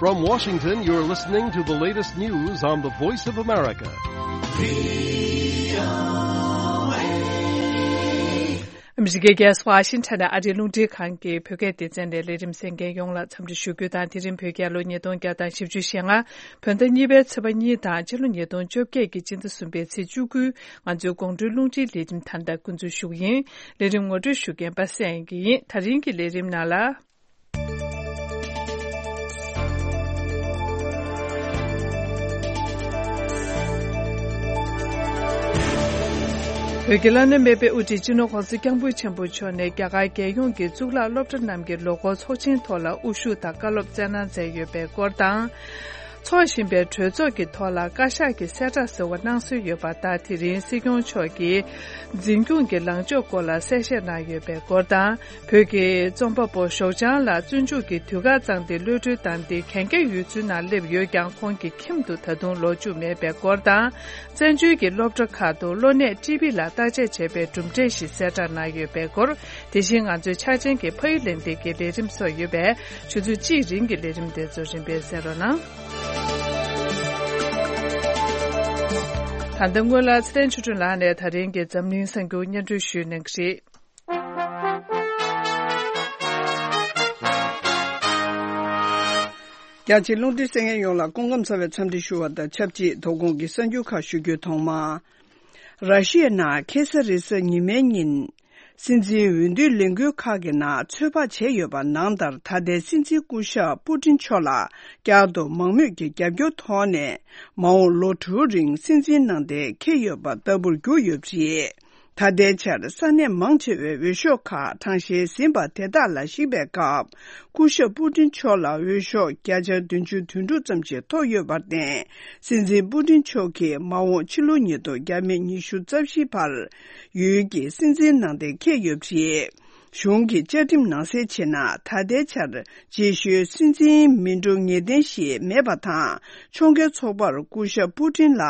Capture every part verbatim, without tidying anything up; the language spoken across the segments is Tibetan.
From Washington, you're listening to the latest news on the Voice of America. ཨ་མི་རི་ཀའི་རྒྱལ་ས་ཝ་ཤིང་ཊོན་ནས་ཨ་རིའི་རླུང་འཕྲིན་ཁང་གི་བོད་སྐད་སྡེ་ཚན་ནས་ལས་རིམ་གསན་མཁན་ཡོངས་ལ་འཚམས་འདྲི་ཞུ་རྒྱུ་དང་། དེ་རིང་བོད་རྒྱལ་ལོ་ཉིས་སྟོང་བརྒྱ་དང་བཞི་བཅུ་ཞེ་ལྔ། བོད་ཟླ་གཉིས་པའི་ཚེས་པ་གཉིས་དང་ཕྱི་ལོ་ཉིས་སྟོང་བཅོ་བརྒྱད་ཀྱི་སྤྱི་ཟླ་གསུམ་པའི་ཚེས་བཅུ་དགུ། ང་ཚོའི་དགོང་དྲོའི་རླུང་འཕྲིན་ལས་རིམ་ད་ལྟ་འགོ་འཛུགས་ཞུ་གི་ཡིན། ལས་རིམ་ངོ་སྤྲོད་ཞུ་མཁན་པ་སངས་དབྱངས་སྐྱིད་ཡིན། ད་རིང་གི་ལས་རིམ་ནང་ལ། བོད་ཀྱི་བླ་ན་མེད་པའི་དབུ་ཁྲིད་སྤྱི་ནོར་༸གོང་ས་༸སྐྱབས་མགོན་ཆེན་པོ་མཆོག་ནས་རྒྱ་གར་རྒྱལ་ཡོངས་ཀྱི་གཙུག་ལག་སློབ་གྲྭ་རྣམས་ཀྱི་ལོ་འཁོར་ཚོགས་ཆེན་ཐོག་ལ་དབུ་བཞུགས་དང་བཀའ་སློབ་སྩལ་གནང་མཛད་ཡོད་པའི་སྐོར་དང་། འཚོགས་བཞིན་པའི་གྲོས་ཚོགས་ཀྱི་ཐོག་ལ་བཀའ་ཤག་གི་གསལ་བསྒྲགས་ཟེར་བ་གནང་སྲོལ་ཡོད་པ་ལྟར། དེ་རིང་སྲིད་སྐྱོང་མཆོག་གིས་འཛིན་སྐྱོང་གི་ལངས་ཕྱོགས་སྐོར་ལ་གསལ་བཤད་གནང་ཡོད་པའི་སྐོར་དང་། བོད་ཀྱི་རྩོམ་པ་པོ་ཞའོ་ཅང་ལགས་བཙོན་འཇུག་གི་དུས་བཀག་བཏང་སྟེ་གློད་གྲོལ་བཏང་སྟེ་གན་རྒྱ་ཡུལ་ཚོའི་ནང་སླེབས་ཡོད་ཀྱང་། ཁོང་གི་ཁྱིམ་དུ་ད་དུང་ལོག་བཅུག་མེད་པའི་སྐོར་དང་། བཙན་བྱོལ་གྱི་སློབ་གྲྭ་ཁག་ཏུ་གློ་ནད་ཊི་བི་ལ་བརྟག་དཔྱད་བྱས་པའི་གྲུབ་འབྲས་ཤིག་གསལ་བསྒྲགས་གནང་ཡོད་པའི་སྐོར། དེ་བཞིན་ང་ཚོའི་འཆར་ཅན་གྱི་ཕ་ཡུལ་ལས་འདས་ཀྱི་ལས་རིམ་སོགས་ཡོད་པས། ཆུ་ཚོད་གཅིག་རིང་གི་ལས་རིམ་དེ་ཚོ་རིམ་པས་གསན་རོགས་གནང་། ད་ལྟ་སྔོན་ལ་ཚེ་བརྟན་ཆོས་སྒྲོན་ལགས་ནས་ད་རིང་གི་འཛམ་གླིང་གསར་འགྱུར་སྙན་སྒྲོན་ཞུས་གནང་གི་རེད། རྒྱ་ཆེའི་རླུང་འཕྲིན་གསན་མཁན་ཡོངས་ལ་སྐུ་ཁམས་བཟང་བའི་འཚམས་འདྲི་ཞུ་བ་དང་ཆབས་ཅིག་དོ་དགོང་གི་གསར་འགྱུར་ཁག་ཞུ་རྒྱུའི་ཐོག་མ། ར་ཤི་ཡའི་ནང་ཁེ་ས་རེ་ས་ཉི་མའི་ཉིན། སྲིད་འཛིན་འོས་བསྡུའི་ལས་འགུལ་ཁག་གི་ནང་ཚོད་དཔག་བྱས་ཡོད་པ་ནང་ལྟར། ད་ལྟའི་སྲིད་འཛིན་སྐུ་ཞབས་པུ་ཏིན་མཆོག་ལ་བསྐྱར་དུ་མང་མོས་ཀྱི་རྒྱབ་སྐྱོར་ཐོག་ནས། མ་འོངས་ལོ་དྲུག་རིང་སྲིད་འཛིན་གནང་སྟེ་འཁེལ་ཡོད་པ་ལྟ་བུར་གྱུར་ཡོད་པ་རེད། ད་ལྟའི་ཆར་ས་གནས་མང་ཆེ་བའི་འོས་ཤོག་ཁག་གྲངས་བཤེར་ཟིན་པ་དེ་དག་ལ་གཞིགས་པའི་སྐབས། སྐུ་ཞབས་པུ་ཏིན་མཆོག་ལ་འོས་ཤོག་བརྒྱ་ཆ་བདུན་ཅུ་དོན་དྲུག་ཙམ་ཞིག་ཐོབ་ཡོད་པར་བརྟེན། སྲིད་འཛིན་པུ་ཏིན་མཆོག་གིས་མ་འོངས་ཕྱི་ལོ་ཉིས་སྟོང་ཉི་ཤུ་རྩ་བཞི་བར་ཡུལ་གྱི་སྲིད་འཛིན་གནང་སྟེ་འཁེལ་ཡོད་པ་རེད། གཞུང་གིས་བཅའ་ཁྲིམས་ནང་གསལ་བྱས་ན། ད་ལྟའི་ཆར་རྗེས་ཤུལ་སྲིད་འཛིན་མི་འགྲོ་ངེས་གཏན་ཞིག་མེད་པ་དང་། ཕྱོགས་འགལ་ཚོགས་པར་སྐུ་ཞབས་པུ་ཏིན་ལ་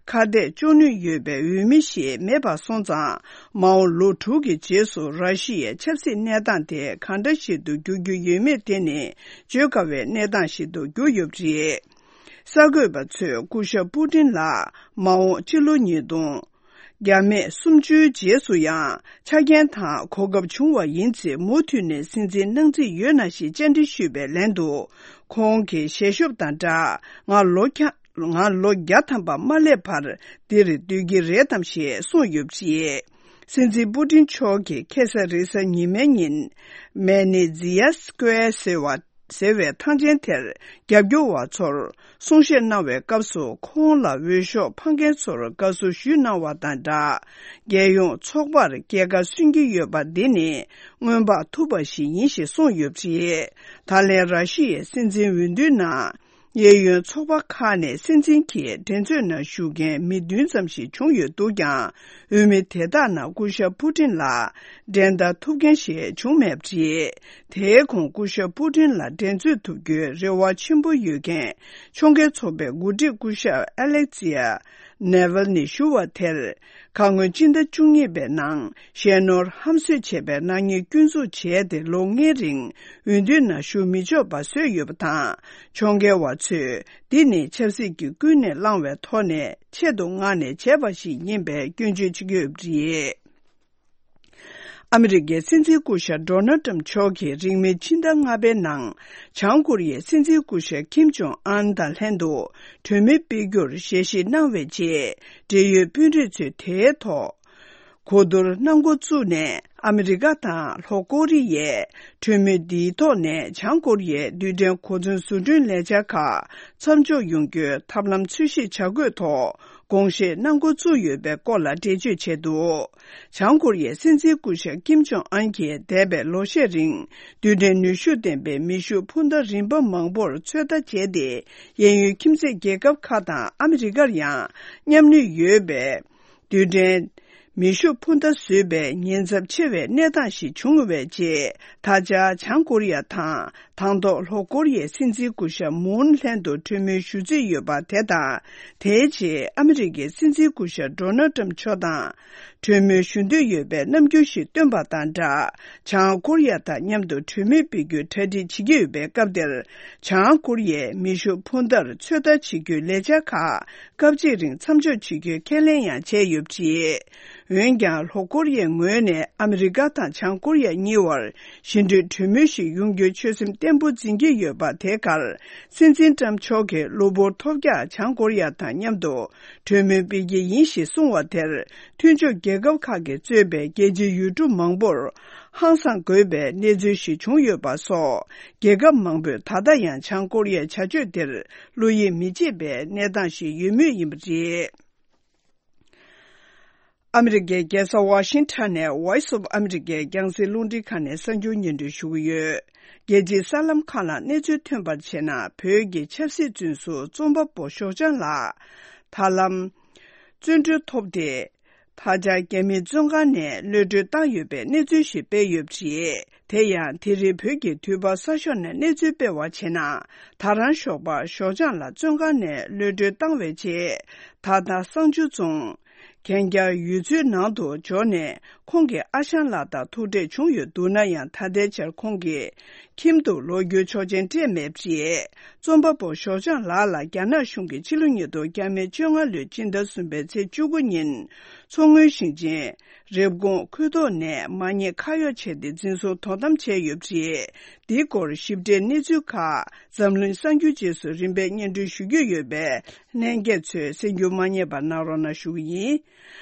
ཁ་གཏད་གཅོག་ནུས་ཡོད་པའི་འོས་མི་ཞིག་མེད་པ་སོང་ཙང་། མ་འོངས་ལོ་དྲུག་གི་རྗེས་སུ་ར་ཤི་ཡའི་ཆབ་སྲིད་གནས་སྟངས་དེ་གང་འདྲ་ཞིག་ཏུ་འགྱུར་རྒྱུ་ཡོད་མེད་དེ་ནི་བརྗོད་དཀའ་བའི་གནས་སྟངས་ཤིག་ཏུ་གྱུར་ཡོད་པ་རེད། གསར་འགོད་པ་ཚོས་སྐུ་ཞབས་པུ་ཏིན་ལ་མ་འོངས་ཕྱི་ལོ་ཉིས་སྟོང་། རྒྱ་མེད་གསུམ་བཅུའི་རྗེས་སུ་ཡང་ཆ་རྐྱེན་དང་གོ་སྐབས་བྱུང་བ་ཡིན་ཚེ། མུ་མཐུད་ནས་སྲིད་འཛིན་གནང་རྩིས་ཡོད་ན་ཞེས་བཅར་འདྲི་ཞུས་པའི་ལན་དུ། ཁོང་གིས་ཞལ་ཤོབ་དང་སྦྲགས། ང་ལོ་ཁྱ་ང་ལོ་བརྒྱ་ཐམ་པ་མ་སླེབས་བར་འདིར་སྡོད་ཀྱི་རེད་དམ་ཞེས་གསུངས་ཡོད་པ་རེད། སྲིད་འཛིན་པུ་ཏིན་མཆོག་གིས་ཁེ་ས་རེ་ས་ཉི་མའི་ཉིན། མེ་ནི་ཛི་ཡ་སྐོར་ཟེར་བ། ཟེར་བའི་ཐང་ཆེན་དེར་རྒྱབ་སྐྱོར་བ་ཚོར་གསུང་བཤད་གནང་བའི་སྐབས་སུ། ཁོང་ལ་འོས་ཤོག་འཕང་མཁན་ཚོར་དགའ་བསུ་ཞུས་གནང་བ་དང་སྦྲགས། རྒྱལ་ཡོངས་ཚོགས་པར་སྐྱེས་སྐར་སྲུང་གི་ཡོད་པ་འདི་ནི། སྔོན་དཔག་ཐུབ་པ་ཞིག་ཡིན་ཞེས་གསུངས་ཡོད་པ་རེད། ད་ལན་ར་ཤི་ཡའི་སྲིད་འཛིན་འོས་བསྡུའི་ནང་། གཡས་གཡོན་ཚོགས་པ་ཁག་ནས་སྲིད་འཛིན་གྱི་འགྲན་རྩོད་ནང་ཞུགས་མཁན་མི་བདུན་ཙམ་ཞིག་བྱུང་ཡོད་འདུག་ཀྱང་། འོས་མི་དེ་དག་ནང་སྐུ་ཞབས་པུ་ཏིན་ལ་འགྲན་ཟླ་ཐུབ་མཁན་ཞིག་བྱུང་མེད་པ་རེད། དེའི་གོང་སྐུ་ཞབས་པུ་ཏིན་ལ་འགྲན་རྩོད་ཐུབ་རྒྱུའི་རེ་བ་ཆེན་པོ་ཡོད་མཁན་ཕྱོགས་འགལ་ཚོགས་པའི་འགོ་ཁྲིད་སྐུ་ཞབས་ཨ་ལེག་ཛི་ཡ་ནེ་ཝལ་ནི་ཞུ་བ་དེར། ཁ་སྔོན་སྤྱི་ཟླ་བཅུ་གཉིས་པའི་ནང་ཞལ་ནོར་ཧམ་བཟོས་བྱས་པའི་ནག་ཉེས་སྐྱོན་འཛུགས་བྱས་ཏེ་ལོ་ལྔའི་རིང་འོས་བསྡུའི་ནང་ཞུགས་མི་ཆོག་པ་བཟོས་ཡོད་པ་དང་། ཕྱོགས་འགལ་བ་ཚོས་འདི་ནི་ཆབ་སྲིད་ཀྱི་ཀུན་ནས་བསླངས་པའི་ཐོག་ནས་ཆེད་དུ་མངགས་ནས་བྱས་པ་ཞིག་ཡིན་པའི་སྐྱོན་བརྗོད་བྱེད་ཀྱི་ཡོད་པ་རེད། ཨ་མི་རི་ཀའི་སྲིད་འཛིན་སྐུ་ཞབས་ཌོ་ནལ་ཊམ་མཆོག་གིས་རིང་མིན་ཕྱི་ཟླ་ལྔ་པའི་ནང་བྱང་ཀོ་རི་ཡའི་སྲིད་འཛིན་སྐུ་ཞབས་ཀིམ་ཇོང་ཨན་དང་ལྷན་དུ་གྲོས་མོལ་སྤེལ་རྒྱུར་ཞལ་བཞེས་གནང་བའི་རྗེས། འབྲེལ་ཡོད་དཔོན་རིགས་ཚོས་དེའི་ཐོག་གོ་བསྡུར་གནང་འགོ་བཙུགས་ནས། ཨ་མི་རི་ཀ་དང་ལྷོ་ཀོ་རི་ཡས་གྲོས་མོལ་འདིའི་ཐོག་ནས་བྱང་ཀོ་རི་ཡའི་རྡུལ་ཕྲན་གོ་མཚོན་བཟོ་སྐྲུན་ལས་འཆར་ཁག་མཚམས་འཇོག་ཡོང་རྒྱུའི་ཐབས་ལམ་འཚོལ་ཞིབ་བྱ་དགོས་ཐོག་དགོངས་བཞེས་གནང་འགོ་བཙུགས་ཡོད་པའི་སྐོར་ལ་འགྲེལ་བརྗོད་བྱས་འདུག་བྱང་ཀོ་རི་ཡའི་སྲིད་འཛིན་སྐུ་ཞབས་ཀིམ་ཇོང་ཨན་གྱིས་འདས་པའི་ལོ་ཤས་རིང་རྡུལ་ཕྲན་ནུས་ཤུགས་ལྡན་པའི་མེ་ཤུགས་འཕུར་མདའ་རིམ་པ་མང་པོར་ཚོད་ལྟ་བྱས་ཏེ། གཡས་གཡོན་ཁྱིམ་མཚེས་རྒྱལ་ཁབ་ཁག་དང་ཨ་མི་རི་ཀར་ཡང་མཉམ་ནུས་ཡོད་པའི། རྡུལ་ཕྲན་མེ་ཤུགས་འཕུར་མདའ་བཟོས་པའི་ཉེན་ཚབས་ཆེ་བའི་གནས་སྟངས་ཤིག་བྱུང་བའི་རྗེས། ད་ཆ་བྱང་ཀོ་རི་ཡ་དང་དང་ཐོག་ལྷོ་ཀོ་རི་ཡའི་སྲིད་འཛིན་སྐུ་ཞབས་མུན་ལྷན་དུ་གྲོས་མོལ་ཞུ་རྩིས་ཡོད་པ་དེ་དང་། དེའི་རྗེས་ཨ་མི་རི་ཀའི་སྲིད་འཛིན་སྐུ་ཞབས་ཌོ་ནལ་ཊམ་མཆོག་དང་ གྲོས་མོལ་ཞུ་འདོད་ཡོད་པའི་རྣམ་འགྱུར་ཞིག་བཏོན་པ་དང་སྦྲགས། བྱང་ཀོ་རི་ཡ་དང་མཉམ་དུ་གྲོས་མོལ་སྤེལ་རྒྱུའི་གྲ་སྒྲིག་བྱེད་ཀྱི་ཡོད་པའི་སྐབས་དེར། བྱང་ཀོ་རི་ཡས་མེ་ཤུགས་འཕུར་མདའ་ཚོད་ལྟ་བྱེད་རྒྱུའི་ལས་འཆར་ཁག་སྐབས་གཅིག་རིང་མཚམས་འཇོག་བྱེད་རྒྱུའི་ཁས་ལེན་ཡང་བྱས་ཡོད་པ་རེད། འོན་ཀྱང་། ལྷོ་ཀོ་རི་ཡའི་ངོས་ནས་ཨ་མི་རི་ཀ་དང་བྱང་ཀོ་རི་ཡ་གཉིས་བར་ཞི་འགྲིག་གྲོས་མོལ་ཞིག་ཡོང་རྒྱུའི་ཆོད་སེམས་བརྟན་པོ་འཛིན་གྱི་ཡོད་པ། དེའི་ཁར། སྲིད་འཛིན་ཏྲམ་མཆོག་གིས་གློ་བུར་ཐོལ་རྒྱག་བྱང་ཀོ་རི་ཡ་དང་མཉམ་དུ་གྲོས་མོལ་སྤེལ་གྱི་ཡིན་ཞེས་གསུངས་པ་དེར། མཐུན་ཕྱོགས་རྒྱལ་ཁབ་ཁག་གིས་གཙོས་པའི་རྒྱལ་སྤྱིའི་ཡུལ་གྲུ་མང་པོར་ཧང་སངས་དགོས་པའི་གནས་ཚུལ་ཞིག་བྱུང་ཡོད་པ་སོགས། རྒྱལ་ཁབ་མང་པོས་ད་ལྟ་ཡང་བྱང་ཀོ་རི་ཡའི་བྱ་སྤྱོད་དེར་བློ་ཡིད་མི་ཆེས་པའི་གནས་སྟངས་ཤིག་ཡོད་མུས་ཡིན་པ་རེད། ཨ་མི་རི་ཀའི་རྒྱལ་ས་ཝ་ཤིང་ཊོན་ནས་Voice of America་རྒྱང་སྲིང་རླུང་འཕྲིན་ཁང་ནས་གསར་འགྱུར་སྙན་སྒྲོན་ཞུ་གི་ཡོད། རྒྱལ་སྤྱིའི་གསར་ལམ་ཁག་ལ་གནས་ཚུལ་ཐོན་པར་བྱས་ན། བོད་ཀྱི་ཆབ་སྲིད་བཙོན་ཟུར་རྩོམ་པ་པོ་ཞོགས་ལྗང་ལགས་ད་ལམ་བཙོན་གྲོལ་ཐོབ་སྟེ། ད་ཆ་རྒྱ་མིའི་བཙོན་ཁང་ནས་གློད་གྲོལ་བཏང་ཡོད་པའི་གནས་ཚུལ་ཞིག་སྤེལ་ཡོད་པ་རེད། དེ་ཡང་། དེ་རིང་བོད་ཀྱི་དུས་བབ་གསར་ཤོག་ནས་གནས་ཚུལ་སྤེལ་བར་བྱས་ན། ད་རང་ཞོགས་པར་ཞོགས་ལྗང་ལགས་བཙོན་ཁང་ནས་གློད་གྲོལ་བཏང་བའི་རྗེས། ད་ལྟ་གསང་ཆུ་རྫོང་གན་རྒྱ་ཡུལ་ཚོའི་ནང་དུ་འབྱོར་ནས། ཁོང་གི་ཨ་ཞང་ལགས་དང་ཐུག་འཕྲད་བྱུང་ཡོད་འདུག་ན་ཡང་། ད་ལྟའི་ཆར་ཁོང་གི་ཁྱིམ་དུ་ལོག་རྒྱུའི་ཆོག་མཆན་སྤྲད་མེད་པ་རེད། རྩོམ་པ་པོ་ཞོགས་ལྗང་ལགས་ལ་རྒྱ་ནག་གཞུང་གིས་ཕྱི་ལོ་ཉིས་སྟོང་བརྒྱ་མེད་བཅོ་ལྔ་ལོའི་སྤྱི་ཟླ་གསུམ་པའི་ཚེས་བཅུ་དགུ་ཉིན། མཚོ་སྔོན་ཞིང་ཆེན་རེབ་གོང་ཁུལ་ཐོག་ནས་མ་ཉེས་ཁ་གཡོགས་བྱས་ཏེ་འཛིན་བཟུང་དོ་དམ་བྱས་ཡོད་པ་རེད། འདིའི་སྐོར་ཞིབ་ཕྲའི་གནས་ཚུལ་ཁག་འཛམ་གླིང་གསར་འགྱུར་རྗེས་སུ་རིམ་པས་སྙན་སྒྲོན་ཞུ་རྒྱུ་ཡོད་པས། ལྷན་རྒྱས་ཚོས་གསན་རྒྱུ་མ་བསྙེལ་བ་གནང་རོགས་གནང་ཞུ་གི་ཡིན།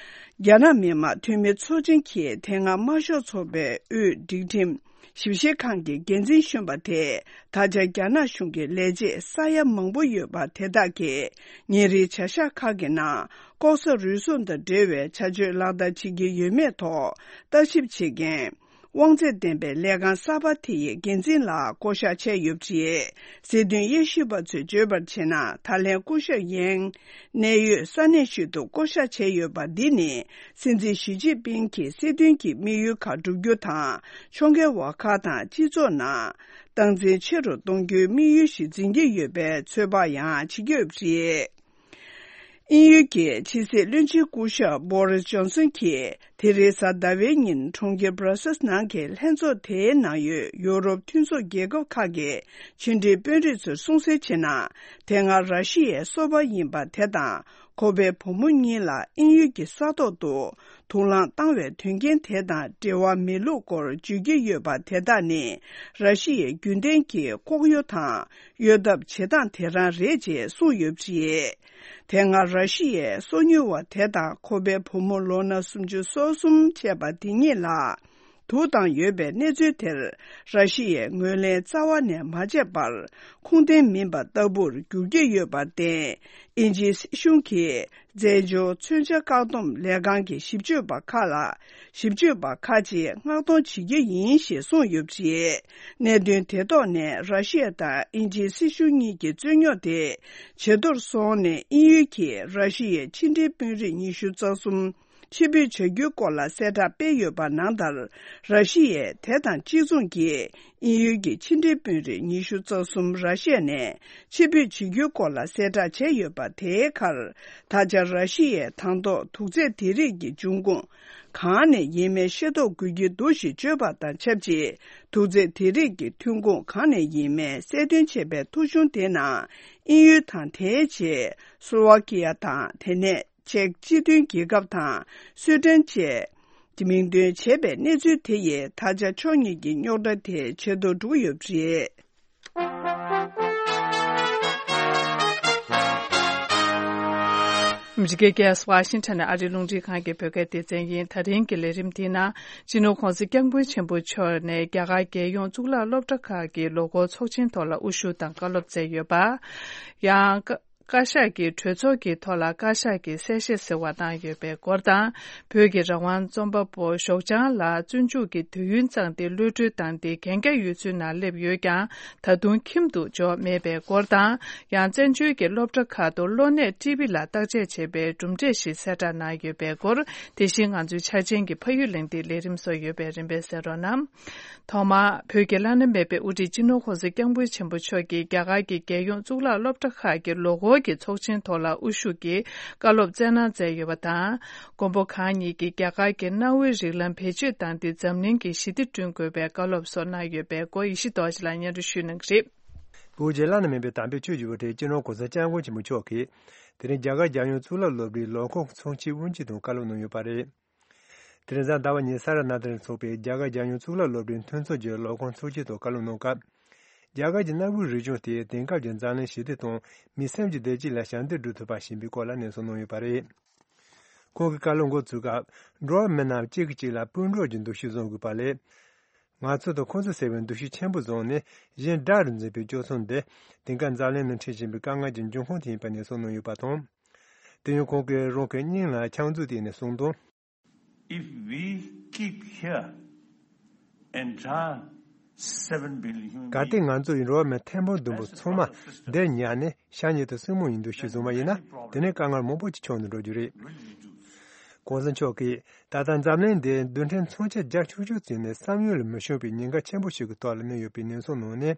རྒྱ་ནག་མི་དམངས་འཐུས་མི་ཚོགས་ཆེན་གྱིས་དེ་སྔ་དམར་ཤོག་ཚོགས་པའི་དབུས་སྒྲིག་ཁྲིམས་ཞིབ་བཤེར་ཁང་གི་འགན་འཛིན་གཞོན་པ་དེས། ད་ཆ་རྒྱ་ནག་གཞུང་གི་ལས་བྱེད་ས་ཡ་མང་པོ་ཡོད་པ་དེ་དག་གིས་ཉིན་རེའི་བྱ་གཞག་ཁག་གི་ནང་ལྐོག་ཟ་རུལ་སུངས་དང་འབྲེལ་བའི་བྱ་སྤྱོད་ལག་བསྟར་བྱེད་ཀྱི་ཡོད་མེད་ཐོག་ལྟ་ཞིབ་བྱེད་མཁན། དབང་ཚད་ལྡན་པའི་ལས་ཁང་གསར་པ་དེ་ཡི་འགན་འཛིན་ལ་བསྐོ་གཞག་བྱས་ཡོད་པ་རེད། སྲིད་དོན་དབྱེ་ཞིབ་པ་ཚོས་བརྗོད་པར་བྱས་ན། ད་ལན་སྐུ་ཞབས་ཡེང་གནས་ཡུལ་ས་གནས་ཤིག་ཏུ་བསྐོ་གཞག་བྱས་ཡོད་པ་འདི་ནི། སྲིད་འཛིན་ཞི་ཅིན་ཕིང་གི་སྲིད་དོན་གྱི་དམིགས་ཡུལ་ཁག་བསྒྲུབ་རྒྱུ་དང་། ཕྱོགས་འགལ་བ་ཁག་དང་སྤྱི་ཚོགས་ནང་སྟངས་འཛིན་ཆེ་རུ་གཏོང་རྒྱུའི་དམིགས་ཡུལ་ཞིག་འཛིན་གྱི་ཡོད་པའི་ཚོད་དཔག་ཡང་བྱེད་ཀྱི་ཡོད་པ་རེད། དབྱིན་ཡུལ་གྱི་ཕྱི་སྲིད་བློན་ཆེན་སྐུ་ཞབས་Boris Johnson་གྱིས། དེ་རིང་གཟའ་ཟླ་བའི་ཉིན་གྲོང་ཁྱེར་Brussels་ནང་གི་ལྷན་ཚོགས་དེའི་ནང་ཡོད་ཡུ་རོབ་མཐུན་ཚོགས་རྒྱལ་ཁབ་ཁག་གི་ཕྱི་འབྲེལ་དཔོན་རིགས་ཚོར་གསུང་གསལ་བྱས་ན། དེ་སྔ་ར་ཤི་ཡའི་སོ་པ་ཡིན་པ་དེ་དང་། ཁོ་པའི་བུ་མོ་གཉིས་ལ་དབྱིན་ཡུལ་གྱི་ས་ཐོག་ཏུ་དུག་རླངས་བཏང་བའི་དོན་རྐྱེན་དེ་དང་འབྲེལ་བ་མེད་ལུགས་སྐོར་བརྗོད་ཀྱི་ཡོད་པ་དེ་དག་ནི། ར་ཤི་ཡའི་རྒྱུན་ལྡན་གྱི་ལྐོག་གཡོ་དང་གཡོ་ཐབས་བྱེད་སྟངས་དེ་རང་རེད་ཅེས་གསུངས་ཡོད་པ་རེད། དེ་སྔ་ར་ཤི་ཡའི་སོ་ཉུལ་བ་དེ་དང་ཁོ་པའི་བུ་མོ་ལོ་ན་སུམ་ཅུ་སོ་གསུམ་བྱས་པ་དེ་གཉིས་ལ་དུག་བཏང་ཡོད་པའི་གནས་ཚུལ་དེར། ར་ཤི་ཡས་ངོས་ལེན་རྩ་བ་ནས་མ་བྱས་པར། ཁུངས་ལྡན་མིན་པ་ལྟ་བུར་འགྱུར་གྱི་ཡོད་པར་བརྟེན། དབྱིན་ཇིའི་སྲིད་གཞུང་གིས། རྩེད་འཇོ་མཚོན་ཆ་བཀག་སྡོམ་ལས་ཁང་གི་ཞིབ་དཔྱོད་པ་ཁག་ལ། ཞིབ་དཔྱོད་པ་ཁག་ཅིག་མངགས་གཏོང་བྱེད་ཀྱི་ཡིན་ཞེས་གསུངས་ཡོད་པ་རེད། གནད་དོན་དེ་ཐོག་ནས་ར་ཤི་ཡ་དང་དབྱིན་ཇིའི་སྲིད་གཞུང་གཉིས་ཀྱི་རྩོད་རྙོག་དེ་ཇེ་མཐོར་སོང་ནས། དབྱིན་ཡུལ་གྱིས་ར་ཤི་ཡའི་ཕྱི་འབྲེལ་དཔོན་རིགས་ཉི་ཤུ་རྩ་གསུམ་ཕྱིར་འབུད་བྱ་རྒྱུའི་སྐོར་ལ་གསལ་བསྒྲགས་སྤེལ་ཡོད་པ་ནང་ལྟར། ར་ཤི་ཡས་དེ་དང་གཅིག་མཚུངས་ཀྱིས། དབྱིན་ཡུལ་གྱི་ཕྱི་འབྲེལ་དཔོན་རིགས་ཉི་ཤུ་རྩ་གསུམ་ར་ཤི་ཡ་ནས་ཕྱིར་འབུད་བྱེད་རྒྱུའི་སྐོར་ལ་གསལ་བསྒྲགས་བྱས་ཡོད་པ། དེའི་ཁར། ད་ཆ་ར་ཤི་ཡས་དང་ཐོག་དུག་རྫས་དེ་རིགས་ཀྱི་འབྱུང་ཁུངས་གང་ནས་ཡིན་མིན་ཤེས་རྟོགས་དགོས་ཀྱི་འདུག་ཞེས་བརྗོད་པ་དང་ཆབས་ཅིག་དུག་རྫས་དེ་རིགས་ཀྱི་ཐོན་ཁུངས་གང་ནས་ཡིན་མིན་གསལ་སྟོན་བྱས་པའི་ཐོ་གཞུང་དེ་ནང་། དབྱིན་ཡུལ་དང་། དེའི་རྗེས་སུ་ལོ་ཝ་ཀི་ཡ་དང་། དེ་ནས། ཅེཀ་སྤྱི་མཐུན་རྒྱལ་ཁབ་དང་། སུའེ་ཏེན་བཅས་ཀྱི་མིང་འདོན་བྱས་པའི་གནས་ཚུལ་དེ་ཡིས། ད་ཆ་ཕྱོགས་གཉིས་ཀྱི་རྙོག་དྲ་དེ་ཇེ་མཐོར་འགྲོ་གི་ཡོད་པ་རེད། ཨ་མི་རི་ཀའི་རྒྱལ་ས་ཝ་ཤིང་ཊོན་ནས་ཨ་རིའི་རླུང་འཕྲིན་ཁང་གི་བོད་སྐད་སྡེ་ཚན་ཡིན། ད་རིང་གི་ལས་རིམ་འདིའི་ནང་། སྤྱི་ནོར་༸གོང་ས་༸སྐྱབས་མགོན་ཆེན་པོ་མཆོག་ནས་རྒྱ་གར་རྒྱལ་ཡོངས་གཙུག་ལག་སློབ་གྲྭ་ཁག་གི་ལོ་འཁོར་ཚོགས་ཆེན་ཐོག་ལ་དབུ་བཞུགས་དང་བཀའ་སློབ་སྩལ་ཡོད་པ། ཡང་། བཀའ་ཤག་གི་གྲོས་ཚོགས་ཀྱི་ཐོག་ལ་བཀའ་ཤག་གི་གསལ་བཤད་ཟེར་བ་གནང་ཡོད་པའི་སྐོར་དང་། བོད་ཀྱི་རང་དབང་རྩོམ་པ་པོ་ཞོགས་ལྗང་ལགས་བཙོན་འཇུག་གི་དུས་ཡུན་བཙོངས་ཏེ་གློད་གྲོལ་བཏང་སྟེ་གན་རྒྱ་ཡུལ་ཚོའི་ནང་སླེབས་ཡོད་ཀྱང་། ད་དུང་ཁྱིམ་དུ་འབྱོར་མེད་པའི་སྐོར་དང་། ཡང་བཙན་བྱོལ་གྱི་སློབ་གྲྭ་ཁག་ཏུ་གློ་ནད་ཊི་བི་ལ་བརྟག་དཔྱད་བྱེད་པའི་གྲུབ་འབྲས་ཤིག་གསལ་བསྒྲགས་གནང་ཡོད་པའི་སྐོར། དེ་བཞིན་ང་ཚོའི་འཆར་ཅན་གྱི་ཕ་ཡུལ་གླེང་སྟེགས་ལས་རིམ་སོགས་ཡོད་པས་རིམ་པས་གསན་རོགས་གནང་། ཐོག་མར། བོད་ཀྱི་བླ་ན་མེད་པའི་དབུ་ཁྲིད་སྤྱི་ནོར་༸གོང་ས་༸སྐྱབས་མགོན་ཆེན་པོ་མཆོག་གིས་རྒྱ་གར་གྱི་རྒྱལ་ཡོངས་གཙུག་ལག་སློབ་གྲྭ་ཁག་གི་ལོ་འཁོར། གི་ཚོགས་ཆེན་ཐོག་ལ་དབུ་བཞུགས་ཀྱིས་བཀའ་སློབ་སྩལ་གནང་མཛད་ཡོད་པ་དང་། མགོན་པོ་གང་ཉིད་ཀྱིས་རྒྱ་གར་གྱི་གནའ་བོའི་རིགས་ལམ་བེད་སྤྱོད་བཏང་སྟེ་འཛམ་གླིང་གི་ཞི་བདེ་བསྐྲུན་དགོས་པའི་བཀའ་སློབ་སོགས་གནང་ཡོད་པའི་སྐོར་ཡེ་ཤེས་རྡོ་རྗེ་ལགས་སྙན་སྒྲོན་ཞུ་གནང་གི་རེད། བོད་རྒྱལ་ལ་ནས་མིན་པའི་དམ་པའི་ཆོས་ཀྱི་དབུ་ཁྲིད་སྤྱི་ནོར་གོང་ས་སྐྱབས་མགོན་ཆེན་པོ་མཆོག་གིས། དེ་རིང་རྒྱ་གར་རྒྱལ་ཡོངས་གཙུག་ལག་སློབ་གྲྭའི་ལས་ཁུངས་ཚོགས་ཆེན་དབུ་འབྱེད་དང་བཀའ་སློབ་གནང་ཡོད་པ་རེད། དེ་རིང་གཟའ་ཟླ་བ་ཉིན་ས་ར་ནཱ་ཐར་ནས་ཚོགས་པའི་རྒྱ་གར་རྒྱལ་ཡོངས་གཙུག་ལག་སློབ་གྲྭའི་མཐུན་ཚོགས་ཀྱི་ལས་ཁུངས་ཚོགས་ཆེན་ཐོག་བཀའ་སློབ་གནང་སྐབས། རྒྱ་གར་གྱི་གནའ་བོའི་རིག་གཞུང་དེས་དེང་སྐབས་ཀྱི་འཛམ་གླིང་ཞི་བདེ་དང་མི་སེམས་ཀྱི་བདེ་སྐྱིད་ལ་ཞབས་འདེགས་སྒྲུབ་ཐུབ་པ་ཞིག་ཡིན་པའི་སྐོར་ལ་ནན་གསུང་གནང་ཡོད་པ་རེད། ཁོང་གིས་བཀའ་སློབ་འགོ་བཙུགས་སྐབས། འགྲོ་བ་མི་རྣམས་གཅིག་གིས་གཅིག་ལ་སྤུན་གྲོགས་ཀྱི་འདུ་ཤེས་བཟུང་དགོས་པ་ལས། ང་ཚོ་དང་ཁོ་ཚོ་ཟེར་བའི་འདུ་ཤེས་ཆེན་པོ་བཟུང་ནས་གཞན་དགྲ་རུ་འཛིན་པའི་སྤྱོད་ཚུལ་འདི་དེང་སྐབས་འཛམ་གླིང་ནང་འཕྲད་བཞིན་པའི་དཀའ་ངལ་གྱི་འབྱུང་ཁུངས་དེ་ཡིན་པ་ནན་གསུང་གནང་ཡོད་པ་དང་། དེ་ཡང་ཁོང་གིས་རང་གི་སྙིང་ལ་ཕྱག་མཛུབ་བསྟན་ནས་གསུངས་དོན། If we keep here entire seven billion human གལ་ཏེ་ང་ཚོ་ཡི་འགྲོ་བ་མི་ཐེར་འབུམ་བདུན་པོ་ཚང་མ་འདིར་ཉར་ནས་ཤ་ཉེ་དང་སྲིང་མོ་ཡི་འདུ་ཤེས་བཟུང་བ་ཡིན་ན། དེ་ནི་དཀའ་ངལ་མང་པོ་ཅིག་བྱུང་ནས་འགྲོ་རྒྱུ་རེད། གོང་ས་མཆོག་གིས་ད་ལྟ་འཛམ་གླིང་འདིའི་རྡུལ་ཕྲན་མཚོན་ཆ་རྒྱ་ཆུང་ཆུང་བརྩིས་ནས་བསམ་ཡུལ་ལ་མི་ཤོང་བའི་ཉེན་ཁ་ཆེན་པོ་ཞིག་གི་ཐོག་ལ་གནས་ཡོད་པའི་ནན་གསུང་གནང་ནས།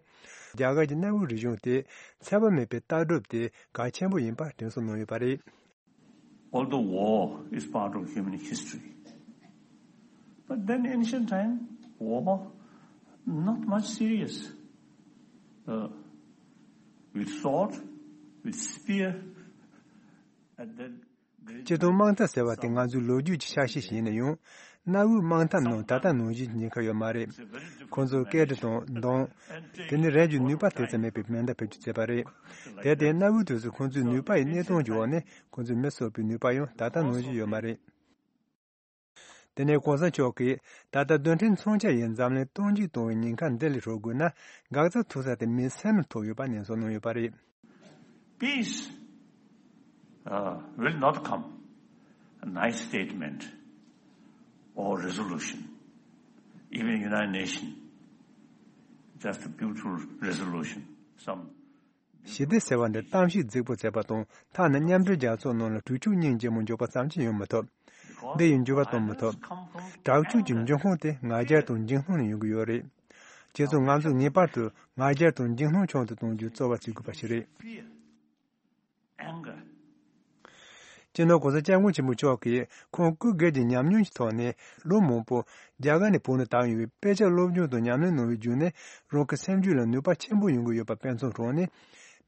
རྒྱ་གར་གྱི་གནའ་བོའི་རིག་གཞུང་དེ་ཚད་པ་མེད་པའི་ལྟ་གྲུབ་དེ་གལ་ཆེན་པོ་ཡིན་པ་དྲན་གསོ་གནང་ཡོད་པ་རེད། Although war is part of human history, but then ancient time, war not much serious. Uh, with sword, with spear, and then སྤྱིར་བཏང་དམག་འཐབ་ཟེར་བ་དེ་ང་ཚོའི་ལོ་རྒྱུས་ཀྱི་ཆ་ཤས་ཤིག་ཡིན་ན་ཡང་། གནའ་བོའི་དམག་འཐབ་ནང་ད་ལྟ་ནང་བཞིན་གྱི་ཉེན་ཁ་ཡོད་མ་རེད། ཁོང་ཚོར་སྐད་འཕྲིན་དང་མདུང་། དེ་ནི་རང་གི་ནུས་པ་དེ་ཙམ་མེད་པའི་མེ་མདའ་བེད་སྤྱོད་བྱས་པ་རེད། དེར་བརྟེན་གནའ་བོའི་དུས་སུ་ཁོང་ཚོའི་ནུས་པ་ཡི་གནས་སྟངས་ཀྱི་འོག་ནས་ཁོང་ཚོས་མི་གསོད་པའི་ནུས་པ་ཡང་ད་ལྟ་ནང་བཞིན་ཡོད་མ་རེད། དེ་ནས་གོང་ས་མཆོག་གིས་ད་ལྟ་རྡུལ་ཕྲན་མཚོན་ཆ་ཡིས་འཛམ་གླིང་སྟོབས་འབྱེད་གཏོང་བའི་ཉེན་ཁ་འདི་ལས་སྲུང་དགོས་ན། འགག་རྩ་ཐུག་ས་དེ་མི་སེམས་ལ་ཐུག་ཡོད་པ་ནན་གསུང་གནང་ཡོད་པ་རེད། Peace, uh, will not come a nice statement or resolution, even United Nations, just a beautiful resolution, some ཞི་བདེ་ཟེར་བ་འདི་གཏམ་བཤད་རྫིག་པོ་བྱས་པ་དང་། ཐ་ན་མཉམ་འབྲེལ་རྒྱལ་ཚོགས་ནང་ལ་གྲོས་ཆོད་སྙིང་རྗེ་མོ་འཇོག་པ་ཙམ་གྱིས་ཡོང་མི་ཐུབ། འདི་ཡིས་འགྱུར་བ་གཏོང་མི་ཐུབ། དྲག་སྤྱོད་ཀྱི་འབྱུང་ཁུངས་དེ་ང་རྒྱལ་དང་འཇིགས་སྣང་ནས་ཡོང་གི་ཡོད་རེད། བྱས་ཙང་ང་ཚོས་ངེས་པར་དུ་ང་རྒྱལ་དང་འཇིགས་སྣང་ཆུང་དུ་གཏོང་རྒྱུའི་རྩོལ་བ་བྱེད་དགོས་པ་ཞིག་རེད། སྤྱི་ནོར་གོང་ས་སྐྱབས་མགོན་ཆེན་པོ་མཆོག་གིས་ཁོང་སྐུ་སྒེར་གྱི་ཉམས་མྱོང་གི་ཐོག་ནས། ལོ་མང་པོ་རྒྱ་གར་ནས་བོད་ནང་བསྡད་ཡོད་པའི་དཔེ་ཆ་སློབ་སྦྱོང་དང་ཉམས་ལེན་གནང་བའི་བརྒྱུད་ནས། རང་གི་སེམས་རྒྱུད་ལ་ནུས་པ་ཆེན་པོ་ཡོང་གི་ཡོད་པ་དཔེ་མཚོན་དྲངས་ནས།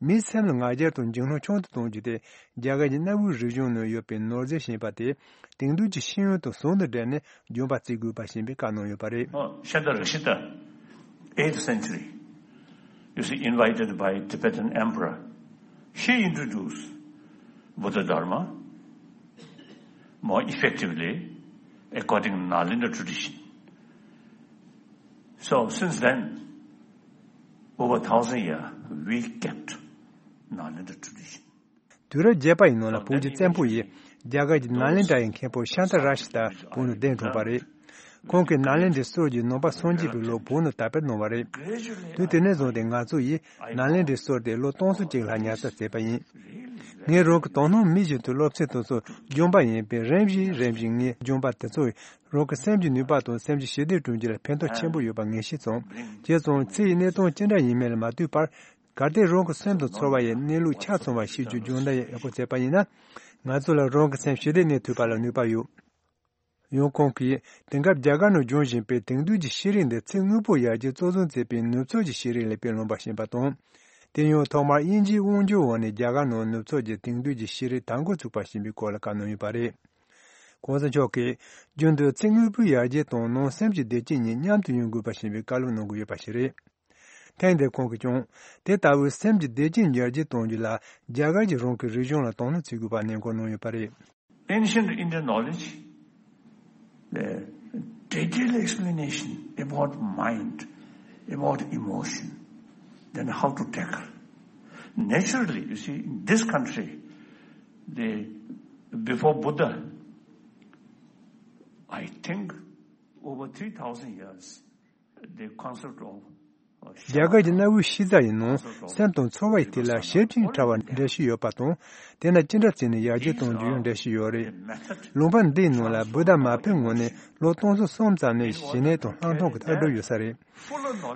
མིའི་སེམས་ལ་ང་རྒྱལ་དང་འཇིགས་སྣང་ཆུང་དུ་གཏོང་རྒྱུ་དེ། རྒྱ་གར་གྱི་གནའ་བོའི་རིག་གཞུང་ནང་ཡོད་པའི་ནོར་རྫས་ཤིག་ཡིན་པ་དེ། དེང་དུས་ཀྱི་ཤེས་ཡོན་དང་ཟུང་དུ་འབྲེལ་ནས་སྦྱོང་བ་བརྩི་དགོས་པ་ཞེས་པའི་བཀའ་གནང་ཡོད་པ་རེད། Oh, Shandrakshita, eighth century, you see, invited by Tibetan emperor, he introduced Buddha Dharma more effectively according to Nalanda tradition. So since then, over thousand years, we kept Nalanda tradition. དུས་རབས་བརྒྱད་པ་ཡི་ནང་ལ་བོད་ཀྱི་བཙན་པོ་ཡིས་རྒྱ་གར་གྱི་ནཱ་ལེནྡྲ་ཡི་མཁན་པོ་ཤཱནྟ་ར་ཤི་ཏ་བོད་ནང་གདན་དྲངས་པ་རེད། ཁོང་གིས་ནཱ་ལེནྡྲའི་སྲོལ་གྱི་ནང་པ་སངས་རྒྱས་པའི་ལུགས་བོད་ནང་དར་སྤེལ་གནང་བ་རེད། དུས་དེ་ནས་བཟུང་སྟེ་ང་ཚོ་ཡིས་ནཱ་ལེནྡྲའི་སྲོལ་དེ་ལོ་སྟོང་ཚོ་གཅིག་ལྷག་ཉར་ཚགས་བྱས་པ་ཡིན། ངས་རང་གི་དོ་སྣང་མི་བཞིན་དུ་སློབ་ཚན་དེ་ཚོ་སྦྱོང་པ་ཡིན་པས། རིམ་བཞིན་རིམ་བཞིན་ངས་སྦྱོང་པ་དེ་ཚོས་རང་གི་སེམས་ཀྱི་ནུས་པ་དང་སེམས་ཀྱི་ཞི་བདེ་བསྐྲུན་རྒྱུ་ལ་ཕན་ཐོགས་ཆེན་པོ་ཡོད་པ་ངས་ཤེས་སོང་། བྱས་ཙང་ཚེ་ཡི་གནས་སྟངས་ཅི་འདྲ་ཡིན་མིན་ལ་མ་ལྟོས་པར། གལ་ཏེ་རང་གི་སེམས་དང་ཚོར་བ་ཡི་གནས་ལུགས་ཆ་ཚང་བ་ཤེས་རྒྱུའི་སྦྱོང་བརྡར་ཡང་ཡག་པོ་བྱས་པ་ཡིན་ན། ང་ཚོ་ལ་རང་གི་སེམས་ཞི་བདེ་གནས་ཐུབ་པ་ལ་ནུས་པ་ཡོད། ཡང་ཁོང་གིས་དེང་སྐབས་རྒྱ་གར་ནང་འབྱུང་བཞིན་པའི་དེང་དུས་ཀྱི་ཤེས་རིག་འདི་ཚེ་སྔོན་པོ་ཡར་རྒྱས་གཙོ་བཟུང་བྱས་པའི་ནུབ་ཕྱོགས་ཀྱི་ཤེས་རིག་ལས་དཔེ་ལོན་པ་ཞིག་ཡིན་པ་དང་། དེ་ཡང་ཐོག་མར་དབྱིན་ཇིའི་དབང་སྒྱུར་འོག་ནས་རྒྱ་གར་ནང་ནུབ་ཕྱོགས་ཀྱི་དེང་དུས་ཀྱི་ཤེས་རིག་དར་འགོ་ཚུགས་པ་ཞིག་ཡིན་པའི་སྐོར་ལ་བཀའ་གནང་ཡོད་པ་རེད། གོང་ས་མཆོག་གིས་རྒྱུན་དུ་ཚེ་སྔོན་པོའི་ཡར་རྒྱས་དང་ནང་སེམས་ཀྱི་བདེ་སྐྱིད་གཉིས་མཉམ་དུ་ཡོང་དགོས་པ་ཞིག་ཡིན་པའི་བཀའ་སློབ་གནང་གི་ཡོད་པ་ཞིག་རེད། ཐེངས་འདིར་ཁོང་གིས་ཀྱང་དེ་ལྟ་བུའི་སེམས་ཀྱི་བདེ་སྐྱིད་ཡར་རྒྱས་གཏོང་རྒྱུ་ལ་རྒྱ་གར་གྱིས་རང་གི་རིག་གཞུང་ལ་དོ་སྣང་བྱེད་དགོས་པ་ནན་སྐུལ་གནང་ཡོད་པ་རེད། Ancient Indian knowledge, the detailed explanation about mind, about emotion, then how to tackle. Naturally, you see, in this country, the, before Buddha, I think over three thousand years, the concept of རྒྱ་གར་གྱི་གནའ་བོའི་གཤིས་རྩ་ཡི་ནང་སེམས་དང་ཚོར་བ་ཡི་ཐད་ལ་ཞིབ་ཅིང་ཕྲ་བ་འགྲེལ་བཤད་ཡོད་པ་དང་། དེ་ན་ཅི་འདྲ་བྱས་ནས་ཡར་རྒྱས་གཏོང་རྒྱུ་ཡང་འགྲེལ་བཤད་ཡོད་རེད། ལུང་པ་འདིའི་ནང་ལ་བུདྡྷ་མ་ཕེབས་སྔོན་ནས་ལོ་སྟོང་ཚོ་གསུམ་ཙམ་ནས་ཞི་གནས་དང་ལྷག་མཐོང་གི་ལྟ་གྲུབ་ཡོད་ས་རེད།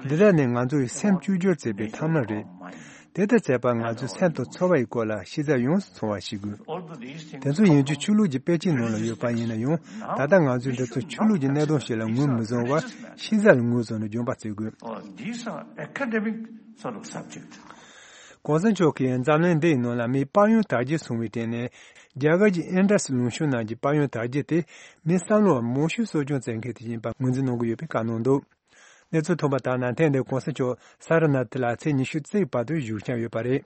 འདི་དག་ནི་ང་ཚོ་ཡི་སེམས་བཅོས་བསྒྱུར་བྱེད་པའི་ཐབས་ལམ་རེད། དེ་ལྟར་བྱས་པ་ང་ཚོའི་སེམས་དང་ཚོར་བ་ཡི་སྐོར་ལ་ཤེས་ཚད་ཡོངས་སུ་ཚང་བ་ཞིག་དགོས། དེ་ཚོ་ཡིན་རྒྱུ་ཆོས་ལུགས་ཀྱི་དཔེ་ཆའི་ནང་ལ་ཡོད་པ་ཡིན་ན་ཡང་། ད་ལྟ་ང་ཚོས་འདི་ཚོ་ཆོས་ལུགས་ཀྱི་གནད་དོན་ཞིག་ལ་ངོས་མི་བཟུང་བར་ཤེས་ཚད་ལ་ངོས་བཟུང་ནས་སྦྱོང་བ་བྱེད་དགོས། Oh, these are academic sort of subject. གོང་ས་མཆོག་གིས་འཛམ་གླིང་འདིའི་ནང་ལ་མིའི་དཔལ་ཡོན་དར་རྒྱས་སོང་བའི་སྟེང་ནས། རྒྱ་གར་གྱི་ཨིན་ཌ་སི་ལུང་གཤོང་ནང་གི་དཔལ་ཡོན་དར་རྒྱས་དེ་མིའི་བསམ་བློ་མང་ཤོས་གསོ་སྐྱོང་བྱེད་མཁན་དེ་ཡིན་པ་ངོས་འཛིན་གནང་གི་ཡོད་པའི་བཀའ་གནང་འདུག། གནས་ཚུལ་ཐོན་པ་ལྟར་ན། ཐེངས་འདིར་གོང་ས་མཆོག་ས་ར་ནཱ་ཐི་ལ་ཚེས་ཉི་ཤུ་རྩ་གཅིག་བར་དུ་བཞུགས་འཆར་ཡོད་པ་རེད།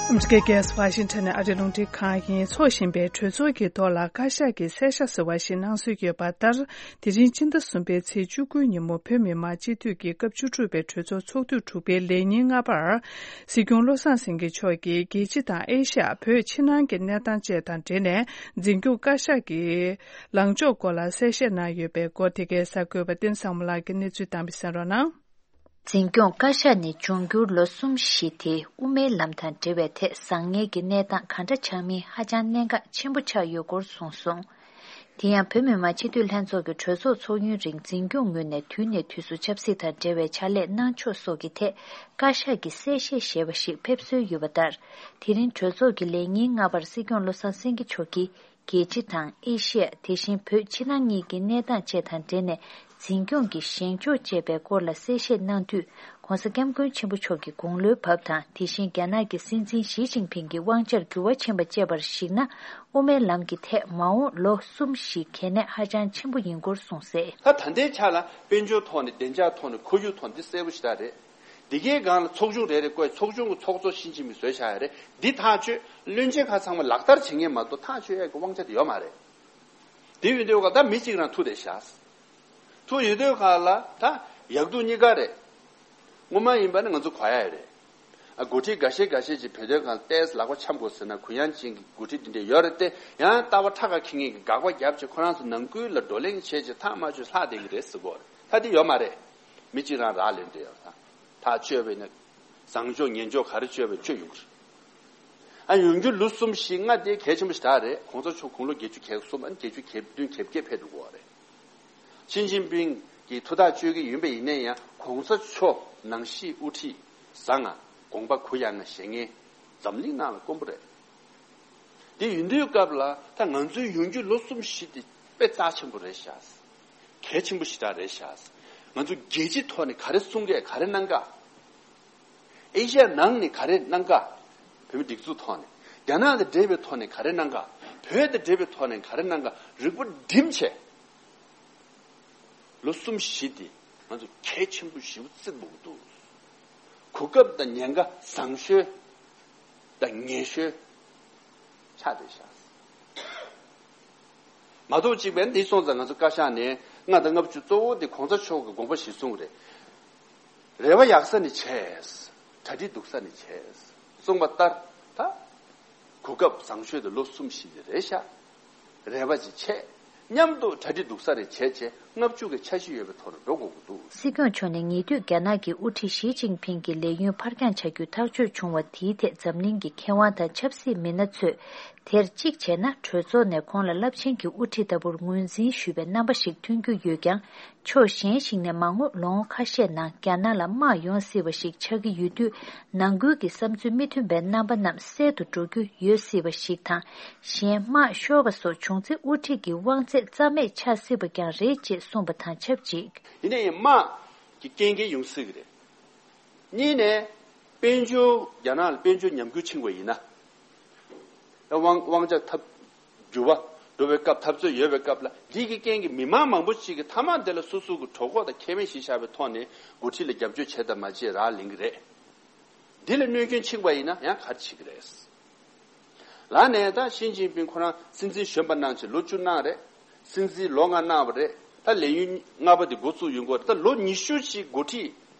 ཨ་མི་རི་ཀའི་རྒྱལ་ས་ཝ་ཤིང་ཊོན་ནས་ཨ་རིའི་རླུང་འཕྲིན་ཁང་ཡིན། འཚོགས་བཞིན་པའི་གྲོས་ཚོགས་ཀྱི་ཐོག་ལ་བཀའ་ཤག་གིས་གསལ་བཤད་ཟེར་བ་ཞིག་གནང་སྲོལ་ཡོད་པ་ལྟར། དེ་རིང་སྤྱི་ཟླ་གསུམ་པའི་ཚེས་བཅུ་དགུ་ཉིན་མོ་བོད་མི་མང་སྤྱི་འཐུས་ཀྱི་སྐབས་བཅུ་དྲུག་པའི་གྲོས་ཚོགས་ཚོགས་དུས་དྲུག་པའི་ལས་ཉིན་ལྔ་པར། སྲིད་སྐྱོང་བློ་བཟང་སེང་གེ་མཆོག་གིས་རྒྱལ་སྤྱི་དང་ཨེ་ཤ་ཡ། བོད་ཕྱི་ནང་གི་གནས་སྟངས་བཅས་དང་འབྲེལ་ནས་འཛིན་སྐྱོང་བཀའ་ཤག་གི་ལངས་ཕྱོགས་སྐོར་ལ་གསལ་བཤད་གནང་ཡོད་པའི་སྐོར། དེ་གའི་གསར་འགོད་པ་བསྟན་བཟང་མོ་ལགས་ཀྱིས་གནས་ཚུལ་དམ་པ་གསན་རོགས་གནང་། འཛིན་སྐྱོང་བཀའ་ཤག་ནས་འབྱུང་འགྱུར་ལོ་གསུམ་བཞི་དེ་དབུ་མའི་ལམ་དང་འབྲེལ་བའི་ཐད་བཟང་ངན་གྱི་གནས་སྟངས་ག་འདྲ་ཆགས་མིན་ཧ་ཅང་གནད་འགག་ཆེན་པོ་ཆགས་ཡོད་སྐོར་གསུངས་སོང་། དེ་ཡང་བོད་མི་མང་སྤྱི་འཐུས་ལྷན་ཚོགས་ཀྱི་གྲོས་ཚོགས་ཚོགས་ཡུན་རིང་འཛིན་སྐྱོང་ངོས་ནས་དུས་ནས་དུས་སུ་ཆབ་སྲིད་དང་འབྲེལ་བའི་བྱ་ལས་གནང་ཕྱོགས་སོགས་ཀྱི་ཐད་བཀའ་ཤག་གིས་གསལ་བཤད་ཞེས་པ་ཞིག་ཕེབས་སྲོལ་ཡོད་པ་ལྟར། དེ་རིང་གྲོས་ཚོགས་ཀྱི་ལས་ཉིན་ལྔ་པར་སྲིད་སྐྱོང་བློ་བཟང་སེང་གེ་མཆོག་གིས། རྒྱལ་སྤྱི་དང་ཨེ་ཤི་ཡ། དེ་བཞིན་བོད་ཕྱི་ནང་གཉིས་ཀྱི་གནས་སྟངས་བཅས་དང་འབྲེལ་ནས་འཛིན་སྐྱོང་གི་བཞེངས་ཕྱོགས་བཅས་པའི་སྐོར་ལ་གསལ་བཤད་གནང་དུས། ྋགོང་ས་ྋསྐྱབས་མགོན་ཆེན་པོ་མཆོག་གི་དགུང་ལོའི་བབ་དང་། དེ་བཞིན་རྒྱ་ནག་གི་སྲིད་འཛིན་ཞི་ཅིན་ཕིང་གི་དབང་ཆར་འགྱུར་བ་ཕྱིན་པ་བཅས་པར་གཞིགས་ན། དབུ་མའི་ལམ་གྱི་ཐད་མ་འོངས་ལོ་གསུམ་བཞི་གལ་གནད་ཧ་ཅང་ཆེན་པོ་ཡིན་སྐོར་གསུངས་གསལ། ད་ད་ལྟའི་ཆ་ལ་དཔལ་འབྱོར་ཐོག་ནས། བདེ་འཇགས་ཐོག་ནས། ཁོར་ཡུག་ཐོག་ནས། འདི་གསལ་པོ་ཞེ་དྲག་རེད། འདི་གའི་སྒང་ལ་ཚོགས་ཆུང་རེ་རེ་བསྐོས། ཚོགས་ཆུང་གི་ཚོགས་གཙོ་ཞི་ཅིན་ཕིང་བཟོས་བཞག་ཡ་རེད། འདི་ཐག་གཅོད། བློན་ཆེན་ཁག་ཚང་མ་ལག་བསྟར་བྱེད་མཁན་མ་གཏོགས་ཐག་གཅོད་ཡ་གི་དབང་ཆ་དེ་ཡོད་མ་རེད། དེ་ཡོད་དུས་ག་ད་མི་གཅིག་རང་ཐུག་བསྡད་ཤག་ཐུག་ཡོད་དུས་ག་ལ་ད་ཡག་སྡུག་གཉིས་ཀ་རེད། སྔོན་མ་ཡིན་པ་ནི་ང་ཚོ་གོ་ཡ་རེད། ཨ། འགོ་ཁྲིད་འགའ་ཤས་འགའ་ཤས་ཀྱིས་བོད་དོན་སྒང་ལ་ཏོག་ཙམ་ལག་པ་འཆང་དགོས་ཟེར་ན། གུ་ཡངས་ཅན་གྱི་འགོ་ཁྲིད་འདི་འདྲ་ཡོད་རེད་དེ། ཡང་ལྟ་བ་ཁྲ་ཁ་འཁྱེར་མཁན་གྱིས་དགག་པ་བརྒྱབ་བྱས། ཁོ་རང་ཚོ་ནང་ཁུལ་ལ་བགྲོ་གླེང་བྱས་བྱས་ཐག་མ་ཆོད་ལྷག་བསྡད་ཀྱི་རེད་ཟེར་གོ་རེད། ད་འདི་ཡོད་མ་རེད། མི་གཅིག་རང་རག་ལས་འདི་ཡོད། ད་ཐག་གཅོད་པ་ཡིན་ན། བཟང་ཕྱོགས་ངན་ཕྱོགས་ག་རེ་གཅོད་པ་གཅོད་ཡོང་གི་རེད། ཨ། ཡོང་རྒྱུ་ལོ་གསུམ་བཞི་ལྔ་དེ་གལ་ཆེན་པོ་ཞིག་རེད། གོང་ས་མཆོག་དགུང་ལོ་བརྒྱད་ཅུ་གྱ་གསུམ། ཨ། བརྒྱད་ཅུ་གྱ་བདུན་གྱ་བརྒྱད་ཕེབས་འགྲོ་གི་རེད། ཞི་ཅིན་ཕིང་གིས་ཐུགས་ཐག་གཅོད་ཀྱི་ཡིན་པ་ཡིན་ན་ཡང་། གོང་ས་མཆོག་ནང་བཞིན་དབུ་ཁྲིད་བཟང་ང་། དགོངས་པ་གུ་ཡངས་ང་བཞེས་མཁན་འཛམ་གླིང་ནང་ལ་དཀོན་པོ་རེད། དེ་ཡིན་དུས་སྐབས་ལ་ད་ང་ཚོའི་ཡོང་རྒྱུ་ལོ་གསུམ་བཞི་དེ་དཔེ་རྩ་ཆེན་པོ་རེད་ཤག་གལ་ཆེན་པོ་ཞེ་དྲག་རེད་ཤག་ང་ཚོ་རྒྱལ་སྤྱིའི་ཐོག་ནས་ག་རེ་གསུང་གི། ག་རེ་གནང་ག་ཨེ་ཤ་ཡ་ནང་ནས་ག་རེ་གནང་ག་བོད་མི་སྒྲིག་འཛུགས་ཐོག་ནས། རྒྱ་ནག་དང་འབྲེལ་བའི་ཐོག་ནས་ག་རེ་གནང་ག་བོད་དང་འབྲེལ་བའི་ཐོག་ནས་ག་རེ་གནང་ག་རིག་པ་བསྒྲིམས་བྱས། ལོ་གསུམ་བཞི་འདི་ང་ཚོ་གལ་ཆེན་པོ་ཞེ་པོ་བརྩི་དགོས་ཀྱི་འདུག་གོ་སྐབས་དང་ཉེན་ཁ་བཟང་ཤོས་དང་ངན་ཤོས་ཆགས་བསྡད་ཤག་མ་གཏོགས་གཅིག་པས་འདི་སོང་ཙང་ང་ཚོ་བཀའ་ཤག་ནས་ལྔ་དང་ལྔ་བཅུ་གཙོ་བོ་འདི་གོང་ས་མཆོག་གི་དགོངས་པ་གཞིར་བཟུང་རེད། རེ་བ་ཡག་ས་ནས་བྱས། གྲ་སྒྲིག་སྡུག་ས་ནས་བྱས། གསུངས་པ་ལྟར་ད་གོ་སྐབས་བཟང་ཤོས་དེ་ལོ་གསུམ་བཞི་དེ་རེད་ཤག་རེ་བ་ཅིག་བྱས། མཉམ་དུ་གྲ་སྒྲིག་སྡུག་ས་རེ་བྱས་བྱས། ལྔ་བཅུ་གི་འཆར་གཞི་ཡོད་པའི་ཐོག་ནས་འགྲོ་དགོས་ཀྱི་འདུག་སྲིད་སྐྱོང་མཆོག་ནས་ཉེ་དུས་རྒྱ་ནག་གི་དབུ་ཁྲིད་ཞི་ཅིན་ཕིང་གི་ལས་ཡུན་ཕར་འགྱངས་བྱ་རྒྱུ་ཐག་གཅོད་བྱུང་བ་དེའི་ཐད་འཛམ་གླིང་གི་མཁས་དབང་དང་ཆབ་སྲིད་མི་སྣ་ཚོས། དེར་གཅིག་བྱས་ན་གྲོས་ཚོགས་ནས་ཁོང་ལ་རླབས་ཆེན་གྱི་དབུ་ཁྲིད་ལྟ་བུར་ངོས་འཛིན་ཞུས་པའི་རྣམ་པ་ཞིག་ཐོན་རྒྱུ་ཡོད་ཀྱང་། ཕྱོགས་གཞན་ཞིག་ནས་མ་དངུལ་ལོ་ངོ་ཁ་ཤས་ནང་རྒྱ་ནག་ལ་དམག་ཡོང་སྲིད་པ་ཞིག་ཆགས་ཀྱི་ཡོད་དུས། ནང་ཁུལ་གྱི་བསམ་ཚུལ་མི་མཐུན་པའི་རྣམ་པ་རྣམས་གསལ་དུ་འགྲོ་རྒྱུ་ཡོད་སྲིད་པ་ཞིག་དང་། གཞན་དམག་ཤོར་བ་སོགས་བྱུང་ཚེ་དབུ་ཁྲིད་ཀྱི་དབང་ཚད་རྩ་མེད་ཆགས་སྲིད་པ་ཀྱང་རེད་ཅེས་གསུངས་པ་དང་ཆབས་ཅིག་ཡིན་ན་ཡང་དམག་གི་རྐྱེན་འགན་ཡོང་སྲིད་ཀྱི་རེད། གཉིས་ནས། དཔལ་འབྱོར། རྒྱ་ནག་ལ་དཔལ་འབྱོར་ཉམས་རྒུད་ཕྱིན་པ་ཡིན་ན། དབང་དབང་ཆ་ཐབས་འགྱུར་བ་འགྲོ་བའི་སྐབས། འཐབ་རྩོད་ཡོད་པའི་སྐབས་ལ། འདི་གི་རྐྱེན་གྱིས་མི་མང་མང་པོ་ཅིག་གིས་མཐའ་མ་དེ་ལ་སོ་སོ་གི་གྲོད་ཁོག་དང་ཁེ་ཕན་གཞི་བཞག་པའི་ཐོག་ནས་འགོ་ཁྲིད་ལ་རྒྱབ་སྐྱོར་བྱས་དང་མ་བྱས་རག་ལས་ཀྱི་རེད། འདི་ལ་གནོད་སྐྱོན་ཕྱིན་པ་ཡིན་ན་ཡང་ག་རེ་བྱེད་ཀྱི་རེད། ལར་ནས་ད་ཞི་ཅིན་ཕིང་ཁོ་རང་སྲིད་འཛིན་གཞོན་པ་གནང་བྱས་ལོ་བཅུ་གནང་རེད། སྲིད་འཛིན་ལོ་ལྔ་གནང་བ་རེད། ད་ལས་ཡུན་ལྔ་པ་དེ་འགོ་བཙུགས་ཡོང་གི་རེད། ད་ལོ་ཉི་ཤུ་ཅིག་འགོ་ཁྲིད་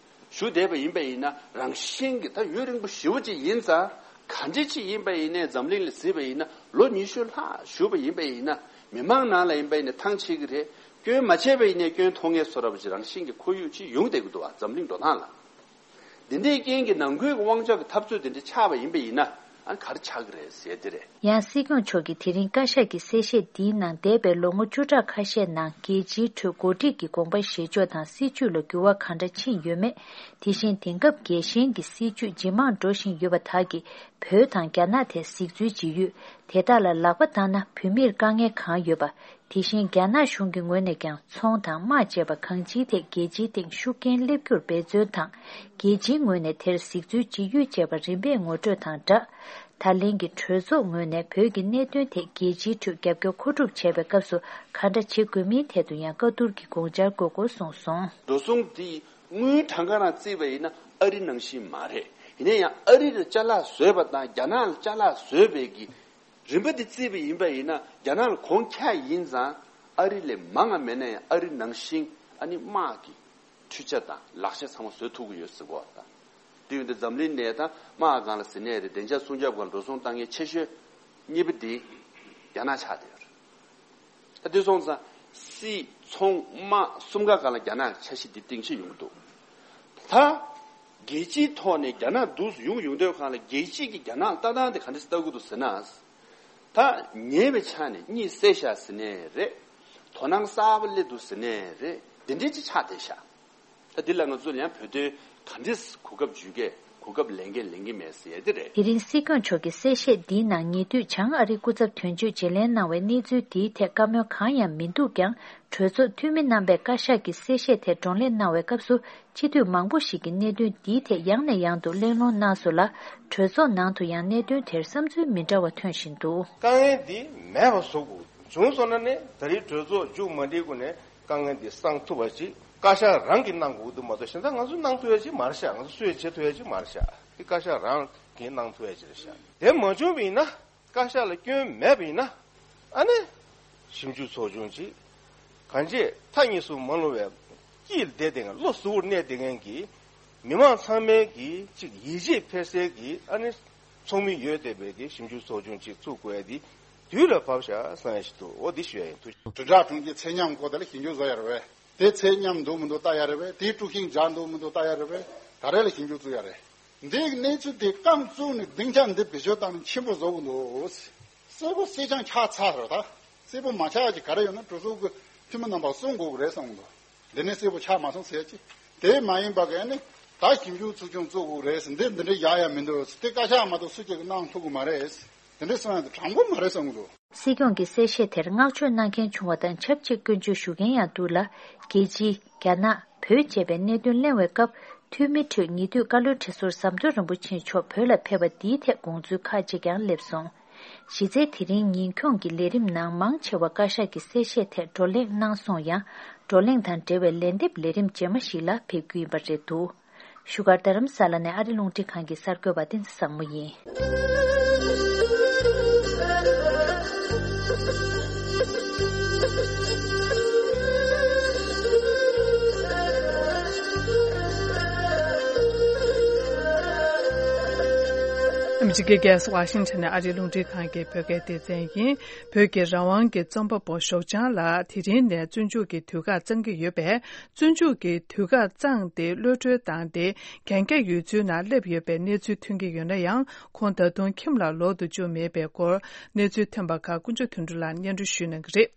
བཞུགས་བསྡད་པ་ཡིན་པ་ཡིན་ན། རང་བཞིན་གྱི་ད་ཡུན་རིང་པོ་ཞེ་པོ་ཅིག་ཡིན་ཙང་། ག་འདྲ་ཅིག་ཡིན་པ་ཡིན་ནའི་འཛམ་གླིང་ལ་གཟིགས་པ་ཡིན་ན། ལོ་ཉི་ཤུ་ལྷག་བཞུགས་པ་ཡིན་པ་ཡིན་ན། མི་མང་ནང་ལ་ཡིན་པ་ཡིན་ན་ཐང་ཆད་ཀྱི་རེད། སྐྱོན་མ་བྱས་པ་ཡིན་ནའི་སྐྱོན་མཐོང་མཁན་བཟོ་འདྲ་པོ་ཅིག་རང་བཞིན་གྱི་ཁོར་ཡུག་ཅིག་ཡོང་བསྡད་ཀྱི་འདུག་བ། འཛམ་གླིང་འགྲོ་སྟངས་ལ། འདི་འདྲའི་རྐྱེན་གྱིས་ནང་ཁུལ་གྱི་དབང་ཆ་གི་འཐབ་རྩོད་དེ་འདྲ་ཆགས་པ་ཡིན་པ་ཡིན་ན། ཨ་ནི་ག་རེ་ཆགས་ཀྱི་རེད་ཟེར་དེ་རེད། ཡང་སྲིད་སྐྱོང་མཆོག་གིས་དེ་རིང་བཀའ་ཤག་གི་གསལ་བཤད་འདིའི་ནང་འདས་པའི་ལོ་ངོ་བཅུ་ཕྲག་ཁ་ཤས་ནང་རྒྱལ་སྤྱིའི་ཁྲོད་འགོ་ཁྲིད་ཀྱི་དགོངས་པ་བཞེས་ཕྱོགས་དང་སྲིད་བྱུས་ལ་འགྱུར་བ་གང་འདྲ་ཕྱིན་ཡོད་མེད། དེ་བཞིན་དེང་སྐབས་རྒྱལ་ཞེན་གྱི་སྲིད་བྱུས་ཇེ་མང་འགྲོ་བཞིན་ཡོད་པ་དག་གིས་བོད་དང་རྒྱ་ནག་ཐད་གཟིགས་ཚུལ་ཇི་ཡོད། དེ་དག་ལ་ལག་པ་བཏང་ན་བོད་མིར་དཀའ་ངལ་གང་ཡོད་པ། དེ་བཞིན་རྒྱ་ནག་གཞུང་གི་ངོས་ནས་ཀྱང་ཚོང་དང་དམག་བཅས་པ་གང་ཅིའི་ཐད་རྒྱལ་སྤྱིའི་སྟེང་ཤུགས་རྐྱེན་སླེབས་རྒྱུར་འབད་བརྩོན་དང་། རྒྱལ་སྤྱིའི་ངོས་ནས་དེར་གཟིགས་ཚུལ་ཇི་ཡོད་བཅས་པ་རིམ་པས་ངོ་སྤྲོད་དང་སྦྲགས། ད་ལན་གྱི་གྲོས་ཚོགས་ངོས་ནས་བོད་ཀྱི་གནད་དོན་ཐད་རྒྱལ་སྤྱིའི་ཁྲོད་རྒྱབ་སྐྱོར་མཁོ་སྒྲུབ་བྱས་པའི་སྐབས་སུ་ག་འདྲ་བྱེད་དགོས་མིན་ཐད་དུ་ཡང་བཀའ་བསྡུར་གྱི་དགོངས་འཆར་དགོས་སྐོར་གསུངས་སོང་། འགྲོ་སོང་འདི་དངུལ་གྲངས་ཀ་རང་བརྩིས་པ་ཡིན་ན་ཨ་རི་ནང་བཞིན་མ་རེད། ཡིན་ན་ཡང་ཨ་རི་ལ་ཅ་ལག་བཟོས་པ་དང་རྒྱ་ནག་ལ་ཅ་ལག་བཟོས་པའི་གི་རིམ་པ་འདི་བརྩིས་པ་ཡིན་པ་ཡིན་ན། རྒྱ་ནག་ལ་གོང་ཁྱ་ཡིན་ཙང་ཨ་རི་ལས་མང་ང་མེད་ན་ཡང་ཨ་རི་ནང་བཞིན་ཨ་ནི་དམག་གི་འཕྲུལ་ཆ་དང་ལག་ཆ་ཚང་མ་བཟོ་ཐུབ་ཀྱི་ཡོད་ཟེར་གོ་དང་། དེ་ཡོད་དུས་འཛམ་གླིང་ནས་ད་དམག་སྒང་ལ་ཟེར་ནའི་རེད། བདེ་འཇགས་སྲུང་སྐྱོབ་སྒང་ལ་འགྲོ་སོང་བཏང་མཁན་ཆེ་ཤོས་གཉིས་པ་འདི་རྒྱ་ནག་ཆགས་བསྡད་ཡོད་རེད། ད་དེ་སོང་ཙང་སྲིད་ཚོང་དམག་གསུམ་ཀ་སྒང་ལ་རྒྱ་ནག་གི་འཆར་གཞི་འདི་སྟེང་ཕྱིན་ཡོང་གི་འདུག་ད་རྒྱལ་སྤྱིའི་ཐོག་ནས་རྒྱ་ནག་འདུག་སེ་ཡོང་ཡོང་དུས་སྒང་ལ་རྒྱལ་སྤྱི་གི་རྒྱ་ནག་ལ་ལྟ་སྟངས་དེ་ག་འདྲ་ལྟ་གི་འདུག་ཟེར་ན། ད་ཉེ་བའི་ཆ་ནས་གཉིད་སད་ཤག་ཟེར་ནའི་རེད། དོ་སྣང་གསར་པ་སླེབས་འདུག་ཟེར་ནའི་རེད། འདི་འདྲའི་ཅིག་ཆགས་བསྡད་ཤག་ད་འདི་ལ་ང་ཚོ་ཡང་བོད་དོན་ག་འདྲས་གོ་སྐབས་འཇུ་གས་གོ་སྐབས་ལེན་གས་ལེན་གི་མེད་ཟེར་ཡ་འདི་རེད། དེ་རིང་སྲིད་སྐྱོང་མཆོག་གི་གསལ་བཤད་འདིའི་ནང་ཉེ་དུས་བྱང་ཨ་རིའི་སྐུ་ཚབ་དོན་གཅོད་བརྗེ་ལེན་གནང་བའི་གནས་ཚུལ་འདིའི་ཐད་བཀའ་མོལ་གང་ཡང་མི་འདུག་ཀྱང་། གྲོས་ཚོགས་འཐུས་མི་རྣམ་པས་བཀའ་ཤག་གི་གསལ་བཤད་དེར་བགྲོ་གླེང་གནང་བའི་སྐབས་སུ། སྤྱི་འཐུས་མང་པོ་ཞིག་གིས་གནད་དོན་འདིའི་ཐད་ཡང་ནས་ཡང་དུ་གླེང་སློང་གནང་སོང་ལ། གྲོས་ཚོགས་ནང་དུ་ཡང་གནད་དོན་དེར་བསམ་ཚུལ་མི་འདྲ་བ་ཐོན་བཞིན་འདུག་དཀའ་ངལ་འདི་མེད་པ་བཟོ་དགོས། བྱུང་སོང་ན་ནི་ད་རེས་གྲོས་ཚོགས་མཇུག་མ་སྒྲིལ་གོང་ནས་དཀའ་ངལ་འདི་སངས་ཐུབ་པ་ཞིག་བཀའ་ཤག་རང་གིས་གནང་དགོས་འདུག་མ་གཏོགས། གཞན་དག་ང་ཚོས་གནང་ཐུབ་ཡ་ཅིག་མ་རེད་ཤག་ང་ཚོ་སུས་བྱེད་ཐུབ་ཡ་ཅིག་མ་རེད་ཤག་དེ་བཀའ་ཤག་རང་གིས་གནང་ཐུབ་ཡ་ཅིག་རེད་ཤག་དེ་མ་བྱུང་བ་ཡིན་ན། བཀའ་ཤག་ལ་སྐྱོན་མེད་པ་ཡིན་ན། ཨ་ནི་ཞིབ་འཇུག་ཚོགས་ཆུང་ཅིག་གང་ཅི་མཐའ་གཉིས་སུ་མ་ལྷུང་བའི་དཀྱིལ་བསྡད་དེ་ང་བློ་གཟུ་བོར་གནས་བསྡད་མཁན་གྱི་མི་མང་ཚང་མའི་གི་ཅིག་ཡིད་ཆེས་འཕེར་སའི་གི་ཨ་ནི་ཚོགས་མི་ཡོད་བསྡད་པའི་གི་ཞིབ་འཇུག་ཚོགས་ཆུང་ཅིག་བཙུགས་དགོས་ཡ་དེ་དུས་ལ་བབ་ཤག་བསམ་ཡ་ཞིག་འདུག་འོ་འདི་ཞུ་ཡ་ཡིན། ཐུགས་རྒྱུ། དྲིལ་བསྒྲགས་དྲུང་ཆེ་ཚད་མཉམ་སྐོར་དེ་ལ་ཞིབ་འཇུག་བཟོ་ཡ་རེད་པས། དེ་ཚད་མཉམ་འདུག་མི་འདུག་ལྟ་ཡ་རེད་པས། དེ་དཀྲུག་ཤིང་རྒྱག་འདུག་མི་འདུག་ལྟ་ཡ་རེད་པས། ད་རེས་ལ་ཞིབ་འཇུག་བཙུགས་ཡ་རེད། འདིའི་གནས་ཚུལ་དེ་རྐང་བཙུགས་ནས་སྡིངས་ཆ་འདི་བེད་སྤྱོད་བཏང་ནས་ཆེན་པོ་བཟོ་གི་འདུག་གསལ་པོ་གསལ་རྐྱང་ཆགས་ཚར་རེད། ད་གསལ་པོ་མ་ཆགས་ཀྱི་ག་རེ་ཡོད་ན་གྲོས་ཚོགས་ཀྱི་འཐུས་མི་རྣམ་པ་གསུང་དགོས་ཀྱི་རེད་བསམ་གི་འདུག་འདི་ནས་གསལ་པོ་ཆགས་མ་སོང་ཟེར་ཅི། དེ་མ་ཡིན་པ་ག་ནི་ད་ཞིབ་འཇུག་ཚོགས་ཆུང་བཙུགས་དགོས་རེད་ཟེར། འདི་འདི་འདྲ་ཡག་ཡག་མི་འདུག་དེ་བཀའ་ཤག་མ་གཏོགས་སུ་གཅིག་གིས་གནང་ཐུབ་ཀྱི་མ་རེད། འདི་འདྲ་གསུང་ཡ་དེ་དྲང་པོ་མ་རེད་བསམ་གི་འདུག་སྲིད་སྐྱོང་གི་གསལ་བཤད་དེར་བསྔགས་བརྗོད་གནང་མཁན་བྱུང་བ་དང་ཆབས་ཅིག་སྐྱོན་བརྗོད་ཞུ་མཁན་ཡང་འདུག་ལ། རྒྱལ་སྤྱི། རྒྱ་ནག་བོད་བཅས་པའི་གནད་དོན་གླེང་བའི་སྐབས། འཐུས་མི་ཁྲོད་ཉེ་དུས་བཀའ་བློན་ཁྲི་ཟུར་ཟམ་གདོང་རིན་པོ་ཆེ་མཆོག་བོད་ལ་ཕེབས་པ་འདིའི་ཐད་དགོངས་ཚུལ་ཁག་ཅིག་ཀྱང་སླེབས་སོང་། གཞི་རྩའི་དེ་རིང་ཉིན་ཁྱོངས་ཀྱི་ལས་རིམ་ནང་མང་ཆེ་བ་བཀའ་ཤག་གི་གསལ་བཤད་ཐད་བགྲོ་གླེང་གནང་སོང་ཡང་། བགྲོ་གླེང་དང་འབྲེལ་བའི་ལན་འདེབས་ལས་རིམ་རྗེས་མ་ཞིག་ལ་ཕེབས་རྒྱུ་ཡིན་པ་རེད་འདུག་བཞུགས་སྒར་རྡ་རམ་ས་ལ་ནས་ཨ་རི་རླུང་འཕྲིན་ཁང་གི་གསར་འགོད་པ་བསྟན་འཛིན་བཟང་མོ་ཡིན། ཨ་མི་རི་ཀའི་རྒྱལ་ས་ཝ་ཤིང་ཊོན་ནས་ཨ་རིའི་རླུང་འཕྲིན་ཁང་གི་བོད་སྐད་སྡེ་ཚན་ཡིན། བོད་ཀྱི་རང་དབང་གི་རྩོམ་པ་པོ་ཞོགས་ལྗང་ལགས་དེ་རིང་ནས་བཙོན་འཇུག་གི་དུས་བཀག་གཙང་གི་ཡོད་པས། བཙོན་འཇུག་གི་དུས་བཀག་གཙང་སྟེ་གློད་གྲོལ་བཏང་སྟེ་གན་རྒྱ་ཡོད་ཚུལ་ནང་སླེབས་ཡོད་པའི་གནས་ཚུལ་ཐོན་གྱི་ཡོད་ན་ཡང་། ཁོང་ད་དུང་ཁྱིམ་ལ་ལོག་ཏུ་བཅུག་མེད་པའི་སྐོར་གནས་ཚུལ་ཐོན་པ་ཁག་ཀུན་སྤྱོད་དོན་གྲུབ་ལགས་སྙན་སྒྲོན་ཞུ་གནང་གི་རེད།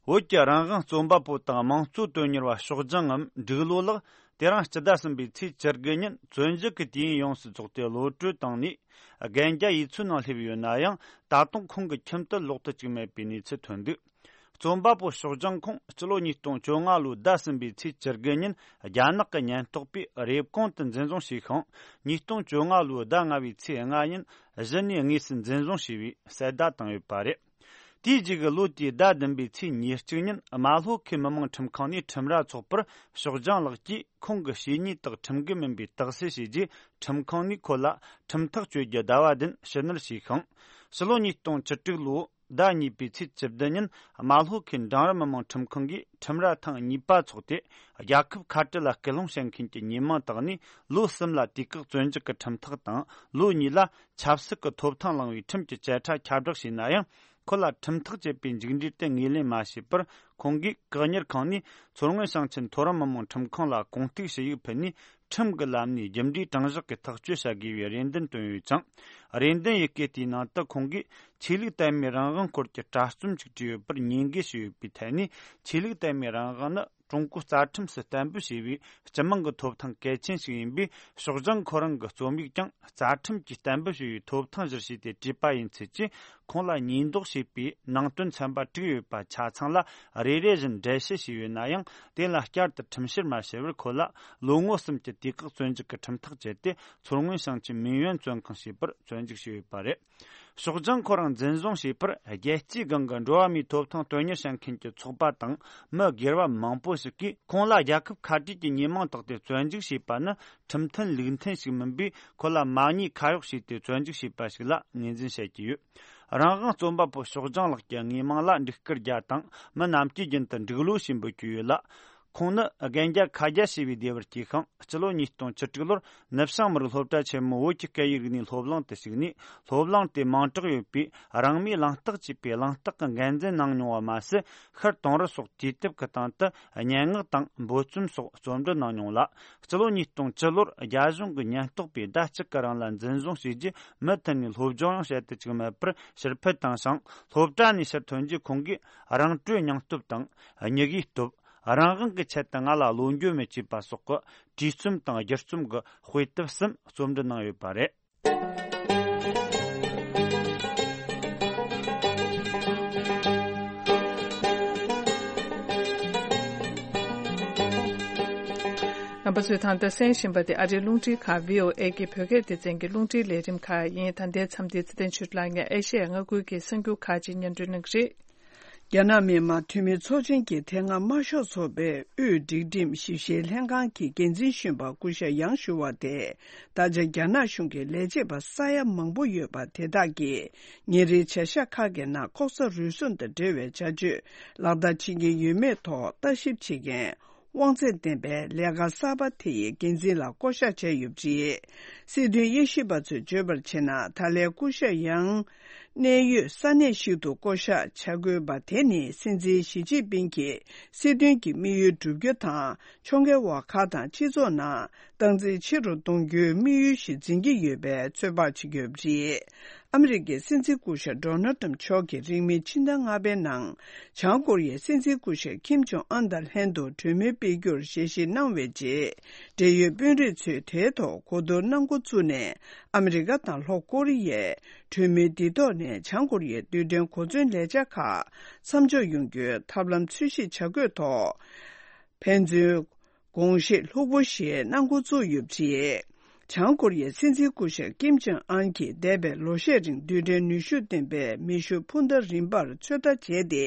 བོད་ཀྱི་རང་དབང་རྩོམ་པ་པོ་དང་མང་གཙོ་དོན་གཉེར་བ་ཞོགས་ལྗང་ངམ་འབྲུག་ལོ་ལགས་དེ་རིང་སྤྱི་ཟླ་གསུམ་པའི་ཚེས་བཅུ་དགུ་ཉིན་བཙོན་འཇུག་གི་དུས་ཡུན་ཡོངས་སུ་རྫོགས་ཏེ་གློད་གྲོལ་བཏང་ནས་གན་རྒྱ་ཡོད་ཚུལ་ནང་སླེབས་ཡོད་ན་ཡང་། ད་དུང་ཁོང་གི་ཁྱིམ་དུ་ལོག་ཏུ་བཅུག་མེད་པའི་གནས་ཚུལ་ཐོན་འདུག་རྩོམ་པ་པོ་ཞོགས་ལྗང་ཁོང་སྤྱི་ལོ་ཉིས་སྟོང་བཅོ་ལྔ་ལོའི་ཟླ་གསུམ་པའི་ཚེས་བཅུ་དགུ་ཉིན་རྒྱ་ནག་གི་ཉེན་རྟོག་པས་རེབ་གོང་དུ་འཛིན་བཟུང་བྱས་ཤིང་། ཉིས་སྟོང་བཅོ་ལྔ་ལོའི་ཟླ་ལྔ་པའི་ཚེས་ལྔ་ཉིན་གཞི་ནས་དངོས་སུ་འཛིན་བཟུང་བྱས་པའི་གསལ་བརྡ་བཏང་ཡོད་པ་རེད། དེའི་རྗེས་ཀྱི་ལོ་དེའི་ཟླ་བདུན་པའི་ཚེས་ཉེར་གཅིག་ཉིན་རྨ་ལྷོ་ཁུལ་མི་དམངས་ཁྲིམས་ཁང་ནས་ཁྲིམས་ར་འཚོགས་པར་ཞོགས་ལྗང་ལགས་ཀྱིས་ཁོང་གི་བྱས་ཉེས་དག་ཁྲིམས་འགལ་མིན་པའི་རྟགས་གསལ་བྱས་རྗེས། ཁྲིམས་ཁང་ནས་ཁོ་ལ་ཁྲིམས་ཐག་གཅོད་རྒྱུ་ཟླ་བ་བདུན་ཕྱི་ནུར་བྱས་ཤིང་། ཕྱི་ལོ་ཉིས་སྟོང་བཅུ་དྲུག་ལོའི་ཟླ་གཉིས་པའི་ཚེས་བཅུ་བདུན་ཉིན་རྨ་ལྷོ་ཁུལ་འབྲིང་རིམ་མི་དམངས་ཁྲིམས་ཁང་གིས་ཁྲིམས་ར་ཐེངས་གཉིས་པ་འཚོགས་ཏེ། རྒྱལ་ཁབ་ཁ་བྲལ་ལ་སྐུལ་སློང་བྱེད་མཁན་གྱི་ཉེས་མིང་དག་ནས་ལོ་གསུམ་ལ་དུས་བཀག་བཙོན་འཇུག་གི་ཁྲིམས་ཐག་དང་། ལོ་གཉིས་ལ་ཆབ་སྲིད་ཀྱི་ཐོབ་ཐང་བླངས་པའི་ཁྲིམས་ཀྱི་བཅད་ཁྲ་ཁྱབ་བསྒྲགས་བྱས་ན་ཡང་། ཁོ་ལ་ཁྲིམས་ཐག་བཅད་པའི་མཇུག་འབྲས་དེ་ངོས་ལེན་མ་བྱས་པར། ཁོང་གིས་བཀག་ཉར་ཁང་ནས་མཚོ་སྔོན་ཞིང་ཆེན་མཐོ་རིམ་མི་དམངས་ཁྲིམས་ཁང་ལ་གུང་གཏུག་ཞུ་ཡིག་ཕུལ་ནས། ཁྲིམས་ཀྱི་ལམ་ནས་རྒྱུ་འབྲས་དྲང་གཞག་གི་ཐག་གཅོད་བྱ་དགོས་པའི་རེ་འདུན་བཏོན་ཡོད་ཅིང་། རེ་འདུན་ཡི་གེ་དེའི་ནང་དུ་ཁོང་གིས་ཆོས་ལུགས་དད་མོས་རང་དབང་སྐོར་གྱི་དྲ་རྩོམ་ཞིག་བྲིས་ཡོད་པར་ཉེས་འགེལ་ཞུས་ཡོད་པའི་ཐད་ནས། ཆོས་ལུགས་དད་མོས་རང་དབང་ནི་ཀྲུང་གོའི་རྩ་ཁྲིམས་སུ་གཏན་འབེབས་བྱས་པའི་སྤྱི་དམངས་ཀྱི་ཐོབ་ཐང་གལ་ཆེན་ཞིག་ཡིན་པས། ཤོག་བྱང་ཁོ་རང་གི་རྩོམ་ཡིག་ཀྱང་རྩ་ཁྲིམས་ཀྱིས་གཏན་འབེབས་བྱས་པའི་ཐོབ་ཐང་གཞིར་བྱས་ཏེ་བྲིས་པ་ཡིན་ཚུལ་གྱིས། ཁོང་ལ་ཉེས་འདོགས་བྱས་པའི་ནང་དོན་ཚན་པ་དྲུག་ཡོད་པ་ཆ་ཚང་ལ་རེ་རེ་བཞིན་འགྲེལ་བཤད་བྱས་ཡོད་ན་ཡང་། དེ་ལ་བསྐྱར་དུ་ཁྲིམས་བཤེར་མ་བྱས་པར་ཁོ་ལ་ལོ་ངོ་གསུམ་གྱི་དུས་བཀག་བཙོན་འཇུག་གི་ཁྲིམས་ཐག་བཅད་དེ། མཚོ་སྔོན་ཞིང་ཆེན་མིན་ཡོན་བཙོན་ཁང་ཞེས་པར་བཙོན་འཇུག་བྱས་ཡོད་པ་རེད། ཤོག་བྱང་ཁོ་རང་འཛིན་བཟུང་བྱས་པར། རྒྱལ་སྤྱིའི་སྒང་གི་འགྲོ་བ་མིའི་ཐོབ་ཐང་དོན་གཉེར་བྱེད་མཁན་གྱི་ཚོགས་པ་དང་མི་སྒེར་བ་མང་པོ་ཞིག་གིས། ཁོང་ལ་རྒྱལ་ཁབ་ཁ་བྲལ་གྱི་ཉེས་མིང་བཏགས་ཏེ་བཙོན་འཇུག་བྱས་པ་ནི་ཁྲིམས་མཐུན་ལུགས་མཐུན་ཞིག་མིན་པས། ཁོ་ལ་མ་ཉེས་ཁ་གཡོགས་བྱས་ཏེ་བཙོན་འཇུག་བྱས་པ་ཞིག་ལ་ངོས་འཛིན་བྱེད་ཀྱི་ཡོད། རང་དབང་རྩོམ་པ་པོ་ཤོག་བྱང་ལགས་ཀྱི་དངོས་མིང་ལ་འབྲུག་སྐར་བརྒྱ་དང་། མི་རྣམས་ཀྱིས་རྒྱུན་དུ་འབྲུག་ལོ་ཞེས་འབོད་ཀྱི་ཡོད་ལ། ཁོང་ནི་རྒན་རྒྱ་ཁ་རྒྱ་ཞེས་པའི་སྡེ་བར་སྐྱེས་ཤིང་། སྤྱི་ལོ་ཉིས་སྟོང་བཅུ་དྲུག་ལོར་ནུབ་བྱང་མི་རིགས་སློབ་གྲྭ་ཆེན་མོ་བོད་ཀྱི་སྐད་ཡིག་རིག་གནས་སློབ་གླིང་དུ་ཞུགས་ནས། སློབ་གླིང་དེས་མིང་གྲགས་ཡོད་པའི་རང་མོས་གླེང་སྟེགས་ཅེས་པའི་གླེང་སྟེགས་ཀྱི་འགན་འཛིན་གནང་མྱོང་བ་མ་ཟད། ཤར་དུང་རི་སོགས་དུས་དེབ་ཀྱི་སྟེང་དུ་སྙན་ངག་དང་འབོད་རྩོམ་སོགས་རྩོམ་འབྲི་གནང་མྱོང་ལ། སྤྱི་ལོ་ཉིས་སྟོང་བཅུ་ལོར་རྒྱ་གཞུང་གི་ཉེན་རྟོག་པས་ཟླ་གཅིག་གི་རིང་ལ་འཛིན་བཟུང་བྱས་རྗེས། མུ་མཐུད་ནས་སློབ་སྦྱོང་ཡང་བྱེད་དུ་བཅུག་མེད་པར་ཕྱིར་ཕུད་བཏང་ཞིང་། སློབ་གྲྭ་ནས་ཕྱིར་ཐོན་རྗེས་ཁོང་གིས་རང་གྲོས་སྙིང་སྟོབས་དང་། སྙིང་རུས་སྟོབས། རང་དབང་གི་ཆེད་དུ་ང་ལ་བློ་འགྱོད་མེད་ཅེས་པ་སོགས་ཀྱི་བྲིས་རྩོམ་དང་སྒྱུ་རྩོམ་གྱི་དཔེ་དེབ་གསུམ་རྩོམ་འབྲི་གནང་ཡོད་པ་རེད། རྣམ་པ་ཚོས་ད་ལྟ་གསན་བཞིན་པ་དེ་ཨ་རིའི་རླུང་འཕྲིན་ཁང་བྷི་ཨོ་ཨེ་གི་བོད་སྐད་སྡེ་ཚན་གྱི་རླུང་འཕྲིན་ལས་རིམ་ཁག་ཡིན། ད་ལྟའི་མཚམས་འདིར་ཚེ་བརྟན་ཆོས་གྲགས་ལགས་ནས་ཨེ་ཤེ་ཡ་མངའ་ཁུལ་གྱི་གསར་འགྱུར་ཁག་ཅིག་སྙན་སྒྲོན་གནང་གི་རེད། རྒྱ་ནག་མི་དམངས་འཐུས་མི་ཚོགས་ཆེན་གྱི་དེ་སྔ་དམར་ཤོག་ཚོགས་པའི་དབུས་སྒྲིག་ཁྲིམས་ཞིབ་བཤེར་ལྷན་ཁང་གི་འགན་འཛིན་གཞོན་པ་སྐུ་ཞབས་ཡང་ཞུ་བ་དེ། ད་ཆ་རྒྱ་ནག་གཞུང་གི་ལས་བྱེད་པ་ས་ཡ་མང་པོ་ཡོད་པ་དེ་དག་གིས་ཉིན་རེའི་བྱ་གཞག་ཁག་གི་ནང་ལྐོག་ཟ་རུལ་སུངས་དང་འབྲེལ་བའི་བྱ་སྤྱོད་ལག་བསྟར་བྱེད་ཀྱིན་ཡོད་མེད་ཐོག་ལྟ་ཞིབ་བྱེད་མཁན་དབང་ཚད་ལྡན་པའི་ལས་ཀ་གསར་པ་དེ་ཡི་འགན་འཛིན་ལ་བསྐོ་གཞག་བྱས་ཡོད་པ་རེད། སྲིད་དོན་དབྱེ་ཞིབ་པ་ཚོས་བརྗོད་པར་བྱས་ན། ད་ལན་སྐུ་ཞབས་ཡང་གནད་ཡོད་ས་གནས་ཤིག་ཏུ་བསྐོ་གཞག་བྱ་དགོས་པ་དེ་ནི་སྲིད་འཛིན་ཞི་ཅིན་ཕིང་གི་སྲིད་དོན་གྱི་དམིགས་ཡུལ་བསྒྲུབ་རྒྱུ་དང་། ཕྱོགས་འགལ་བ་ཁག་དང་སྤྱི་ཚོགས་ནང་སྟངས་འཛིན་ཆེ་རུ་གཏོང་རྒྱུའི་དམིགས་ཡུལ་ཞིག་འཛིན་གྱི་ཡོད་པའི་ཚོད་དཔག་བྱེད་ཀྱི་ཡོད་པ་རེད། ཨ་མི་རི་ཀའི་སྲིད་འཛིན་སྐུ་ཞབས་ཌོ་ནལ་ཊམ་མཆོག་གིས་རིང་མིན་ཕྱི་ཟླ་ལྔ་པའི་ནང་། བྱང་ཀོ་རི་ཡའི་སྲིད་འཛིན་སྐུ་ཞབས་ཀིམ་ཇོང་ཨན་དང་ལྷན་དུ་གྲོས་མོལ་སྤེལ་རྒྱུར་ཞལ་བཞེས་གནང་བའི་རྗེས། འབྲེལ་ཡོད་དཔོན་རིགས་ཚོས་དེའི་ཐོག་གོ་བསྡུར་གནང་འགོ་བཙུགས་ནས། ཨ་མི་རི་ཀ་དང་ལྷོ་ཀོ་རི་ཡས་གྲོས་མོལ་འདི་ཐོག་ནས་བྱང་ཀོ་རི་ཡའི་རྡུལ་ཕྲན་གོ་མཚོན་ལས་འཆར་ཁག་མཚམས་འཇོག་ཡོང་རྒྱུའི་ཐབས་ལམ་འཚོལ་ཞིབ་བྱ་དགོས་ཐོག་ཕན་ཚུན་དགོངས་བཞེས་ལྷུག་པོ་ཞིག་གནང་འགོ་བཙུགས་ཡོད་པ་རེད། བྱང་ཀོ་རི་ཡའི་སྲིད་འཛིན་སྐུ་ཞབས་ཀིམ་ཇོང་ཨན་གྱིས་འདས་པའི་ལོ་ཤས་རིང་རྡུལ་ཕྲན་ནུས་ཤུགས་ལྡན་པའི་མེ་ཤུགས་འཕུར་མདའ་རིམ་པར་ཚོད་ལྟ་བྱས་ཏེ།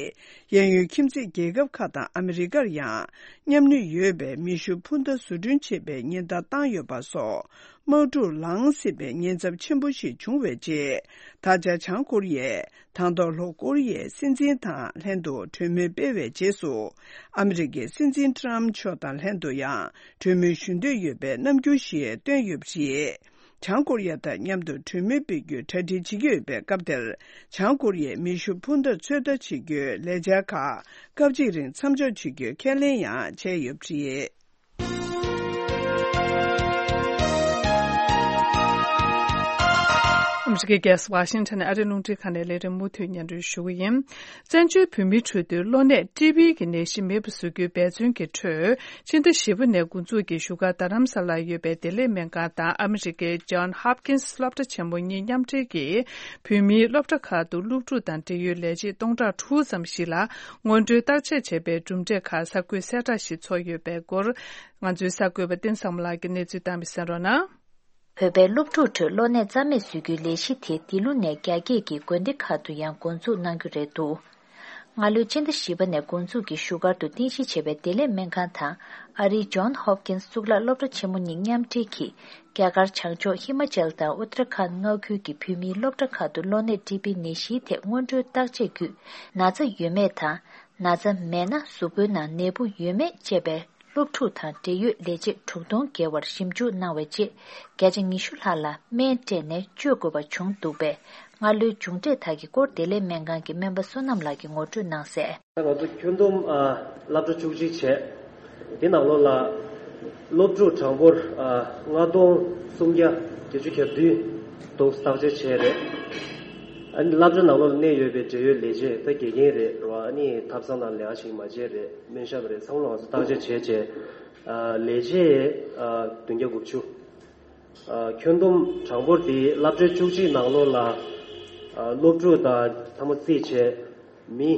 གཡས་གཡོན་ཁྱིམ་མཚེས་རྒྱལ་ཁབ་ཁག་དང་ཨ་མི་རི་ཀར་ཡང་མཉམ་ནུས་ཡོད་པའི་མེ་ཤུགས་འཕུར་མདའ་བཟོ་སྐྲུན་བྱེད་པའི་ཉེན་བརྡ་བཏང་ཡོད་པ་སོགས། དམག་འཁྲུག་ལངས་སྲིད་པའི་ཉེན་ཚབས་ཆེན་པོ་ཞིག་བྱུང་བའི་རྗེས། ད་ཆ་བྱང་ཀོ་རི་ཡས་དང་ཐོག་ལྷོ་ཀོ་རི་ཡའི་སྲིད་འཛིན་དང་ལྷན་དུ་གྲོས་མོལ་སྤེལ་བའི་རྗེས་སུ། ཨ་མི་རི་ཀའི་སྲིད་འཛིན་ཊམ་མཆོག་དང་ལྷན་དུ་ཡང་གྲོས་མོལ་ཞུ་འདོད་ཡོད་པའི་རྣམ་འགྱུར་ཞིག་བཏོན་ཡོད་པ་རེད། བྱང་ཀོ་རི་ཡ་དང་མཉམ་དུ་གྲོས་མོལ་སྤེལ་རྒྱུའི་གྲ་སྒྲིག་བྱེད་ཀྱི་ཡོད་པའི་སྐབས་དེར། བྱང་ཀོ་རི་ཡས་མེ་ཤུགས་འཕུར་མདའ་ཚོད་ལྟ་བྱེད་རྒྱུའི་ལས་འཆར་ཁག་སྐབས་གཅིག་རིང་མཚམས་འཇོག་བྱེད་རྒྱུའི་ཁས་ལེན་ཡང་བྱས་ཡོད་པ་རེད། ཨ་མི་རི་ཀའི་རྒྱལ་ས་ཝ་ཤིང་ཊོན་ནས་ཨ་རིའི་རླུང་འཕྲིན་ཁང་ནས་ལས་རིམ་མུ་མཐུད་སྙན་སྒྲོན་ཞུ་གི་ཡིན། བཙན་བྱོལ་བོད་མིའི་ཁྲོད་དུ་གློ་ནད་ཊི་བི་གི་ནད་གཞི་མེད་པ་བཟོ་རྒྱུའི་འབད་བརྩོན་གྱི་ཁྲོད། ཕྱི་ཟླ་བཞི་པ་ནས་འགོ་འཛུགས་ཀྱིས་བཞུགས་སྒར་རྡ་རམ་ས་ལར་ཡོད་པའི་བདེ་ལེགས་སྨན་ཁང་དང་ཨ་མི་རི་ཀའི་ཇོན་ཧོབ་ཀིན་སི་སློབ་གྲྭ་ཆེན་མོ་གཉིས་མཉམ་འབྲེལ་གྱིས། བོད་མིའི་སློབ་གྲྭ་ཁག་ཏུ་སློབ་ཕྲུག་དང་འབྲེལ་ཡོད་ལས་བྱེད་སྟོང་ཕྲག་དྲུག་ཙམ་ཞིག་ལ་སྔོན་འགྲོའི་བརྟག་དཔྱད་བྱས་པའི་གྲུབ་འབྲས་ཁག་གསར་འགོད་གསལ་བསྒྲགས་ཤིག་ཚོགས་ཡོད་པའི་སྐོར། ང་ཚོའི་གསར་འགོད་པ་བསྟན་བཟང་མོ་ལགས་ཀྱིས་གནས་ཚུལ་བཏང་བ་གསན་རོགས་གནང་། བོད་པའི་སློབ་ཕྲུག་ཁྲོད་གློ་ནད་རྩ་མེད་བཟོ་རྒྱུའི་ལས་གཞི་དེ་འདི་ལོ་ནས་རྒྱ་སྐད་ཀྱི་དགོན་སྡེ་ཁག་ཏུ་ཡང་འགོ་འཛུགས་གནང་རྒྱུ་རེད་འདུག་སྔ་ལོའི་ཕྱི་ཟླ་བཞི་པ་ནས་འགོ་འཛུགས་ཀྱིས་བཞུགས་སྒར་དུ་རྟེན་གཞི་བྱས་པའི་བདེ་ལེགས་སྨན་ཁང་དང་ཨ་རིའི་ཇོན་ཧོབ་ཀིན་སི་གཙུག་ལག་སློབ་གྲྭ་ཆེན་མོ་གཉིས་མཉམ་འབྲེལ་གྱིས། རྒྱ་གར་བྱང་ཕྱོགས་ཧི་མ་ཅལ་དང་ཨུ་ཏར་ཁཱན་མངའ་ཁུལ་གྱི་བོད་མིའི་སློབ་གྲྭ་ཁག་ཏུ་གློ་ནད་ཊི་བི་ནད་གཞིའི་ཐད་སྔོན་འགྲོའི་བརྟག་དཔྱད་བརྒྱུད། ན་ཚ་ཡོད་མེད་དང་། ན་ཚ་མེད་ན་གཟུགས་པོའི་ནང་ནད་འབུ་ཡོད་མེད་བཅས་པའི་ སློབ་ཕྲུག་དང་འབྲེལ་ཡོད་ལས་བྱེད་དྲུག་སྟོང་བརྒལ་བར་ཞིབ་འཇུག་གནང་བའི་རྗེས། བརྒྱ་ཆ་ཉི་ཤུ་ལྷག་ལ་སྨན་སྤྲད་ནས་བཅོས་དགོས་པ་བྱུང་འདུག་པས། སྔ་ལོའི་མཇུག་འབྲས་དག་གི་སྐོར་བདེ་ལེགས་སྨན་ཁང་གི་སྨན་པ་བསོད་ནམས་ལགས་ཀྱིས་ངོ་སྤྲོད་གནང་གསལ། ད་ང་ཚོ་ཁྱོན་བསྡོམས་ཨ་སློབ་གྲྭ་བཅུ་གཅིག་བྱས། དེ་ནང་ལོགས་ལ་སློབ་ཕྲུག་གྲངས་འབོར་ཨ་ལྔ་སྟོང་སུམ་བརྒྱ་བརྒྱད་ཅུ་གྱ་བདུན་དུ་བརྟག་དཔྱད་བྱས་རེད། ཨ་ནི་སློབ་གྲྭ་ནང་ལོགས་ལ་གནས་ཡོད་པའི་འབྲེལ་ཡོད་ལས་བྱེད་ད་དགེ་རྒན་རེད་རོ། ཨ་ནི་ཐབ་ཚང་ནང་ལས་ཀ་ཞིག་མ་བྱས་རེད། སྨན་ཞབས་རེད། ཚང་མ་ལ་ང་ཚོ་བརྟག་དཔྱད་བྱས་བྱས་ཨ་ལས་བྱེད་ཨ་བདུན་བརྒྱ་དགུ་བཅུ། ཨ་ཁྱོན་བསྡོམས་གྲངས་འབོར་དེ་སློབ་གྲྭའི་བཅུ་གཅིག་ནང་ལོགས་ལ་ཨ་སློབ་ཕྲུག་དང་ཐ་མ་རྩིས་བྱས་མི་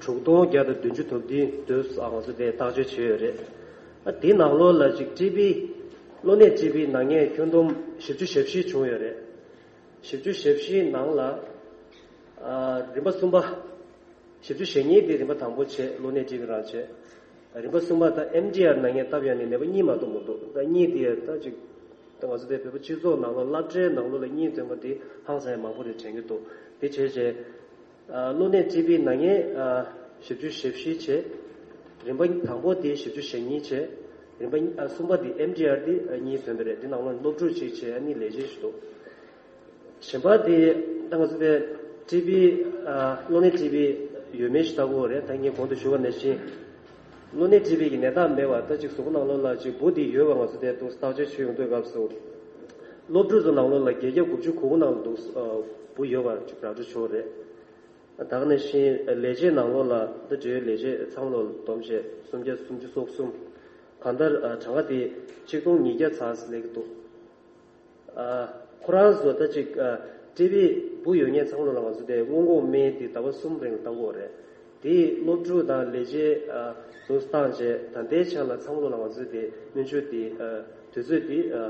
དྲུག་སྟོང་བརྒྱ་དང་བདུན་ཅུ་དོན་བདུན་དུ་ཨ་ང་ཚོ་དེ་བརྟག་དཔྱད་བྱས་ཡོད་རེད། ཨ་དེའི་ནང་ལོགས་ལ་ཅིག་ཊི་བི་གློ་ནད་ཊི་བི་ན་མཁན་ཁྱོན་བསྡོམས་བཞི་བཅུ་ཞེ་བཞི་བྱུང་ཡོད་རེད། བཞི་བཅུ་ཞེ་བཞིའི་ནང་ལ་ཨ་རིམ་པ་གསུམ་པ། བཞི་བཅུ་ཞེ་གཉིས་དེ་རིམ་པ་དང་པོ་བྱས། གློ་ནད་ཊི་བི་རང་བྱས། རིམ་པ་གསུམ་པ་དང་ཨེམ་ཌི་ཨར་ན་མཁན་སྟབས་ཡག་ནས་ནད་པ་གཉིས་མ་གཏོགས་མི་འདུག་ད་གཉིས་དེ་ད་ཅིག་ད་ང་ཚོ་དེ་བོད་པ་སྤྱི་ཚོགས་ནང་ལོགས་སློབ་གྲྭའི་ནང་ལོགས་ལ་གཉིས་ཐོན་པ་དེ་ཧང་སང་ཡང་མང་པོ་རེད་དྲན་གྱི་འདུག་དེ་བྱས་རྗེས་ཨ་གློ་ནད་ཊི་བི་ན་མཁན་ཨ་བཞི་བཅུ་ཞེ་བཞི་བྱས། རིམ་པ་དང་པོ་དེ་བཞི་བཅུ་ཞེ་གཉིས་བྱས། རིམ་པ་ཨ་གསུམ་པ་དེ་ཨེམ་ཌི་ཨར་དེ་ཨ་གཉིས་ཐོན་པ་རེད། དེ་ནང་ལོགས་སློབ་ཕྲུག་གཅིག་བྱས། ཨ་ནི་ལས་བྱེད་ཞིག་འདུག་གཞན་པ་དེ་ད་ང་ཚོ་དེ་ཊི་བི་ཨ་གློ་ནད་ཊི་བི་ཡོད་མེད་ཞིག་ལྟ་དགོས་རེད། ད་ངས་གོང་དུ་ཞུས་པ་ནང་བཞིན་གློ་ནད་ཊི་བི་གི་ནད་རྟགས་མེད་པ་ད་ཅིག་གཟུགས་པོ་ནང་ལོགས་ལ་ཅིག་འབུ་དེ་ཡོད་པ་ང་ཚོ་དེ་འདུག་བརྟག་དཔྱད་བྱེད་ཡོང་དུས་སྐབས་སུ་སློབ་ཕྲུག་ཚོ་ནང་ལོགས་ལ་བརྒྱད་བརྒྱ་དགུ་བཅུ་གོ་དགུ་ནང་ལ་འདུག་ཨ་འབུ་ཡོད་པ་ཅིག་ར་སྤྲོད་བྱུང་རེད། ད་ག་ནང་བཞིན་ལས་བྱེད་ནང་ལོགས་ལ་ད་འབྲེལ་ཡོད་ལས་བྱེད་ཚང་མ་ལོགས་ལ་བསྡོམས་བྱས་སུམ་བརྒྱ་སུམ་ཅུ་སོ་གསུམ། གང་ལྟར་ཨ་གྲངས་ཀ་དེ་ཆིག་སྟོང་ཉིས་བརྒྱ་ཙམ་སླེབས་ཀྱི་འདུག་ཨ་ཁོ་རང་ཚོ་ད་ཅིག་ཨ་ཊི་བི་འབུ་ཡོད་མཁན་ཚང་མ་ལོགས་ལ་ང་ཚོ་དེ་སྔོན་འགོག་སྨན་དེ་ཟླ་བ་གསུམ་རིང་ལ་བཏང་དགོས་རེད། དེ་སློབ་ཕྲུག་དང་ལས་བྱེད་ཨ་ཚོ་བཏང་རྗེས་ད་ལྟའི་ཆར་ལ་ཚང་མ་ལོགས་ལ་ང་ཚོས་དེ་སྨན་བཅོས་དེ་ཨ་དུས་ཚོད་དེ་ཨ་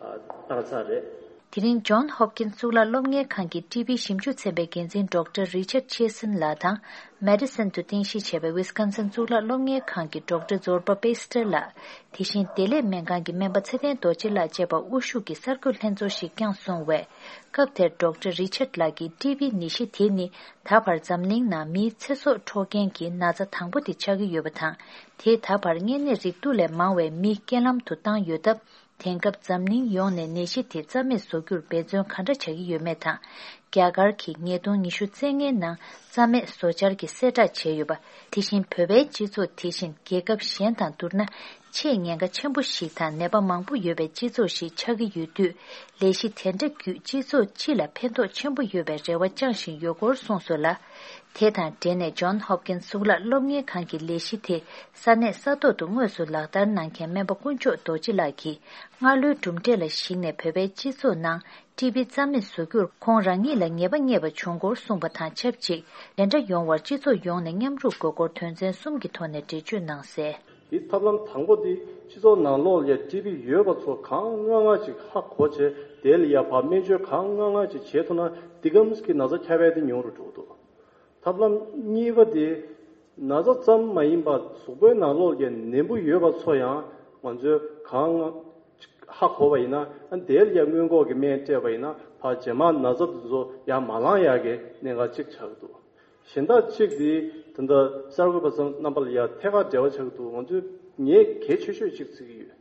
ཨ་བཏང་ཚར་རེད། དེ་རིང་ཇོན་ཧོབ་ཀིན་གཙུག་ལག་སློབ་གཉེར་ཁང་གི་ཊི་བི་ཞིབ་འཇུག་ཚན་པའི་འགན་འཛིན་ཌོག་ཊར་རི་ཆར་ཆེ་སིན་ལགས་དང་། མེ་ཌི་སན་དུ་རྟེན་གཞི་བྱས་པའི་ཝི་སི་ཀོན་སིན་གཙུག་ལག་སློབ་གཉེར་ཁང་གི་ཌོག་ཊར་ཛོར་པ་པེ་སི་ཏྲེ་ལགས། དེ་བཞིན་བདེ་ལེགས་སྨན་ཁང་གི་སྨན་པ་ཚེ་བརྟན་རྡོ་རྗེ་ལགས་བཅས་པ་དབུ་བཞུགས་ཀྱིས་གསར་འགོད་ལྷན་ཚོགས་ཤིག་བསྐྱངས་སོང་བས། སྐབས་དེར་ཌོག་ཊར་རི་ཆར་ལགས་ཀྱིས་ཊི་བི་ནད་གཞི་དེ་ནི་ད་བར་འཛམ་གླིང་ནང་མིའི་ཚེ་སྲོག་འཕྲོག་མཁན་གྱི་ན་ཚ་དང་པོ་དེ་ཆགས་ཀྱི་ཡོད་པ་དང་། དེས་ད་བར་གཉན་ནད་རེག་དུག་ལས་མང་བའི་མི་རྐྱེན་ལམ་དུ་བཏང་ཡོད་སྟབས། དེང་སྐབས་འཛམ་གླིང་ཡོངས་ནས་ནད་གཞི་དེ་རྩ་མེད་བཟོ་རྒྱུར་འབད་བརྩོན་ག་འདྲ་བྱ་གི་ཡོད་མེད་དང་། རྒྱ་གར་གྱིས་ཉིས་སྟོང་ཉི་ཤུ་རྩ་ལྔའི་ནང་རྩ་མེད་བཟོ་འཆར་གྱི་གསལ་བསྒྲགས་བྱས་ཡོད་པ། དེ་བཞིན་བོད་པའི་སྤྱི་ཚོགས་དེ་བཞིན་རྒྱལ་ཁབ་གཞན་དང་བསྡུར་ན་ཆེས་ཉེན་ཁ་ཆེན་པོ་ཞིག་དང་ནད་པ་མང་པོ་ཡོད་པའི་སྤྱི་ཚོགས་ཤིག་ཆགས་ཀྱི་ཡོད་དུས། ལས་གཞི་དེ་འདྲ་བརྒྱུད་སྤྱི་ཚོགས་སྤྱི་ལ་ཕན་ཐོགས་ཆེན་པོ་ཡོད་པའི་རེ་བ་བཅངས་བཞིན་ཡོད་སྐོར་གསུངས་སོང་ལ། དེ་དང་འབྲེལ་ནས་ཇོན་ཧོབ་ཀིན་གཙུག་ལག་སློབ་གཉེར་ཁང་གི་ལས་གཞི་དེ་ས་གནས་ས་ཐོག་ཏུ་དངོས་སུ་ལག་བསྟར་གནང་མཁན་སྨན་པ་དཀོན་མཆོག་རྡོ་རྗེ་ལགས་ཀྱིས། སྔ་ལོའི་གྲུབ་འབྲས་ལ་གཞིགས་ནས་བོད་པའི་སྤྱི་ཚོགས་ནང་ཊི་བི་རྩ་མེད་བཟོ་རྒྱུར་ཁོང་རང་ཉིད་ལ་ངེས་པ་རྙེད་པ་བྱུང་སྐོར་གསུངས་པ་དང་ཆབས་ཅིག་ལས་འདྲ་ཡོང་བར་སྤྱི་ཚོགས་ཡོངས་ནས་མཉམ་རུབ་དགོས་སྐོར་དོན་ཚན་གསུམ་གྱི་ཐོག་ནས་འགྲེལ་བརྗོད་གནང་གསལ། དེའི་ཐབས་ལམ་དང་པོ་དེ་སྤྱི་ཚོགས་ནང་ལོགས་ལ་ཊི་བི་ཡོད་པ་ཚོ་གང་མངོན་མངོན་ཅིག་ཧ་གོ་བྱས། དེ་ལ་ཡ་ཕར་སྨན་བཅོས་གང་མངོན་མངོན་ཅིག་བྱེད་ཐུབ་ན་འདི་གམ་གྱི་ན་ཚ་ཁྱབ་སྤེལ་དེ་ཉུང་རུ་འགྲོ་གི་འདུག་ཐབས་ལམ་གཉིས་པ་དེ། ན་ཚ་ཙམ་མ་ཡིན་པར་གཟུགས་པོའི་ནང་ལོགས་ཀྱི་ནད་འབུ་ཡོད་པ་ཚོ་ཡང་ང་ཚོས་གང་ཧ་གོ་བ་ཡིན་ན། ཨ་དེ་ལ་ཡང་སྔོན་འགོག་གི་སྨན་སྤྲད་པ་ཡིན་ན་ཕར་རྗེས་མ་ན་ཚ་དེ་ཚོ་ཡང་མ་ལངས་ཡག་གི་གནད་འགག་གཅིག་ཆགས་ཀྱི་འདུག་གཞན་དག་གཅིག་དེ་ད་ལྟ་གསར་འགོད་པ་ཚོ་རྣམ་པ་ལ་ཡང་ཐད་ཀར་འབྲེལ་བ་ཆགས་ཀྱི་འདུག་ང་ཚོས་ངས་གལ་ཆེ་ཤོས་གཅིག་བརྩི་གི་ཡོད།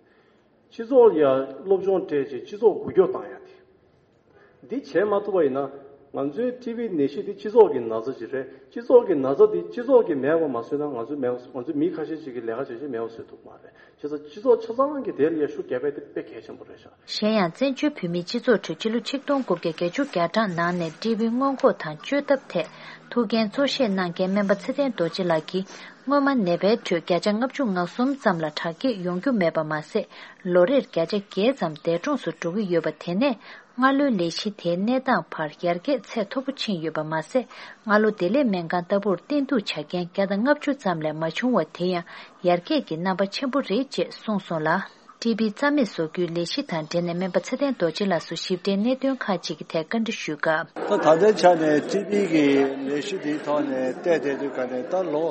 སྤྱི་ཚོགས་ལ་ཡང་སློབ་སྦྱོང་སྤྲད་བྱས་སྤྱི་ཚོགས་འགུལ་སྐྱོད་བཏང་ཡག་དེ། འདི་བྱས་མ་ཐུབ་པ་ཡིན་ན་ང་ཚོའི་ཊི་བི་ནད་གཞི་འདི་སྤྱི་ཚོགས་ཀྱི་ན་ཚ་ཅིག་རེད། སྤྱི་ཚོགས་ཀྱི་ན་ཚ་འདི་སྤྱི་ཚོགས་ཀྱིས་མེད་པ་མ་བཟོས་ན་ང་ཚོ་མེད་པ་ང་ཚོ་མི་ཁ་ཤས་ཅིག་གིས་ལས་ཀ་བྱས་བྱས་མེད་པ་བཟོས་ཐུབ་མ་རེད། བྱས་ཙང་སྤྱི་ཚོགས་ཆ་ཚང་གིས་དེ་ལ་ཡང་ཤུགས་རྒྱབ་ཡག་དེ་དཔེ་གལ་ཆེན་པོ་རེད་ཤག་གཞན་ཡང་བཙན་བྱོལ་བོད་མིའི་སྤྱི་ཚོགས་ཁྲོད་ཕྱི་ལོ་ཆིག་སྟོང་དགུ་བརྒྱ་བརྒྱད་ཅུ་གྱ་གྲངས་ནང་ནས་ཊི་བི་སྔོན་འགོག་དང་བཅོས་ཐབས་ཐད་ཐུགས་འགན་གཙོ་བཞེས་གནང་མཁན་སྨན་པ་ཚེ་བརྟན་རྡོ་རྗེ་ལགས་ཀྱིས། སྔོན་མ་ནད་པའི་ཁྲོད་བརྒྱ་ཆ་ལྔ་བཅུ་ང་གསུམ་ཙམ་ལ་དྲག་སྐྱེད་ཡོང་རྒྱུ་མེད་པ་མ་ཟད། ལོ་རེར་བརྒྱ་ཆ་བརྒྱད་ཙམ་འདས་གྲོངས་སུ་འགྲོ་གི་ཡོད་པ། དེ་ནས་སྔ་ལོའི་ལས་གཞི་དེའི་གནས་སྟངས་བར་ཡར་རྒྱས་ཚད་མཐོ་པོ་ཕྱིན་ཡོད་པ་མ་ཟད། སྔ་ལོ་བདེ་ལེགས་སྨན་ཁང་ལྟ་བུར་བསྟེན་གཏུག་བྱ་མཁན་བརྒྱ་དང་ལྔ་བཅུ་ཙམ་ལས་མ་བྱུང་བ་དེ་ཡང་ཡར་རྒྱས་ཀྱི་རྣམ་པ་ཆེན་པོ་རེད་ཅེས་གསུངས་སོང་ལ། ཊི་བི་རྩ་མེད་བཟོ་རྒྱུའི་ལས་གཞི་དང་འབྲེལ་ནས་སྨན་པ་ཚེ་བརྟན་རྡོ་རྗེ་ལགས་སུ་ཞིབ་ཕྲའི་གནད་དོན་ཁག་ཅིག་གི་ཐད་བཀའ་འདྲི་ཞུས་སྐབས། ད་ད་ལྟའི་ཆ་ནས་ཊི་བི་གི་ལས་གཞི་འདིའི་ཐོག་ནས་བལྟས་བསྡད་དུས་ག་ནས་ད་ལོ་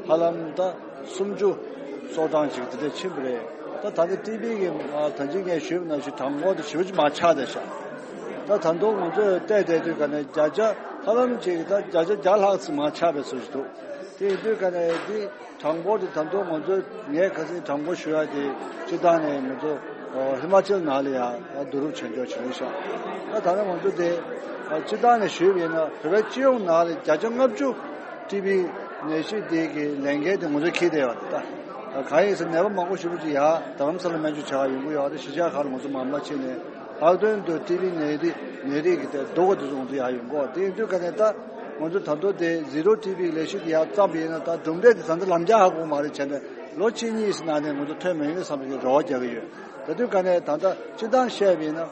ཧ་ལམ་ད་སུམ་ཅུ་སོ་གྲངས་ཅིག་དེ་འདྲ་ཕྱིན་པ་རེད། ད་ད་ལྟ་ཊི་བི་གི་ད་ཅི་ངས་ཞུས་པ་ནང་བཞིན་གྲངས་འབོར་དེ་ཞེ་པོ་ཅིག་མར་ཆག་བསྡད་ཤག་ད་ད་དུང་ང་ཚོས་བལྟས་བསྡད་དུས་ག་ནས་བརྒྱ་ཆ་ཧ་ལམ་ཅིག་ད་བརྒྱ་ཆ་བརྒྱ་ལྷག་ཙམ་མར་ཆག་པའི་བཟོ་ཞིག་འདུག་དེ་ཡིན་དུས་ཀ་ནས་འདི་གྲངས་འབོར་དེ་ད་དུང་ང་ཚོ་ངས་ཁ་སང་གྲངས་འབོར་ཞུ་ཡ་དེ་སྤྱི་བཏང་ནས་ང་ཚོ་ཨ་ཧི་མ་ཅལ་ནང་ལ་ཡང་བསྡུ་རུབ་བྱེད་འཇོག་བྱས་ཤག་ད་ད་ནི་ང་ཚོ་དེ་ཨ་སྤྱི་བཏང་ནས་ཞུས་པ་ཡིན་ན་བོད་པའི་སྤྱི་ཡོངས་ནང་ལ་བརྒྱ་ཆ་ལྔ་བཅུ་ཊི་བི་ནད་གཞི་དེ་གི་ལས་འགན་དེ་ང་ཚོས་འཁྱེར་བསྡད་ཡོད་རེད། ད་གང་ཡིན་ཟེར་ན་ནད་པ་མང་པོ་ཞེ་པོ་ཅིག་ཡར་རྡ་རམ་ས་ལ་སྨན་བཅོས་བྱེད་ག་ཡོང་གི་ཡོད་རེད། གཞིས་ཆགས་ཁག་ལ་ང་ཚོ་མ་མ་ཕྱིན་ནས་ལྷག་དོན་དུ་ཊི་བི་ནད་དེ་ནད་རིགས་ཀྱི་དེ་སྡུག་ག་དེ་ཚོ་ང་ཚོ་ཡར་ཡོང་གི་ཡོད་རེད། དེ་ཡིན་དུས་ཀ་ནས་ད་ང་ཚོ་ད་དུང་དེ་ཟི་རོ་ཊི་བི་ལས་གཞི་དེ་ཡར་བརྩམས་པ་ཡིན་ན་ད་གྲུབ་འབྲས་དེ་ད་ལྟ་ལམ་རྒྱག་ཧ་གོ་མ་རེད། བྱས་ནས་ལོ་གཅིག་གཉིས་ནང་ནས་ང་ཚོ་ཐོན་མ་ཡོང་ནས་བསམ་པའི་རེ་བ་རྒྱག་གི་ཡོད། དེ་དུས་ཀ་ནས་ད་ལྟ་སྤྱི་བཏང་བཤད་པ་ཡིན་ན།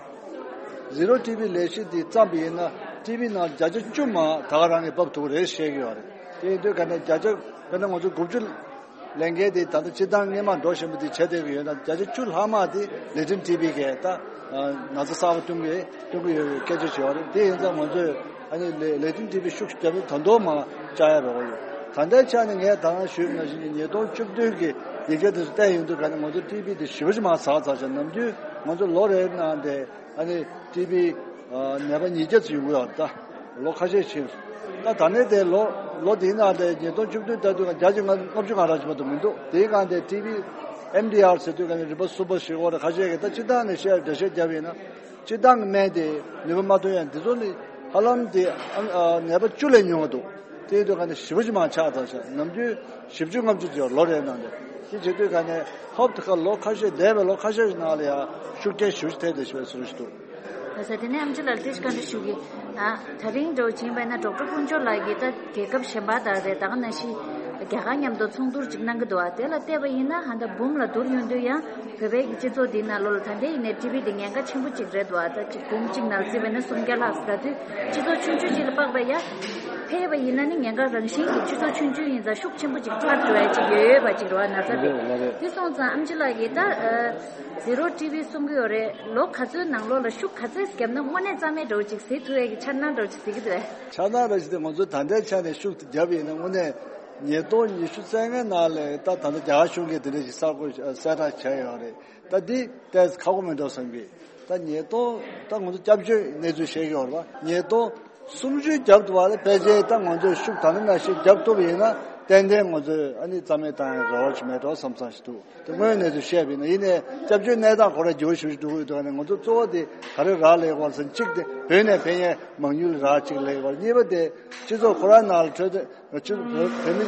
ཟི་རོ་ཊི་བི་ལས་གཞི་འདི་བརྩམས་པ་ཡིན་ན་ཊི་བི་ནང་བརྒྱ་ཆ་བཅུ་མ་ད་ག་རང་གིས་འབབ་ཐུབ་ཀྱི་རེད་བཤད་ཀྱི་ཡོད་རེད། དེ་ཡིན་དུས་ག་ནས་བརྒྱ་ཆ་དཔེར་ན་ང་ཚོ་དགུ་བཅུ་ལས་འགན་དེ་ད་ལྟ་སྤྱི་བཏང་སྔོན་མ་འགྲོ་བཞིན་པ་དེ་བྱས་བསྡད་ཀྱི་ཡོད་ན་བརྒྱ་ཆ་བཅུ་ལྷག་མ་དེ་ལེ་ཊན་ཊི་བི་གིས་ད་ན་ཚ་གསར་པ་བཏོན་གྱི་བཏོན་གྱི་ཡོད་པའི་སྐད་ཆ་བྱས་པ་རེད། དེ་ཡིན་ཙང་ང་ཚོས་ཨ་ནི་ལེ་ལེ་ཊན་ཊི་བི་ཤུགས་ཤུགས་བརྒྱབ་ནས་ད་དུང་མ་བཅག་ཡ་རོགས་ཡོད། ད་ལྟའི་ཆ་ནས་ངས་ད་ག་ཞུས་པ་ནང་བཞིན་ཉིས་སྟོང་བཅུ་བདུན་གྱི་ཡི་གེ་དེ་ཚོ་བལྟས་ཡོང་དུས་ག་ནས་ང་ཚོ་ཊི་བི་དེ་ཞེ་པོ་ཅིག་མར་ཟགས་ཚར་ཤག་ནམ་རྒྱུན་ང་ཚོ་ལོ་རེའི་ནང་དེ་ཨ་ནི་ཊི་བི་ནད་པ་ཉིས་བརྒྱ་ཙམ་ཡོང་གི་ཡོད་རེད། ད་ལོ་ཁ་ཤས་ཕྱིན། ད་ད་ནས་དེ་ལོ་ལོ་དེའི་ནང་དེ་ཉིས་སྟོང་བཅུ་བདུན་ལྟར་དུས་ང་བརྒྱ་ཆ་ལྔ་ལྔ་བཅུ་ང་རག་ཅིག་མ་གཏོགས་མི་འདུག་དེའི་སྒང་དེ་ཊི་བི་ཨེམ་ཌི་ཨར་ཟེར་དུས་ག་ནས་རིམ་པ་གསུམ་པ་ཞིག་འོ་རེད། ཁ་ཤས་ཀྱིས་ད་སྤྱི་བཏང་ནས་བཤད་འགྲེལ་བཤད་བརྒྱབ་ཡིན་ན། སྤྱི་བཏང་གི་སྨན་དེ་ནུས་པ་མ་ཐོན་ཡང་འདི་ཚོ་ནི་ཧ་ལམ་དེ་ཨ་ཨ་ནད་པ་བཅུ་ལས་ཉུང་བ་འདུག་དེ་ཡིན་དུས་ག་ནས་ཞེ་པོ་ཅིག་མར་ཆག་ཚར་ཤག་ནམ་རྒྱུན་བཞི་བཅུ་ལྔ་བཅུ་ཅིག་ཡོད་ལོ་རེའི་ནང་དུ། དེ་བྱེད་དུས་ག་ནས་ཧོབ་ཏེ་ཁ་ལོ་ཁ་ཤས་འདས་པའི་ལོ་ཁ་ཤས་ཤིག་ནང་ལ་ཡང་ཤུགས་རྐྱེན་ཞེ་པོ་ཅིག་ཐེབས་བསྡད་ཤག་པའི་བཟོ་འདྲ་ཞིག་འདུག་ད་ས་དེ་ནས་ཨམ་ཆི་ལགས་ལ་ཏིས་ཀ་འདྲ་ཞུ་གི། ད་ད་རིང་འདྲ་བོ་བྱིན་པ་ན་ཌོག་ཊར་དཀོན་མཆོག་ལགས་ཀྱིས་ད་རྒྱལ་ཁབ་གཞན་པ་དང་རེད། ད་ག་ནང་བཞིན་རྒྱ་གར་མཉམ་དུ་ཚོགས་འདུར་ཅིག་གནང་གི་འདུག་ཨ་དེ་ལ་བལྟས་པ་ཡིན་ན་ཧ་ད་འབུམ་ལ་བསྡུར་ཡོང་དུས་ཡང་བོད་པའི་གི་སྤྱི་ཚོགས་འདི་ནང་ལོགས་ལ་ད་ལྟའི་ཡིན་ནའི་ཊི་བི་འདི་ཉེན་ཁ་ཆེན་པོ་ཅིག་རེད་འདུག་ཨ་ད་ཅིག་འབུམ་གཅིག་ནང་བརྩིས་པ་ཡིན་ན་སུམ་བརྒྱ་ལྷག་ཟེར་དུས་སྤྱི་ཚོགས་ཆུང་ཆུང་ཅིག་ལ་དཔག་པ་ཡ་ཕལ་བ་ཡིན་ན་ནི་ཉེན་ཁ་རང་བཞིན་གྱི་སྤྱི་ཚོགས་ཆུང་ཆུང་ཡིན་ཙང་ཤུགས་ཆེན་པོ་ཅིག་ཆགས་འགྲོ་ཡ་ཅིག་ཡོད་ཡོད་པ་ཅིག་རེད་བ། ན་ཚ་དེ་ལགས་རེད། དེ་སོང་ཙང་ཨམ་ཆི་ལགས་ཀྱིས་ད་ཟི་རོ་ཊི་བི་གསུང་གི་ཡོད་རེད། ལོ་ག་ཚོད་ནང་ལོགས་ལ་ཤུགས་ག་ཚད་བརྒྱབ་ན་དངོས་གནས་རྩ་མེད་འདྲ་བོ་ཅིག་གཟིགས་ཐུབ་ཡས་ཀྱི་འཆར་སྣང་འདྲ་བོ་ཅིག་གཟིགས་ཀྱི་འདུག་གས། འཆར་སྣང་འདྲ་ཞིག་དེ་ང་ཚོ་ད་ལྟའི་ཆ་ནས་ཤུགས་དེ་བརྒྱབ་ཡིན་ན་དངོས་གནས་ཉིས་སྟོང་ཉི་ཤུ་རྩ་ལྔའི་ནང་ལ་ད་ད་ལྟ་རྒྱ་གར་གཞུང་གིས་དེ་འདྲ་ཞིག་གསར་བཀོད་གསལ་བསྒྲགས་བྱས་ཡོད་རེད། ད་འདི་ཏོག་ཙམ་ཁག་པོ་མེད་འགྲོ་བསམ་གི། ད་ཉིས་སྟོང་ད་ང་ཚོ་སྐྱབས་བཅོལ་གནས་ཚུལ་བཤད་ཀྱི་ཡོད་རེད་པ། ཉིས་སྟོང་སུམ་ཅུ་བརྒྱབ་འདུག་བ་ལ་ཕལ་ཆེར་ད་ང་ཚོས་ཤུགས་ད་ནི་ནང་བཞིན་བརྒྱབ་ཐུབ་པ་ཡིན་ན་ཏན་ཏན་ང་ཚོས་ཨ་ནི་རྩ་མེད་བཏང་ཡ་རེ་བ་ཞིག་མེད་འགྲོ་བསམ་བསམ་ཞིག་འདུག་དེ་དངོས་ཡོད་གནས་ཚུལ་བཤད་པ་ཡིན་ན། ཡིན་ནའི་སྐྱབས་བཅོལ་གནས་སྟངས་ཁོ་རང་འགྱུར་བ་ཞིག་འགྲོ་གི་འདུག་ནས་ང་ཚོ་གཙོ་བོ་དེ་ག་རེ་རག་ལས་དགོས་ཟེར་ན། གཅིག་དེ་བོད་ནས་ཕེབས་མཁན་མང་ཉུང་ལ་རག་གཅིག་ལས་དགོས། གཉིས་པ་དེ་སྤྱི་ཚོགས་ཁོ་རང་ནང་ལ་འཕྲོད་བསྟེན་སྤྱི་བོད་མི་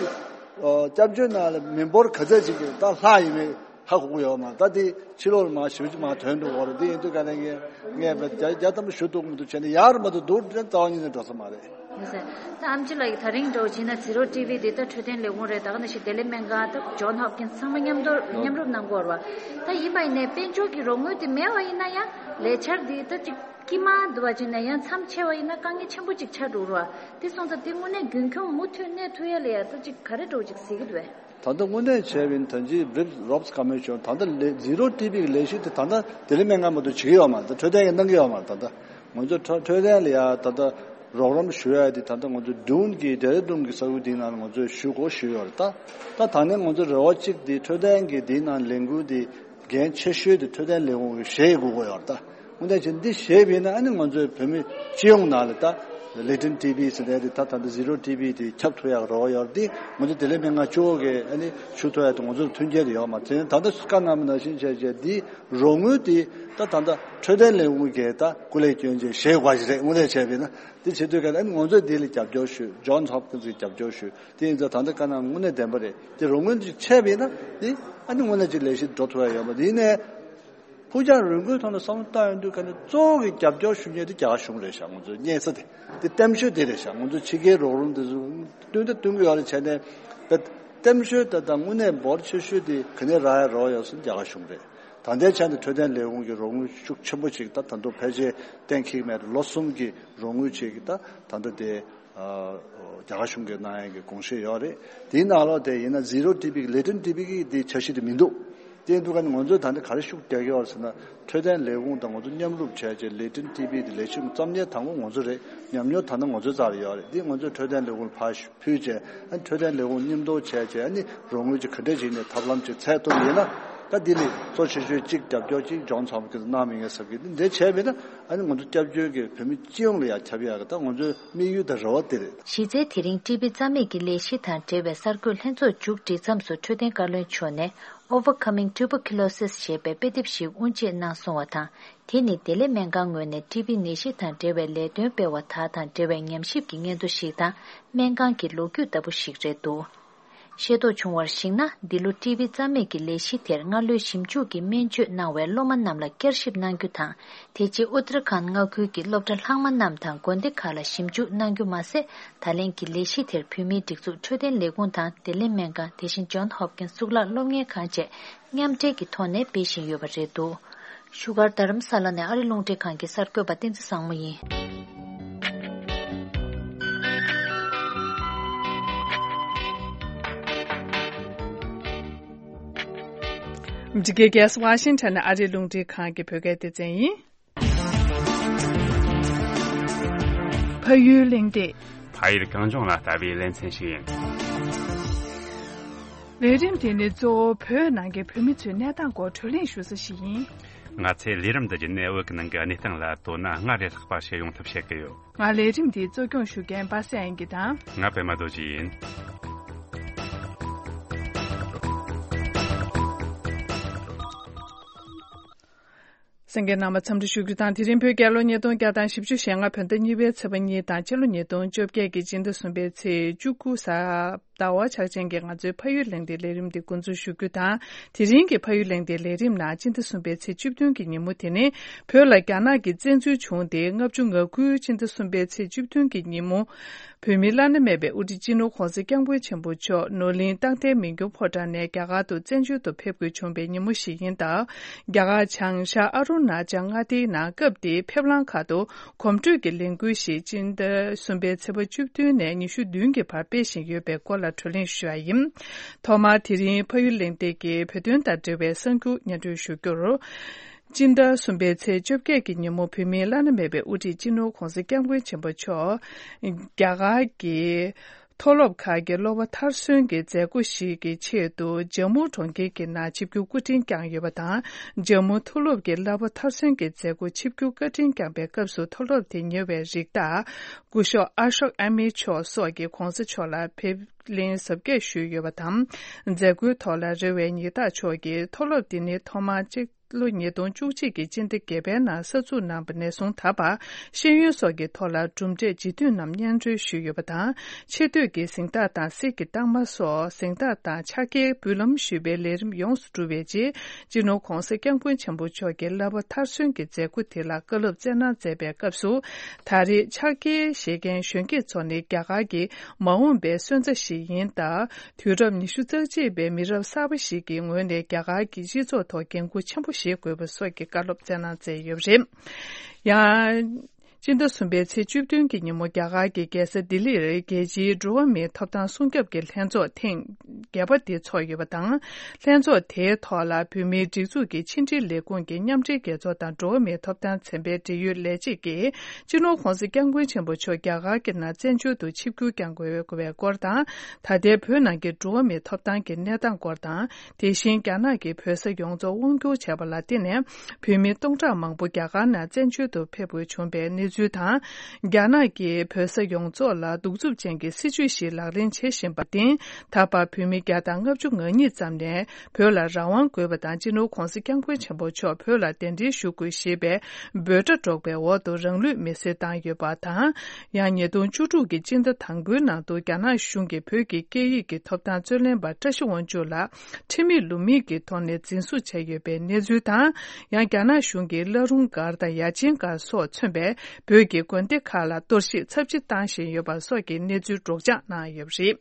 སྐྱབས་བཅོལ་ནང་ལ་མི་འབོར་ག་ཚད་ཅིག་གི་ད་ལྷག་ཡིན་མིན་ཧ་གོ་གི་ཡོད་མ་རེད། ད་དེ་ཕྱི་ལོགས་ལ་མར་ཞིབ་ཅིག་མར་ཐོན་འགྲོ་གི་རེད། དེ་ཡིན་དུས་ག་ནས་ངས་ངས་བརྒྱ་ཆ་བརྒྱ་ཐམ་པ་ཞུ་ཐུབ་མི་འདུག་བྱས་ནས་ཡག་རུ་མ་གཏོགས་སྡུག་རུ་རྩ་བ་ཉིད་ནས་འགྲོ་ས་མ་རེད། ད་ཨམ་ཆི་ལགས་ཀྱིས་ད་རིང་འདྲ་བོ་བྱས་ན་ཟི་རོ་ཊི་བི་འདི་ད་འཕྲོད་བསྟེན་ལས་ཁུངས་རེད། ད་ག་ནང་བཞིན་བདེ་ལེགས་སྨན་ཁང་ད་ཇོན་ཧོབ་ཀིན་སི་ཚང་མ་མཉམ་དུ་མཉམ་རུབ་གནང་གི་ཡོད་རེད་བ། ད་ཡིན་པ་ཡིན་ནའི་དཔལ་འབྱོར་གྱི་རོགས་དངུལ་དེ་མེད་པ་ཡིན་ན་ཡང་ལས་འཆར་འདི་ད་ཅིག་དཀྱིལ་མ་འདུག་བ་བྱས་ན་ཡང་མཚམས་ཆད་པ་ཡིན་ན་དཀའ་ངལ་ཆེན་པོ་ཅིག་ཆགས་འགྲོ་གི་རེད་བ། དེ་སོང་ཙང་དེ་དངོས་གནས་རྒྱུན་འཁྱོངས་མུ་མཐུད་གནས་ཐུབ་ཡ་ལ་ཡ་ད་ཅིག་ག་རེ་འདྲ་བོ་ཅིག་གཟིགས་ཀྱི་འདུག་བས། ད་ལྟ་དངོས་གནས་བྱས་པ་ཡིན་ན་ད་ཅི་རིབ་རོབ་སི་ཀོ་མི་ཤོན་ད་ལྟ་ལས་ཟི་རོ་ཊི་བི་གི་ལས་གཞི་དེ་ད་ལྟ་བདེ་ལེགས་སྨན་ཁང་མ་གཏོགས་བྱེད་ཀྱི་ཡོད་མ་རེད། ད་འཕྲོད་བསྟེན་གྱི་གནང་གི་ཡོད་མ་རེད། ད་ལྟ་ང་ཚོ་འཕྲོད་འཕྲོད་བསྟེན་ལ་ཡ་ད་ལྟ་རོགས་རམ་ཞུ་ཡ་དེ་ད་ལྟ་ང་ཚོ་ཌུན་གྱི་ཌེ་ར་ཌུན་གྱི་ས་ཁུལ་དེའི་ནང་ལ་ང་ཚོས་ཞུ་དགོས་ཞུས་ཡོད་རེད། ད་ད་ད་ནས་ང་ཚོ་རེ་བ་གཅིག་དེ་འཕྲོད་བསྟེན་གྱི་དེའི་ནང་ལས་འགུལ་དེ་འགན་ཆེ་ཤོས་དེ་འཕྲོད་བསྟེན་ལས་ཁུངས་ཀྱིས་བཞེས་དགོས་ཀྱི་ཡོད་རེད། ད་དངོས་གནས་བྱས་འདི་བཞེས་པ་ཡིན་ན་ཨ་ནི་ང་ཚོའི་བོད་མི་སྤྱི་ཡོངས་ནང་ལ་ད་ལེ་ཊན་ཊི་བི་ཟེར་ནས་དེ་ད་ད་ལྟ་ཟི་རོ་ཊི་བི་དེ་ཁྱབ་ཐུབ་ཡག་རོགས་ཡོད་རེད། དེ་ང་ཚོ་བདེ་ལེགས་སྨན་ཁང་གཙོ་བོ་གིས་ཨ་ནི་ཞུ་ཐུབ་ཡག་དེ་ང་ཚོར་མཐུན་རྐྱེན་དེ་ཡོད་མ་རེད། དེ་ད་ལྟ་བཀའ་གནང་བ་ནང་བཞིན་བྱས་བྱས་འདི་རོགས་དངུལ་དེ་ད་ད་ལྟ་འཕྲོད་བསྟེན་ལས་ཁུངས་ཀྱིས་ད་སྐུ་ལས་སྐྱོན་བྱས་བཞེས་དགོས་ཞིག་རེད། དངོས་གནས་བྱས་པ་ཡིན་ན་དེ་བྱེད་དུས་ག་ཨ་ནི་ང་ཚོས་འདི་ལ་རྒྱབ་སྐྱོར་ཞུ། ཇོན་ཧོབ་ཀིན་སི་གི་རྒྱབ་སྐྱོར་ཞུ། དེ་ཡིན་ཙང་ད་ལྟ་བཀའ་གནང་དངོས་གནས་བདེན་པ་རེད། དེ་རོགས་དངུལ་ཅིག་ཆད་པ་ཡིན་ན་དེ་ཨ་ནི་དངོས་གནས་ཅིག་ལས་གཞི་འགྲོ་ཐུབ་ཡ་ཡོད་མ་རེད། ཡིན་ནའི་ཕུགས་རྒྱང་རིང་པོའི་ཐོག་ནས་བསམ་བློ་བཏང་ཡོང་དུས་ག་ནས་གཙོ་བོ་གི་རྒྱབ་སྐྱོར་ཞུ་མཁན་དེ་རྒྱ་གར་གཞུང་རེད་ཤག་ང་ཚོ་གཉེར་ས་དེ་དེ་བརྟན་ཤོས་དེ་རེད་ཤག་ང་ཚོ་ཕྱི་རྒྱལ་རོགས་རམ་དེ་ཚོ་བསྟུན་ད་བསྟུན་གི་ཡོད་རེད། བྱས་ནས་བརྟན་ཤོས་དེ་དང་དངོས་གནས་འབོར་ཆེ་ཤོས་དེ་ག་ནས་རག་ཡ་རོགས་ཡོད་ཟེར་ན་རྒྱ་གར་གཞུང་རེད། ད་ལྟའི་ཆ་ནས་འཕྲོད་བསྟེན་ལས་ཁུངས་ཀྱི་རོགས་དངུལ་ཤུགས་ཆེན་པོ་ཞིག་ད་ད་དུང་ཕལ་ཆེར་གཏན་འཁེལ་མེད་རེད། ལོ་གསུམ་གྱི་རོགས་དངུལ་ཅིག་ད་ད་ལྟ་དེ་རྒྱ་གར་གཞུང་གིས་གནང་ཡག་གི་དགོངས་བཞེས་ཡོད་རེད། དེའི་ནང་ལོགས་དེ་ཡིན་ན་ཟི་རོ་ཊི་བི་གི་ལེ་ཊན་ཊི་བི་གི་དེ་འཆར་གཞི་དེ་མི་འདུག་དེ་འདུག་ག་ནི་ང་ཚོས་ད་ལྟ་ག་རེ་ཤུགས་རྒྱག་གི་ཡོད་རེད་ཟེར་ན། འཕྲོད་བསྟེན་ལས་ཁུངས་དང་ང་ཚོ་མཉམ་རུབ་བྱས་རྗེས་ལེ་ཊན་ཊི་བི་དེ་ལས་ཞུགས་རྩ་གནས་དང་པོ་ང་ཚོ་རེད། ཉམས་མྱོང་ད་ལྟ་ང་ཚོའི་རྩ་ལ་ཡོད་རེད། འདི་ང་ཚོས་འཕྲོད་བསྟེན་ལས་ཁུངས་ལ་ཕར་ཕུལ་རྗེས་ཨ་ནི་འཕྲོད་བསྟེན་ལས་ཁུངས་མཉམ་དུ་བྱས་རྗེས་ཨ་ནི་རོགས་དངུལ་ཅིག་ག་འདྲས་ཅིག་ནས་ཐབས་ལམ་ཅིག་འཚོལ་ཐུབ་ཡིན་ན། ད་འདི་ལས་གཙོ་ཆེ་ཤོས་གཅིག་རྒྱབ་སྐྱོར་གཅིག་ལྗོངས་ཚོགས་པ་ཁྱེད་ཚོ་གནང་མི་ངེས་ཟེར་གི་འདི་འདྲ་བྱས་མེད་ན་ཨ་ནི་ང་ཚོ་སྐྱབས་བཅོལ་གྱི་བོད་མི་སྤྱི་ཡོངས་ལ་ཡང་ཁྱབ་ཡག་གི་ད་ང་ཚོའི་དམིགས་ཡུལ་དང་རེ་བ་དེ་རེད། གཞི་རྩའི་དེ་རིང་ཊི་བི་རྩ་མེད་ཀྱི་ལས་གཞི་དང་འབྲེལ་བའི་གསར་འགོད་ལྷན་ཚོགས་མཇུག་སྒྲིལ་མཚམས་སུ་འཕྲོད་བསྟེན་བཀའ་བློན་མཆོག་ནས་Overcoming Tuberculosis ཞེས་པའི་དཔེ་དེབ་ཞིག་དབུ་འབྱེད་གནང་སོང་བ་དང་། དེ་ནི་བདེ་ལེགས་སྨན་ཁང་ངོས་ནས་ཊི་བི་ནད་གཞི་དང་འབྲེལ་བའི་ལས་དོན་སྤེལ་བ་དག་དང་འབྲེལ་བའི་ཉམས་ཞིབ་ཀྱི་སྙན་ཐོ་ཞིག་དང་སྨན་ཁང་གི་ལོ་རྒྱུས་ལྟ་བུ་ཞིག་རེད་འདུག་ཤེས་རྟོགས་བྱུང་བར་གཞིགས་ན། འདི་ལོ་ཊི་བི་རྩ་མེད་ཀྱི་ལས་གཞི་དེར་སྔ་ལོའི་ཞིབ་འཇུག་གི་སྨན་བཅོས་གནང་བའི་སློབ་མ་རྣམས་ལ་བསྐྱར་ཞིབ་གནང་རྒྱུ་དང་། དེ་རྗེས་ཨུ་ཏར་ཁཱན་མངའ་ཁུལ་གྱི་སློབ་གྲྭ་ལྷག་མ་རྣམས་དང་དགོན་སྡེ་ཁག་ལ་ཞིབ་འཇུག་གནང་རྒྱུ་མ་ཟད། ད་ལན་གྱི་ལས་གཞི་དེར་བོད་མིའི་སྒྲིག་འཛུགས་འཕྲོད་བསྟེན་ལས་ཁུངས་དང་བདེ་ལེགས་སྨན་ཁང་། དེ་བཞིན་ཇོན་ཧོབ་ཀིན་གཙུག་ལག་སློབ་གཉེར་ཁང་བཅས་མཉམ་འབྲེལ་གྱི་ཐོག་ནས་སྤེལ་བཞིན་ཡོད་པ་རེད་འདུག་ཤུག་གར་རྡ་རམ་ས་ལ་ནས་ཨ་རི་རླུང་འཕྲིན་ཁང་གི་གསར་འགོད་པ་བསྟན་འཛིན་བཟང་མོ་ཡིན། འདི་གའི་རྒྱལ་ས་ཝ་ཤིང་ཊོན་ནས་ཨ་རི་རླུང་འཕྲིན་ཁང་གི་བོད་སྐད་སྡེ་ཚན་ཡིན། ཕ་ཡུལ་གླེང་སྟེགས། ཕ་ཡུལ་གངས་ལྗོངས་ལ་ལྟ་བའི་ལེ་ཚན་ཞིག་ཡིན། ལས་རིམ་དེ་ནི་གཙོ་བོ་བོད་ནང་གི་བོད་མི་ཚོའི་གནས་སྟངས་སྐོར་བགྲོ་གླེང་ཞུ་ས་ཞིག་ཡིན། ང་ཚོས་ལས་རིམ་འདི་བརྒྱུད་ནས་བོད་ཀྱི་ནང་གི་གནས་སྟངས་ལ་དོ་སྣང་སྔར་ལས་ལྷག་པ་བྱེད་ཡོང་ཐབས་བྱེད་ཀྱི་ཡོད། ང་ལས་རིམ་འདི་གཙོ་སྐྱོང་ཞུ་མཁན་པ་སངས་དབྱངས་སྐྱིད་དང་། ང་པད་མ་རྡོ་རྗེ་ཡིན། གསན་མཁན་རྣམ་པ་འཚམས་འདྲི་ཞུ་རྒྱུ་དང་། དེ་རིང་བོད་རྒྱལ་ལོ་ཉིས་སྟོང་བརྒྱ་དང་བཞི་བཅུ་ཞེ་ལྔ་བོད་ཟླ་གཉིས་པའི་ཚེས་པ་གཉིས་དང་། སྤྱི་ལོ་ཉིས་སྟོང་བཅོ་བརྒྱད་ཀྱི་སྤྱི་ཟླ་གསུམ་པའི་ཚེས་བཅུ་དགུ་གཟའ་ཟླ་བ་ཆགས་ཅན་གྱི་ང་ཚོའི་ཕ་ཡུལ་གླེང་སྟེགས་ལས་རིམ་འདི་འགོ་འཛུགས་ཞུ་རྒྱུ་དང་། དེ་རིང་གི་ཕ་ཡུལ་གླེང་སྟེགས་ལས་རིམ་ནང་སྤྱི་ཟླ་གསུམ་པའི་ཚེས་བཅུ་བདུན་གྱི་ཉིན་མོ་དེ་ནི་བོད་ལ་རྒྱ་ནག་གིས་བཙན་འཛུལ་བྱུང་སྟེ་ལྔ་བཅུ་ང་དགུ། སྤྱི་ཟླ་གསུམ་པའི་ཚེས་བཅུ་བདུན་གྱི་ཉིན་མོ། བོད་མིའི་བླ་ན་མེད་པའི་དབུ་ཁྲིད་སྤྱི་ནོར་༧གོང་ས་༧སྐྱབས་མགོན་ཆེན་པོ་མཆོག་ནོར་གླིང་རྟ་མགོའི་མི་འགྱུར་ཕོ་བྲང་ནས་རྒྱ་གར་དུ་བཙན་བྱོལ་དུ་ཕེབས་དགོས་བྱུང་བའི་ཉིན་མོ་ཞིག་ཡིན་སྟབས། རྒྱ་གར་བྱང་ཤར་ཨ་རུ་ན་ཅལ་མངའ་སྡེའི་ནང་སྐབས་དེའི་ཕེབས་ལམ་ཁག་ཏུ་གོམ་བགྲོད་ཀྱི་ལས་འགུལ་ཞིག་སྤྱི་ཟླ་གསུམ་པའི་ཚེས་པ་བཅུ་བདུན་ནས་ཉི་ཤུ་བདུན་གྱི་བར་སྤེལ་བཞིན་ཡོད་པའི་སྐོར་ལ་བགྲོ་གླེང་ཞུ་བ་ཡིན། ཐོག་མར་དེ་རིང་ཕ་ཡུལ་གླེང་སྟེགས་ཀྱི་བོད་དོན་དང་འབྲེལ་བའི་གསར་འགྱུར་སྙན་སྒྲོན་ཞུ་རྒྱུར། སྤྱི་ཟླ་གསུམ་པའི་ཚེས་བཅོ་བརྒྱད་ཀྱི་ཉིན་མོ་བོད་མིའི་བླ་ན་མེད་པའི་དབུ་ཁྲིད་སྤྱི་ནོར་༧གོང་ས་༧སྐྱབས་མགོན་ཆེན་པོ་མཆོག་རྒྱ་གར་གྱི་མཐོ་སློབ་ཁག་གི་སློབ་པ་མཐར་སོན་གྱི་མཛད་སྒོ་ཞིག་གི་ཆེད་དུ་ཇམ་མུ་གྲོང་ཁྱེར་གྱི་ནང་ཆིབས་བསྒྱུར་སྐུ་དྲིན་བསྐྱངས་ཡོད་པ་དང་། ཇམ་མུ་མཐོ་སློབ་ཀྱི་བསླབ་པ་མཐར་སོན་གྱི་མཛད་སྒོ་ཆིབས་བསྒྱུར་བཀའ་དྲིན་བསྐྱངས་པའི་སྐབས་སུ་མཐོ་སློབ་དེ་ཉེ་བའི་རིགས་བདག་སྐུ་ཞབས་ཨ་ཤོག་ཨ་མི་མཆོག་སོགས་ཀྱིས་༧གོང་ས་མཆོག་ལ་ཕེབས་ལན་གཟབ་རྒྱས་ཞུས་ཡོད་པ་དང་། མཛད་སྒོའི་ཐོག་ལ་རེ་བའི་ཉི་ཟླ་མཆོག་གིས་མཐོ་སློབ་དེ་ནི་ཐོག་མར་སྤྱི་ལོ་ཉིས་སྟོང་བཅུ་གཅིག་གི་སྤྱི་ཟླ་བརྒྱད་པའི་ནང་གསར་འཛུགས་གནང་བ་ནས་བཟུང་ད་བར་ཤེས་ཡོན་སོགས་ཀྱི་ཐོག་ལ་གྲུབ་འབྲས་ལྗིད་མཐུན་རྣམས་སྙན་སྒྲོན་ཞུས་ཡོད་པ་དང་། ཆེ་བསྟོད་ཀྱི་གཟེངས་རྟགས་དང་གསེར་གྱི་རྟགས་མ་སོགས་གཟེངས་རྟགས་དང་ཕྱག་འཁྱེར་འབུལ་ལམ་ཞུས་པའི་ལས་རིམ་ཡོངས་སུ་གྲུབ་པའི་རྗེས། སྤྱི་ནོར་༧གོང་ས་༧སྐྱབས་མགོན་ཆེན་པོ་མཆོག་གིས་བསླབ་པ་མཐར་སོན་གྱི་མཛད་སྒོ་དེ་ལ་བཀའ་སློབ་སྩལ་གནང་མཛད་པའི་སྐབས་སུ། ད་རེས་ཕྱག་འཁྱེར་བཞེས་མཁན་གཞོན་སྐྱེས་ཚོ་ནི་རྒྱ་གར་གྱི་མ་འོངས་པའི་སོན་རྩ་ཞིག་ཡིན་སྟབས། དུས་རབས་ཉི་ཤུ་རྩ་གཅིག་པའི་མི་རབས་གསར་པ་ཞིག་གི་ངོས་ནས་རྒྱ་གར་གྱི་སྤྱི་ཚོགས་ཐོག་འགན་འཁུར་ཆེན་པོ་བཞེས་དགོས་པ་སོགས་ཀྱི་བཀའ་སློབ་སྩལ་གནང་མཛད་ཡོད་པ་རེད། ཡང་། སྤྱི་ཟླ་གསུམ་པའི་ཚེས་བཅུ་བདུན་གྱི་ཉིན་མོ་རྒྱ་གར་གྱི་རྒྱལ་ས་ལྡི་ལིར་རྒྱལ་སྤྱིའི་འགྲོ་བ་མིའི་ཐོབ་ཐང་སྲུང་སྐྱོབ་ཀྱི་ལྷན་ཚོགས་ཐེངས་བརྒྱད་པ་དེ་ཚོགས་ཡོད་པ་དང་། ལྷན་ཚོགས་དེའི་ཐོག་ལ་བོད་མིའི་སྒྲིག་འཛུགས་ཀྱི་ཕྱི་འབྲེལ་ལས་ཁུངས་ཀྱི་མཉམ་འབྲེལ་རྒྱལ་ཚོགས་དང་འགྲོ་བ་མིའི་ཐོབ་ཐང་ཚན་པའི་འབྲེལ་ཡོད་ལས་བྱེད་ཀྱིས། སྤྱི་ནོར་༧གོང་ས་༧སྐྱབས་མགོན་ཆེན་པོ་མཆོག་རྒྱ་གར་གྱི་ནང་བཙན་བྱོལ་དུ་ཆིབས་བསྒྱུར་བསྐྱང་དགོས་པའི་སྐོར་དང་། ད་ལྟའི་བོད་ནང་གི་འགྲོ་བ་མིའི་ཐོབ་ཐང་གི་གནས་སྟངས་སྐོར་དང་། དེ་བཞིན་རྒྱ་ནག་གིས་བོད་ས་ཡོངས་རྫོགས་དབང་བསྒྱུར་བྱས་པ་ལ་བརྟེན་ནས། བོད་མི་སྟོང་ཕྲག་མང་པོ་རྒྱ་གར་ནང་བཙན་བྱོལ་དུ་ཕེབས་དགོས་བྱུང་བའི་གནས་ཚུལ་དང་། རྒྱ་ནག་གིས་བོད་ས་ཡོངས་རྫོགས་ལ་གདུག་རྩུབ་ཅན་གྱི་སྲིད་བྱུས་ཤིག་ལག་ལེན་བྱེད་བཞིན་པར་བརྟེན། ད་བར་བོད་མི་བརྒྱ་དང་ལྔ་བཅུ་ང་གཉིས་ཙམ་ནས། བོད་ལ་རང་དབང་དགོས་པ་དང་། སྤྱི་ནོར་༧གོང་ས་༧སྐྱབས་མགོན་ཆེན་པོ་མཆོག་བོད་ལ་གདན་འདྲེན་ཞུ་དགོས་ཞེས་པའི་འབོད་སྒྲ་སྒྲོག་པའི་འོག་ཏུ་རང་ལུས་མེར་སྲེག་བཏང་ཡོད་པ་དང་། ཡང་ཉིས་སྟོང་བཅུ་དྲུག་གི་སྤྱི་ཟླ་དང་པོའི་ནང་དུ་རྒྱ་ནག་གཞུང་གིས་བོད་ཀྱི་སྐད་ཡིག་གི་ཐོབ་ཐང་རྩོད་ལེན་པ་བཀྲ་ཤིས་དབང་ཕྱུག་ལགས་ཁྲིམས་མེད་ལུགས་མེད་ཀྱི་ཐོག་ནས་འཛིན་བཟུང་བྱས་ཡོད་པའི་གནས་ཚུལ་དང་། ཡང་རྒྱ་ནག་གཞུང་གིས་བླ་རུང་སྒར་དང་ཡ་ཆེན་སྒར་སོགས་མཚོན་པའི་བོད་ཀྱི་དགོན་སྡེ་ཁག་ལ་གཏོར་བཤིག་ཚབས་ཆེ་བཏང་བཞིན་ཡོད་པ་སོགས་ཀྱི་གནས་ཚུལ་སྒྲོག་སྦྱང་གནང་ཡོད་པ་རེད།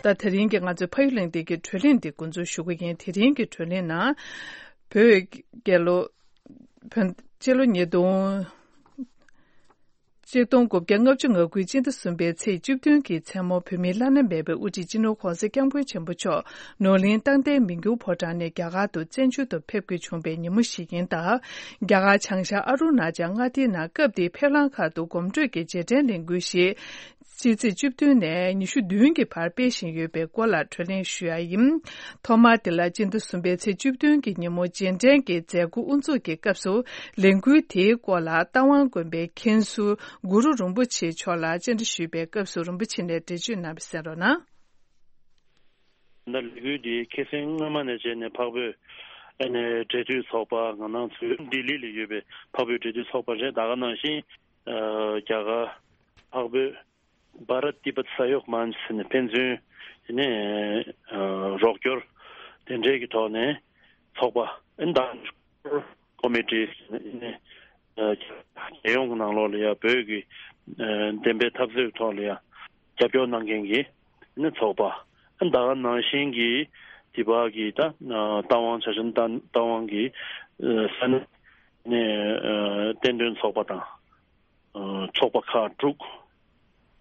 ད་དེ་རིང་གི་ང་ཚོའི་ཕ་ཡུལ་གླེང་སྟེགས་ཀྱི་བགྲོ་གླེང་འདི་འགོ་འཛུགས་ཞུ་གི་ཡིན། དེ་རིང་གི་བགྲོ་གླེང་ནང་། བོད་རྒྱལ་ལོ། བོད་སྤྱི་ལོ་ཉིས་སྟོང་། ཆིག་སྟོང་དགུ་བརྒྱ་ལྔ་བཅུ་ང་དགུའི་སྤྱི་ཟླ་གསུམ་པའི་ཚེས་བཅུ་བདུན་གྱི་མཚན་མོ་བོད་མིའི་བླ་ན་མེད་པའི་དབུ་ཁྲིད་སྤྱི་ནོར་༧གོང་ས་༧སྐྱབས་མགོན་ཆེན་པོ་མཆོག་ནོར་གླིང་རྟ་མགོའི་མི་འགྱུར་ཕོ་བྲང་ནས་རྒྱ་གར་དུ་བཙན་བྱོལ་དུ་ཕེབས་དགོས་བྱུང་བའི་ཉིན་མོ་ཞིག་ཡིན་སྟབས། རྒྱ་གར་བྱང་ཤར་ཨ་རུ་ན་ཅལ་མངའ་སྡེའི་ནང་སྐབས་དེའི་ཕེབས་ལམ་ཁག་ཏུ་གོམ་བགྲོད་ཀྱི་རྗེས་དྲན་ལས་འགུལ་ཞིག་ སྤྱི་ཚེས་བཅུ་བདུན་ནས་ཉི་ཤུ་བདུན་གྱི་བར་སྤེལ་བཞིན་ཡོད་པའི་སྐོར་ལ་གྲོས་གླེང་ཞུ་ཡ་ཡིན། ཐོག་མར་དེ་ལ་སྤྱི་ཟླ་གསུམ་པའི་ཚེས་བཅུ་བདུན་གྱི་ཉིན་མོ་རྗེས་དྲན་གྱི་མཛད་སྒོ་དབུ་འཛུགས་ཀྱི་སྐབས་སུ་ལས་འགུལ་དེའི་སྐོར་ལ་རྟ་དབང་དགོན་པའི་མཁན་ཟུར་གུ་རུ་རིན་པོ་ཆེ་མཆོག་ལ་བཅར་འདྲི་ཞུས་པའི་སྐབས་སུ་རིན་པོ་ཆེ་ནས་འགྲེལ་བརྗོད་གནང་བ་གསན་རོགས་གནང་། ད་ལས་འགུལ་འདི་ཁ་སང་སྔོན་མ་ནས་བྱས་ནས་འཕགས་བོད་ཨ་ནི་འབྲེལ་མཐུད་ཚོགས་པ་ང་རང་ཚོའི་ལྡི་ལི་ལ་ཡོད་པའི་འཕགས་བོད་འབྲེལ་མཐུད་ཚོགས་པ་རེད། ད་ག་ནང་བཞིན་ཨ་རྒྱ་གར་འཕགས་བོད་བྷ་རཏ་ཏི་བྷཏ་ས་ཡོག་མན་ཆ་ཟེར་ནས་ཕན་ཚུན་ཨ་ནི་ཨ་རོགས་སྐྱོར་དེ་འདྲའི་གི་ཐོག་ནས་ཚོགས་པ་ཨ་ནི་ད་ཀོ་མི་ཊི་ནི་ཨ་རྒྱལ་ཡོངས་ཀྱི་ནང་ལོགས་ལ་ཡ་བོད་ཀྱི་ཨ་བདེན་པའི་འཐབ་རྩོད་ཐོག་ལ་ཡ་རྒྱབ་སྐྱོར་གནང་མཁན་གྱི་ཨ་ནི་ཚོགས་པ། ཨ་ནི་ད་ག་ནང་བཞིན་གྱི་འདི་བར་གྱི་ད་ཨ་རྟ་དབང་ཇ་ཆེན་རྟ་རྟ་དབང་གི་ཨ་ས་གནས་ནས་ཨ་བསྟན་དོན་ཚོགས་པ་དང་ཨ་ཚོགས་པ་ཁག་དྲུག་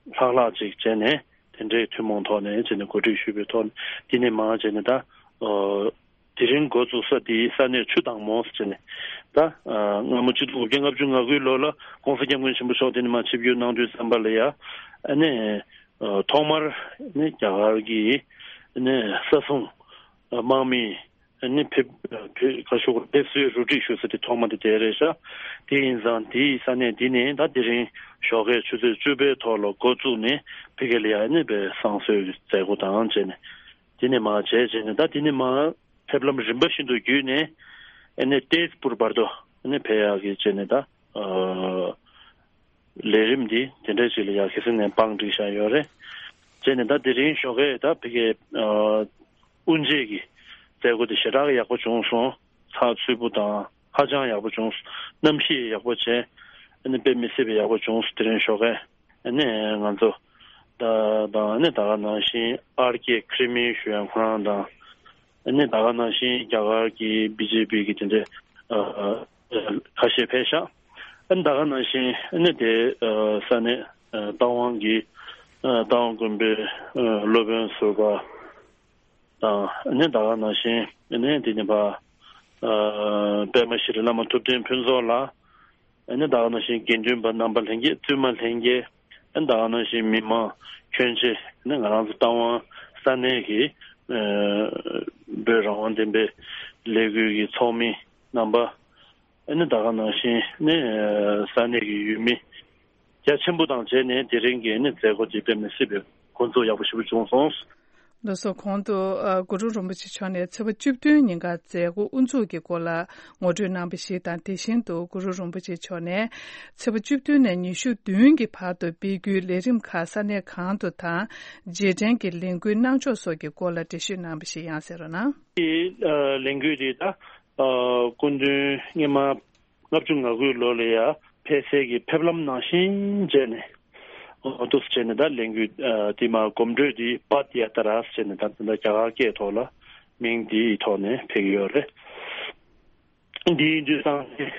ལྷག་ལྷག་ཅིག་བྱས་ནས་དེ་འདྲའི་ཐུན་མོང་ཐོག་ནས་བྱས་ནས་གོ་སྒྲིག་ཞུས་པའི་ཐོག་ནས་འདི་ནས་མར་བྱས་ནས་ད་ཨ་དེ་རིང་འགོ་བཙུགས་ས་འདི་ས་གནས་ཆུ་དྭངས་མོ་ཟེར་བྱས་ནས་ད་ཨ་སྔ་མོ་ཆིག་སྟོང་དགུ་བརྒྱ་ལྔ་བཅུ་ང་དགུའི་ལོ་ལ་༸གོང་ས་༸སྐྱབས་མགོན་ཆེན་པོ་མཆོག་འདི་ནས་མར་ཆིབས་བསྒྱུར་གནང་དུས་ཙམ་པ་ལ་ཡ་ཨ་ནི་ཨ་ཐོག་མར་ནི་རྒྱ་གར་གྱི་ནི་ས་སྲུང་དམག་མི་ནི་ཕེབས་ཕེབས་ཁ་ཤོག་ཕེབས་བསུའི་རུ་སྒྲིག་ཞུ་ས་དེ་ཐོག་མ་དེ་དེ་རེད་ཤག་དེ་ཡིན་ཙང་དེའི་ས་གནས་འདི་ནས་ད་དེ་རིང་ཞོགས་ཀའི་ཆུ་ཚོད་བཅུ་པའི་ཐོག་ལ་འགོ་བཙུགས་ནས་ཕ་གི་ལ་ཡ་ནི་པའི་བསང་གསོལ་གྱི་མཛད་སྒོ་དང་བཅས་ནས་དེ་ནས་མར་བྱས་བྱས་ནས་ད་དེ་ནས་མར་ཕེབས་ལམ་རིམ་པ་བཞིན་དུ་བརྒྱུད་ནས་ཨ་ནི་ཏེས་པུར་བར་དུ་ཨ་ནི་ཕེབས་ཡག་གི་བྱས་ནས་ད་ཨ། ལས་རིམ་འདི་དེ་འདྲ་ཞིག་ལ་ཡ་ཁ་སང་ནས་བང་བསྒྲིགས་བཞག་ཡོད་རེད། བྱས་ནས་ད་དེ་རིང་ཞོགས་ཀས་ད་ཕ་གིའི་ཨ་དབུ་འབྱེད་ཀྱི་མཛད་སྒོ་དེ་ཞེ་དྲག་ཡག་པོ་བྱུང་སོང་། ཚགས་ཚུད་པོ་དང་ཧ་ཅང་ཡག་པོ་བྱུང་སོང་། གནམ་གཤིས་ཡག་པོ་བྱས། ཨ་ནི་དཔེ་མི་སྲིད་པའི་ཡག་པོ་བྱུང་སོང་། དེ་རིང་ཞོགས་ཀས་ཨ་ནི་ང་ཚོ་ད་དང་ཨ་ནི་ད་ག་ནང་བཞིན་ཨར་ཀེ་ཁི་རི་མི་ཞུ་ཡང་ཁོ་རང་དང་། ཨ་ནི་ད་ག་ནང་བཞིན་རྒྱ་གར་གྱི་བི་ཇེ་པི་གི་དེ་འདྲའི་ཨ་ཨ་ཁ་ཤས་ཕེབས་ཤག་ཨ་ནི་ད་ག་ནང་བཞིན་ཨ་ནི་དེ་ཨ་ས་གནས་ཨ་རྟ་དབང་གི་ཨ་རྟ་དབང་དགོན་པའི་ཨ་སློབ་དཔོན་ཟུར་པ་དང་ཨ་ནི་ད་ག་ནང་བཞིན་ཨ་ནི་དེ་ནི་པ་ཨ་པདྨ་ཤྲི་བླ་མ་ཐུབ་བསྟན་ཕུན་ཚོགས་ལགས། ཨ་ནི་ད་ག་ནང་བཞིན་དགེ་འདུན་པ་རྣམ་པ་ལྷན་རྒྱས་བཙུན་མ་ལྷན་རྒྱས། ཨ་ནི་ད་ག་ནང་བཞིན་མི་མང་ཁྱོན་ཆེ་ཨ་ནི་ང་རང་ཚོ་རྟ་དབང་ས་གནས་ཀྱི་ཨ་བོད་རང་དབང་བདེན་པའི་ལས་འགུལ་གྱི་ཚོགས་མི་རྣམ་པ། ཨ་ནི་ད་ག་ནང་བཞིན་ཨ་ནི་ས་གནས་ཀྱི་ཡུལ་མི་རྒྱ་ཆེན་པོ་དང་བཅས་ནས་དེ་རིང་གི་ཨ་ནི་མཛད་སྒོ་འདི་དཔེ་མི་སྲིད་པའི་འགོ་འཛུགས་ཡག་པོ་ཞེ་པོ་བྱུང་སོང་། ལགས་སོ། གོང་དུ་ཨ་གུ་རུ་རིན་པོ་ཆེ་མཆོག་ནས་ཚེས་པ་བཅུ་བདུན་ཉིན་ཀ་མཛད་སྒོ་དབུ་འཛུགས་ཀྱི་སྐོར་ལ་ངོ་སྤྲོད་གནང་བ་ཞིག་དང་། དེ་བཞིན་དུ་གུ་རུ་རིན་པོ་ཆེ་མཆོག་ནས་ཚེས་པ་བཅུ་བདུན་ནས་ཉི་ཤུ་བདུན་གྱི་བར་དུ་སྤེལ་རྒྱུའི་ལས་རིམ་ཁག་ས་གནས་གང་དུ་དང་། རྗེས་དྲན་གྱི་ལས་འགུལ་གནང་ཕྱོགས་སོགས་ཀྱི་སྐོར་ལ་འགྲེལ་བཤད་གནང་བ་ཞིག་ཡང་གསན་རོགས་གནང་། དེ་ཨ་ལས་འགུལ་དེ་ད་ཨ་སྐུ་མདུན་སྔོན་མ་ལྔ་བཅུ་ང་དགུའི་ལོ་ལ་ཡ་ཕེབས་སའི་གི་ཕེབས་ལམ་ནང་བཞིན་བྱས་ནས་འོ་འདུག་སེ་བྱས་ནས་ད་ལས་འགུལ་ཨ་དེ་མ་གོམ་བགྲོད་དེ་པད་ཡ་ཏྲ་ཟེར་ནས་ད་ད་རྒྱ་གར་སྐད་ཐོག་ལ་མིང་དེའི་ཐོག་ནས་ཕེབས་ཀྱི་ཡོད་རེད། འདི་ཡིན་དུས་ཙང་ནས་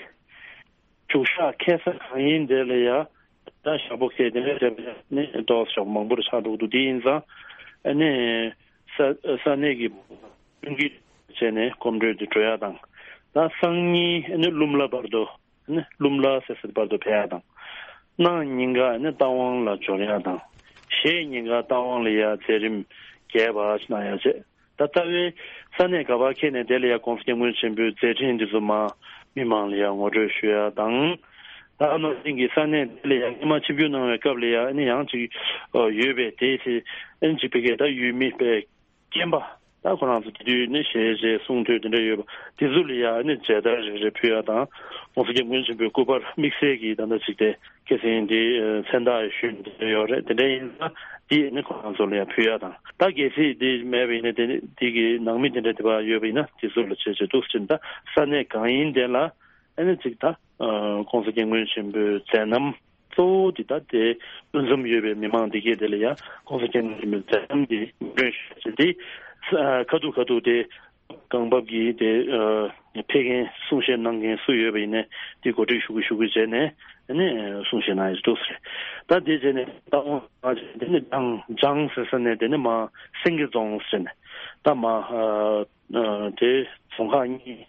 བཞུགས་ཤག་ཁེལ་ས་གང་ཡིན་དེ་ལ་ཡ་ད་ཞག་པོ་ཁེལ་དེ་ནས་དེ་ནས་ཏོག་ཙམ་མང་པོར་ཆགས་འགྲོ་གི་འདུག་དེ་ཡིན་ཙང་ཨ་ནི་ས་ས་གནས་ཀྱི་མཐུན་རྐྱེན་བྱས་ནས་གོམ་བགྲོད་དེ་འགྲོ་ཡ་དང་། ད་སང་ཉིན་ཨ་ནི་ཀླུ་མ་ལ་བར་དུ། ནི་ཀླུ་མ་ལ་ཟེར་སའི་བར་དུ་ཕེབས་ཡག་དང་། གནངས་ཉིན་ཀ་ནི་རྟ་དབང་ལ་འབྱོར་ཡག་དང་། གཞེས་ཉིན་ཀ་རྟ་དབང་ལ་ཡ་མཛད་རིམ་རྒྱས་པ་གནང་ཡག་བྱས། ད་ལྟ་བའི་ས་གནས་ག་པར་འཁེལ་ནས་དེ་ལ་ཡ་༸གོང་ས་༸སྐྱབས་མགོན་ཆེན་པོའི་མཛད་འཕྲིན་འདི་ཚོ་མར་མི་མང་ལ་ཡ་ངོ་སྤྲོད་ཞུ་ཡག་དང་། ད་ནང་བཞིན་གྱི་ས་གནས་དེ་ལ་ཡ་སྔོན་མ་ཆིབས་བསྒྱུར་གནང་བའི་སྐབས་ལ་ཡ་ནི་ཡང་ཅིག་ཡོད་པས། དེའི་ཚེ་ཨ་ནི་ཅིག་ཕ་གིའི་ད་ཡུལ་མི་པའི་རྐྱེན་པ། ད་ཁོ་རང་ཚོ་དེ་དུས་ནི་ཞལ་བཞེས་གསུང་ཐོས་དེ་འདྲ་ཡོད་པ་དེ་ཚོ་ལ་ཡ་ནི་མཇལ་དར་རེ་རེ་ཕུལ་ཡ་དང་། ༸གོང་ས་༸སྐྱབས་མགོན་ཆེན་པོའི་སྐུ་པར་དམིགས་བསལ་གྱི་ད་ལྟ་ཅིག་དེ་ཁ་སང་དེ་མཚན་རྟགས་ཞུས་དེ་འདྲ་ཡོད་རེད། དེ་འདྲ་ཡིན་ན་དེ་ནི་ཁོ་རང་ཚོ་ལ་ཡ་ཕུལ་ཡ་དང་། ད་གལ་སྲིད་དེ་མེད་པ་ཡིན་ན་དེ་ནི་དེ་གི་ནང་མི་དེ་འདྲ་དེ་པར་ཡོད་པ་ཡིན་ན་དེ་ཚོ་ལ་བྱས་བྱས་འདུག་ཟེར་ན། ད་ས་གནས་གང་ཡིན་དེ་ལ་ཨ་ནི་ཅིག་ད་༸གོང་ས་༸སྐྱབས་མགོན་ཆེན་པོའི་མཛད་རྣམ་གཙོ་བོ་འདི་ད་དེ་ལྷན་འཛོམས་ཡོད་པའི་མི་མང་འདི་གས་དེ་ལ་ཡང་༸གོང་ས་༸སྐྱབས་མགོན་ཆེན་པོའི་མཛད་རྣམ་འདི་ངོ་སྤྲོད་ཞུ་ཆེད་དེ་ཁ་ཐུག་ཁ་ཐུག་དེ་གང་བབ་ཀྱིས་དེ་ཕེབས་མཁན་གསུང་བཤད་གནང་མཁན་སུ་ཡོད་པ་ཡིན་ནའི་དེ་གོ་སྒྲིག་ཞུ་གི་ཞུ་གི་བྱས་ནས་ཨ་ནི་གསུང་བཤད་གནང་ཡག་འདུག་ཟེར། ད་དེ་བྱས་ནས་ད་འོང་དེ་ནི་ལྗང་ལྗང་ཟེར་ས་ནས་དེ་ནི་མ་སེང་གེ་རྫོང་ཟེར་ནས་ད་མ་དེ་རྫོང་ཁག་གཉིས།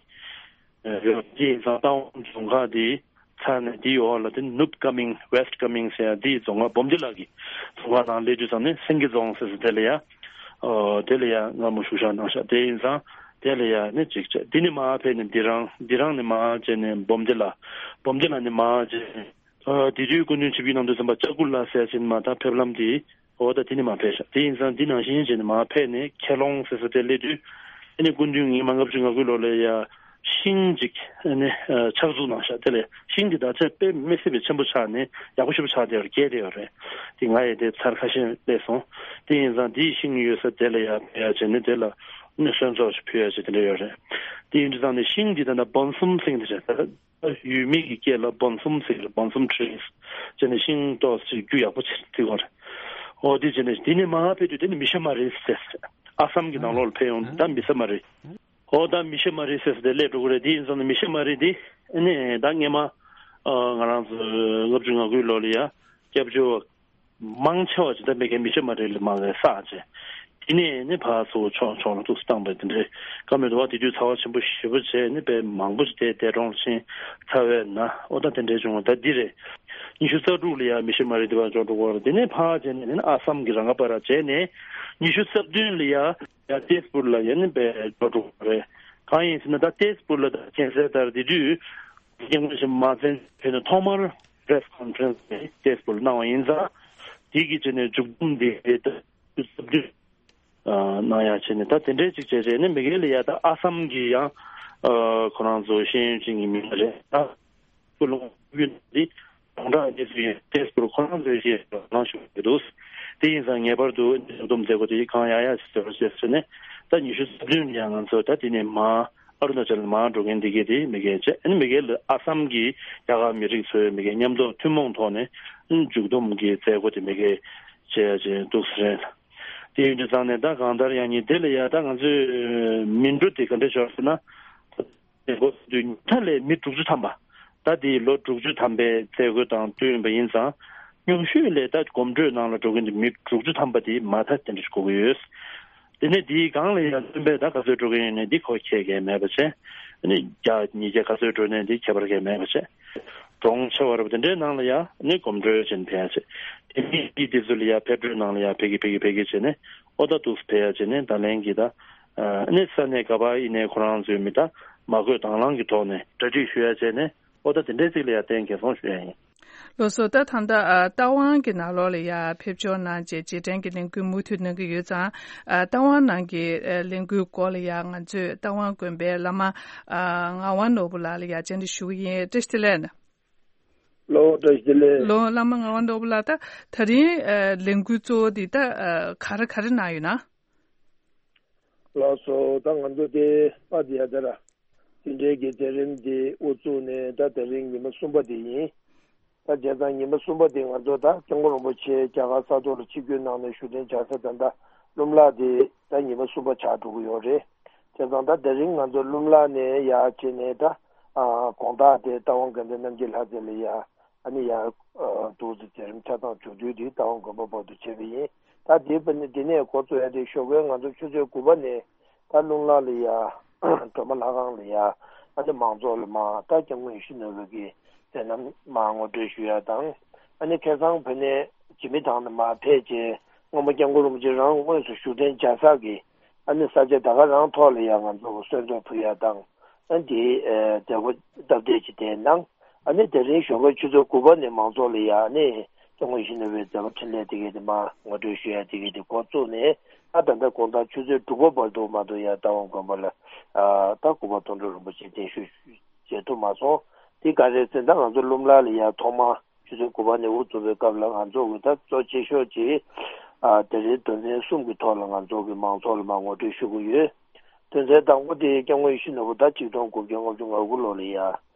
ཡོད། དེ་ཡིན་ཙང་རྟ་དབང་རྫོང་ཁག་དེ་ ཚར་ནས་དེའི་འོག་ལ་དེ་ནུབ་ཀ་མིང་West Coming ཟེར་ཡ་དེའི་རྫོང་ཁག་སྦོམ་ལྗི་ལ་གི་རྫོང་ཁག་ནང་སླེབས་དུས་ཙམ་ནས་སེང་གེ་རྫོང་ཟེར་ས་དེ་ལ་ཡ། ཨོ་དེ་ལ་ཡ་སྔ་མོ་བཞུགས་ཞག་གནང་ཤག་དེ་ཡིན་ཙང་དེ་ལ་ཡ་ནི་གཅིག་བྱས། དེ་ནས་མར་ཕེབས་ནས་དི་རང་། དི་རང་ནས་མར་བྱས་ནས་སྦོམ་ལྗི་ལ། སྦོམ་ལྗི་ལ་ནས་མར་བྱས་ནས། ཨ་དེ་དུས་སྐུ་མདུན་ཆིབས་བསྒྱུར་གནང་དུས་ཙམ་པ་ལྕགས་སྐུ་ལ་ཟེར་ཡ་ཅིག་མར་ད་ཕེབས་ལམ་དེ། འོ་ད་དེ་ནས་མར་ཕེབས་ཤག་དེ་ཡིན་ཙང་འདི་ནང་བཞིན་བྱས་ནས་མར་ཕེབས་ནས་ཁྱེད་ལོང་ཟེར་ས་དེ་སླེབས་དུས། ཨ་ནི་སྐུ་མདུན་ཉིས་སྟོང་ལྔ་བཅུ་ང་དགུ་ལོ་ལ་ཡ་ཤིང་ཅིག་ཨ་ནི་ཨ་ཕྱག་འཛུགས་གནང་ཤག་དེ་ལས་ཤིང་འདི་ད་ཆ་དཔེ་མི་སྲིད་པའི་ཆེན་པོ་ཆགས་ནས་ཡག་པོ་ཞེ་པོ་ཆགས་བསྡད་ཡོད་རེད། རྒས་བསྡད་ཡོད་རེད། དེ་ང་ཡི་དེ་ཚར་ཁ་ཤས་སླེབས་སོང་། དེ་ཡིན་ཙང་འདིའི་ཤིང་ཡོད་ས་དེ་ལ་ཡ་ཕེབས་ཡ་བྱས་ནས་དེ་ལ་ཨ་ནི་གསོལ་ཚོགས་ཤིག་ཕུལ་ཡ་བྱས་དེ་འདྲ་ཡོད་རེད། དེ་ཡིན་དུས་ཙང་ནས་ཤིང་འདི་ད་ལྟ་སྦོམ་གསུམ་ཟེར་གྱི་འདུག་ཟེར། ཡུལ་མི་གི་སྐད་ལ་སྦོམ་གསུམ་ཟེར་གྱི་རེད། སྦོམ་གསུམ་ཊི་རིས་བྱས་ནས་ཤིང་ཏོག་ཙམ་རྒྱུ་ཡག་པོ་ཆེ་བརྩི་གི་རེད། འོ་དེ་བྱས་ནས་དེ་ནས་མར་ཕེབས་དུས་དེ་ནི་མི་ཤ་མ་རི་ཟེར། ཨ་སམ་གྱི་ནང་ལོགས་ལ་ཕེབས་ཡོང་དུས་ད་མི་ཤ་མ་རི། འོ་ད་མི་ཤ་མ་རི་ཟེར་ས་དེ་སླེབས་འགྲོ་གི་རེད། དེ་ཡིན་ཙང་ནི་མི་ཤ་མ་རི་དེ་ཨ་ནི་ད་སྔས་མ་ཨ་ང་རང་ཚོ་ལྔ་བཅུ་ང་དགུའི་ལོ་ལ་ཡ་སྐྱབས་བཅོལ་བ་མང་ཆེ་བ་ཅིག་ད་མི་ཤ་མ་རི་ལ་མར་བསགས་བྱས། དེ་ནས་ནི་ཕར་ཚུར་ཕྱོགས་ཕྱོགས་ལ་ཏོག་ཙམ་བཏང་བས་དེ་འདྲའི་བཀའ་མོལ་འདུག་བ། དེ་དུས་ཚ་བ་ཆེན་པོ་ཞེ་པོ་བྱས་ནི་དཔེ་མང་པོ་ཞིག་དེ་འདས་གྲོངས་ཕྱིན་ཚར་བས་ན། འོ་ད་དེ་འདྲའི་བྱུང་བ་ད་འདི་རེད། ཉི་ཤུ་རྩ་དྲུག་ལ་ཡ་མི་ཤ་མ་རི་དེ་བར་འཇོག་འགྲོ་གི་རེད། དེ་ནས་ཕར་བྱས་ནས་ནི་ཨ་སམ་གྱི་རང་ཁ་པ་ར་བྱས་ནས་ཉི་ཤུ་རྩ་བདུན་ལ་ཡ་ཡ་ཏེས་པུར་ལ་ཡ་ནི་དཔེ་འཇོག་འགྲོ་གི་རེད། གང་ཡིན་ཟེར་ན་ད་ཏེས་པུར་ལ་ད་མཁྱེན་གསལ་ལྟར་དེ་དུས་སྐྱབས་མགོན་ཆེན་པོ་མ་བཙན་ཕེབས་ནས་ཐོག་མར་པེ་རེ་སི་ཀོན་ཕེ་རེན་སི་དེ་ཏེས་པུར་ལ་གནང་བ་ཡིན་ཙང་། དེ་གི་བྱས་ནས་མཇུག་བསྡོམས་དེ་ད་ཉི་ཤུ་རྩ་བདུན། ཨ་གནང་ཡ་བྱས་ནས་ད་དེ་འདྲའི་ཅིག་བྱས་བྱས་ནས་མི་སྒེར་ལ་ཡ་ད་ཨ་སམ་གྱི་ཡང་ཨ་ཁོ་རང་ཚོ་ཤེས་ཡོན་ཅན་གྱི་མི་སྣ་རེད། ད་སྐུ་ལུང་ཡུལ་འདི་གྲོང་རྡལ་གནས་ཚུལ་ཡིན་ཏེ་སྐུ་ཁོ་རང་ཚོའི་ཞེས་ལང་ཞུ་གི་འདུག་དེ་ཡིན་ཙང་ངེས་པར་དུ་མཇུག་བསྡོམས་མཛད་སྒོ་དེ་གང་ཡག་ཡག་ཞིག་བཟོ་རོགས་ཞེས་ཟེར་ནས་ད་ཉི་ཤུ་རྩ་བདུན་ཡང་ང་ཚོ་ད་དེ་ནས་མར་ཨ་རུ་ན་ཅལ་མར་འགྲོ་མཁན་འདི་གས་དེ་མི་སྒེར་བྱས། ཨ་ནི་མི་སྒེར་ལ་ཨ་སམ་གྱི་རྒྱ་གར་མི་རིགས་ཚོའི་མི་སྒེར་མཉམ་དུ་ཐུན་མོང་ཐོག་ནས་མཇུག་བསྡོམས་ཀྱི་མཛད་སྒོ་དེ་མི་སྒེར་བྱས་ཡ་བྱས་འདུག་ཟེར། དེ་ཡིན་དུས་ཙང་ནས་ད་གང་ལྟར་ཡང་ཉིན་དེ་ལ་ཡ་ད་ང་ཚོའི་མི་འགྲོ་དེ་ག་འདྲ་ཞོར་ཟེར་ན། འགོ་བཙུགས་དུས་ཉུང་མཐའ་ལས་མི་དྲུག་ཅུ་ཐམ་པ། ད་དེའི་ལོ་དྲུག་ཅུ་ཐམ་པའི་མཛད་སྒོ་དང་བསྟུན་པ་ཡིན་ཙང་། ཉུང་ཤོས་ལས་ད་གོམ་བགྲོད་ནང་ལ་འགྲོ་མཁན་དེ་མི་དྲུག་ཅུ་ཐམ་པ་དེ་མ་མཐའ་དེ་འདྲ་ཞིག་དགོས་ཀྱི་ཡོད། དེ་ནས་དེའི་སྒང་ལ་ཡང་བཙུན་པས་ད་ག་ཚོད་འགྲོ་གི་ཡོད་ནས་འདི་ཁོ་ཁྱད་ཀྱང་མེད་པ་བྱས། ཨ་ནི་བརྒྱ་ཉིས་བརྒྱ་ག་ཚོད་འགྲོ་ནས་འདི་ཁྱད་པར་གང་མེད་པ་བྱས། གྲོང་ཆེ་བ་རབ་དེ་འདྲའི་ནང་ལ་ཡང་ནི་གོམ་བགྲོད་བྱས་ནས་ཕེབས་ཡ་བྱས། དེ་མིན་འདི་དེ་ཚོ་ལ་ཡང་ཕེབས་བགྲོད་ནང་ལ་ཡང་ཕེབས་ཀྱི་ཕེབས་ཀྱི་ཕེབས་ཀྱི་བྱས་ནས་ཨོ་ད་འདུག་སེ་ཕེབས་ཡ་བྱས་ནས་ད་ལན་གྱི་ད། ཨ་ནི་ས་གནས་ག་པར་ཡིན་ནའི་ཁོ་རང་ཚོའི་མི་ད་མ་བསྐོས་དང་བླངས་ཀྱི་ཐོག་ནས་གྲ་སྒྲིག་ཞུ་ཡ་བྱས་ནས་ཨོ་ད་དེ་འདྲའི་ཚིག་ལ་ཡང་བརྟེན་འགན་སྲུང་ཞུ་ཡ་ཡིན། ལགས་སོ། ད་ད་ལྟ་ཨ་རྟ་དབང་གི་ནང་ལོགས་ལ་ཡ་ཕེབས་འབྱོར་གནང་རྗེས་རྗེས་དྲན་གྱི་ལས་འགུལ་མུ་མཐུད་གནང་གི་ཡོད་ཙང་། ཨ་རྟ་དབང་ནང་གི་ཨ་ལས་འགུལ་སྐོར་ལ་ཡ་ང་ཚོས་རྟ་དབང་དགོན་པའི་བླ་མ་ཨ་ངག་དབང་ནོར་བུ་ལགས་ལ་ཡ་བཅར་འདྲི་ཞུ་གི་ཡིན། བཀྲ་ཤིས་བདེ་ལེགས། ལོ་བཀྲ་ཤིས་བདེ་ལེགས། ལོ་བླ་མ་ངག་དབང་ནོར་བུ་ལགས། ད་ད་རིང་ཨ་ལས་འགུལ་གཙོ་བོ་འདི་ད་ཨ་ག་རེ་ག་རེ་གནང་ཡོད་ན། ལགས་སོ། ད་ང་ཚོ་དེ་པ་དེ་ཡ་དེ་ར། དེ་འབྲེལ་གྱི་མཛད་རིམ་དེ་དབུ་བཙུགས་ནས་ད་དེ་རིང་ཉི་མ་གསུམ་པ་དེ་ཡིན། ད་བྱས་ཙང་ཉི་མ་གསུམ་པ་དེ་ང་ཚོ་ད་སྐྱབས་མགོན་རིན་པོ་ཆེ་རྒྱ་གར་ས་ཐོག་ལ་ཆིབས་བསྒྱུར་གནང་ནས་བཞུགས་གདན་འཇགས་ས་ད་ལྟ་ཀླུ་ལ་དེ་ད་ཉི་མ་གསུམ་པ་ཆགས་འགྲོ་གི་ཡོད་རེད། བྱས་ཙང་ད་དེ་རིང་ང་ཚོ་ཀླུ་ལ་ནས་ཡར་བྱས་ནས་ད་ཨ་དགོང་དག་དེ་རྟ་དབང་དགའ་ལྡན་རྣམ་རྒྱལ་ལྷ་མཛེས་ལ་ཡ། ཨ་ནི་ཡར་ཨ་འདུག་སེ་མཛད་རིམ་ཆ་ཚང་མཇུག་བསྡུས་དེ་རྟ་དབང་དགོན་པ་བར་དུ་བྱས་པ་ཡིན། ད་དེ་བར་ནས་དེ་ནས་འགོ་བཙུགས་ཡ་དེ་ཞོགས་ཀའི་ང་ཚོ་ཆུ་ཚོད་དགུ་པ་ནས་ད་རླུང་ལྷ་ལ་ཡ་སྒྲོལ་མ་ལྷ་ཁང་ལ་ཡ་ཨ་ནི་མང་ཚོགས་ལ་མར་ད་སྐྱབས་མགོན་ཡིད་བཞིན་ནོར་བུ་གི་མཛད་རྣམ་མར་ངོ་སྤྲོད་ཞུ་ཡ་དང་། ཨ་ནི་ཁ་སང་བོད་ནས་འཇིགས་མེད་ཐང་ནས་མར་ཕེབས་རྗེས་སྔོན་མ་སྐྱབས་མགོན་རིན་པོ་ཆེ་རང་དངོས་སུ་བཞུགས་གདན་འཇགས་ས་གི་ཨ་ནི་ས་ཆ་ད་ག་རང་ཐོག་ལ་ཡ་ང་ཚོ་གསོལ་འདེབས་ཕུལ་ཡ་དང་། ཨ་ནི་དེའི་ཨ་མཛད་སྒོ་སྟབས་བདེ་ཅིག་དེ་གནང་། ཨ་ནི་དེ་རིང་ཞོགས་ཀའི་ཆུ་ཚོད་དགུ་པ་ནས་མང་ཚོགས་ལ་ཡ་ཨ་ནི་སྐྱབས་མགོན་ཡིད་བཞིན་ནོར་བུའི་མཛད་པ་འཕྲིན་ལས་དེ་གའི་དེ་མར་ངོ་སྤྲོད་ཞུ་ཡ་དེ་གའི་དེ་འགོ་བཙུགས་ནས་ཨ་ད་ལྟ་དགོང་དག་ཆུ་ཚོད་དྲུག་པ་བར་དུ་མ་གཏོགས་ཡ་རྟ་དབང་དགོན་པ་ལ་ཨ་ད་སྐུ་པར་དོན་གྲུབ་རིན་པོ་ཆེ་གདན་ཞུ་བྱེད་ཐུབ་མ་སོང་། དེ་ག་རེ་ཟེར་ན་ང་ཚོ་ཀླུ་ལ་ལ་ཡ་ཐོག་མ་ཆུ་ཚོད་དགུ་པ་ནས་དབུ་བཙུགས་པའི་སྐབས་ལ་ང་ཚོ་གི་ད་གཙོ་ཆེ་ཤོས་ཀྱི་ཨ་དེ་རིང་དོན་ཚན་གསུམ་གྱི་ཐོག་ལ་ང་ཚོ་གི་མང་ཚོགས་ལ་མར་ངོ་སྤྲོད་ཞུ་གི་ཡོད། དོན་ཚན་དང་པོ་དེ་སྐྱབས་མགོན་ཡིད་བཞིན་ནོར་བུ་ད་ཆིག་སྟོང་དགུ་བརྒྱ་ལྔ་བཅུ་ང་དགུ་ལོ་ལ་ཡ་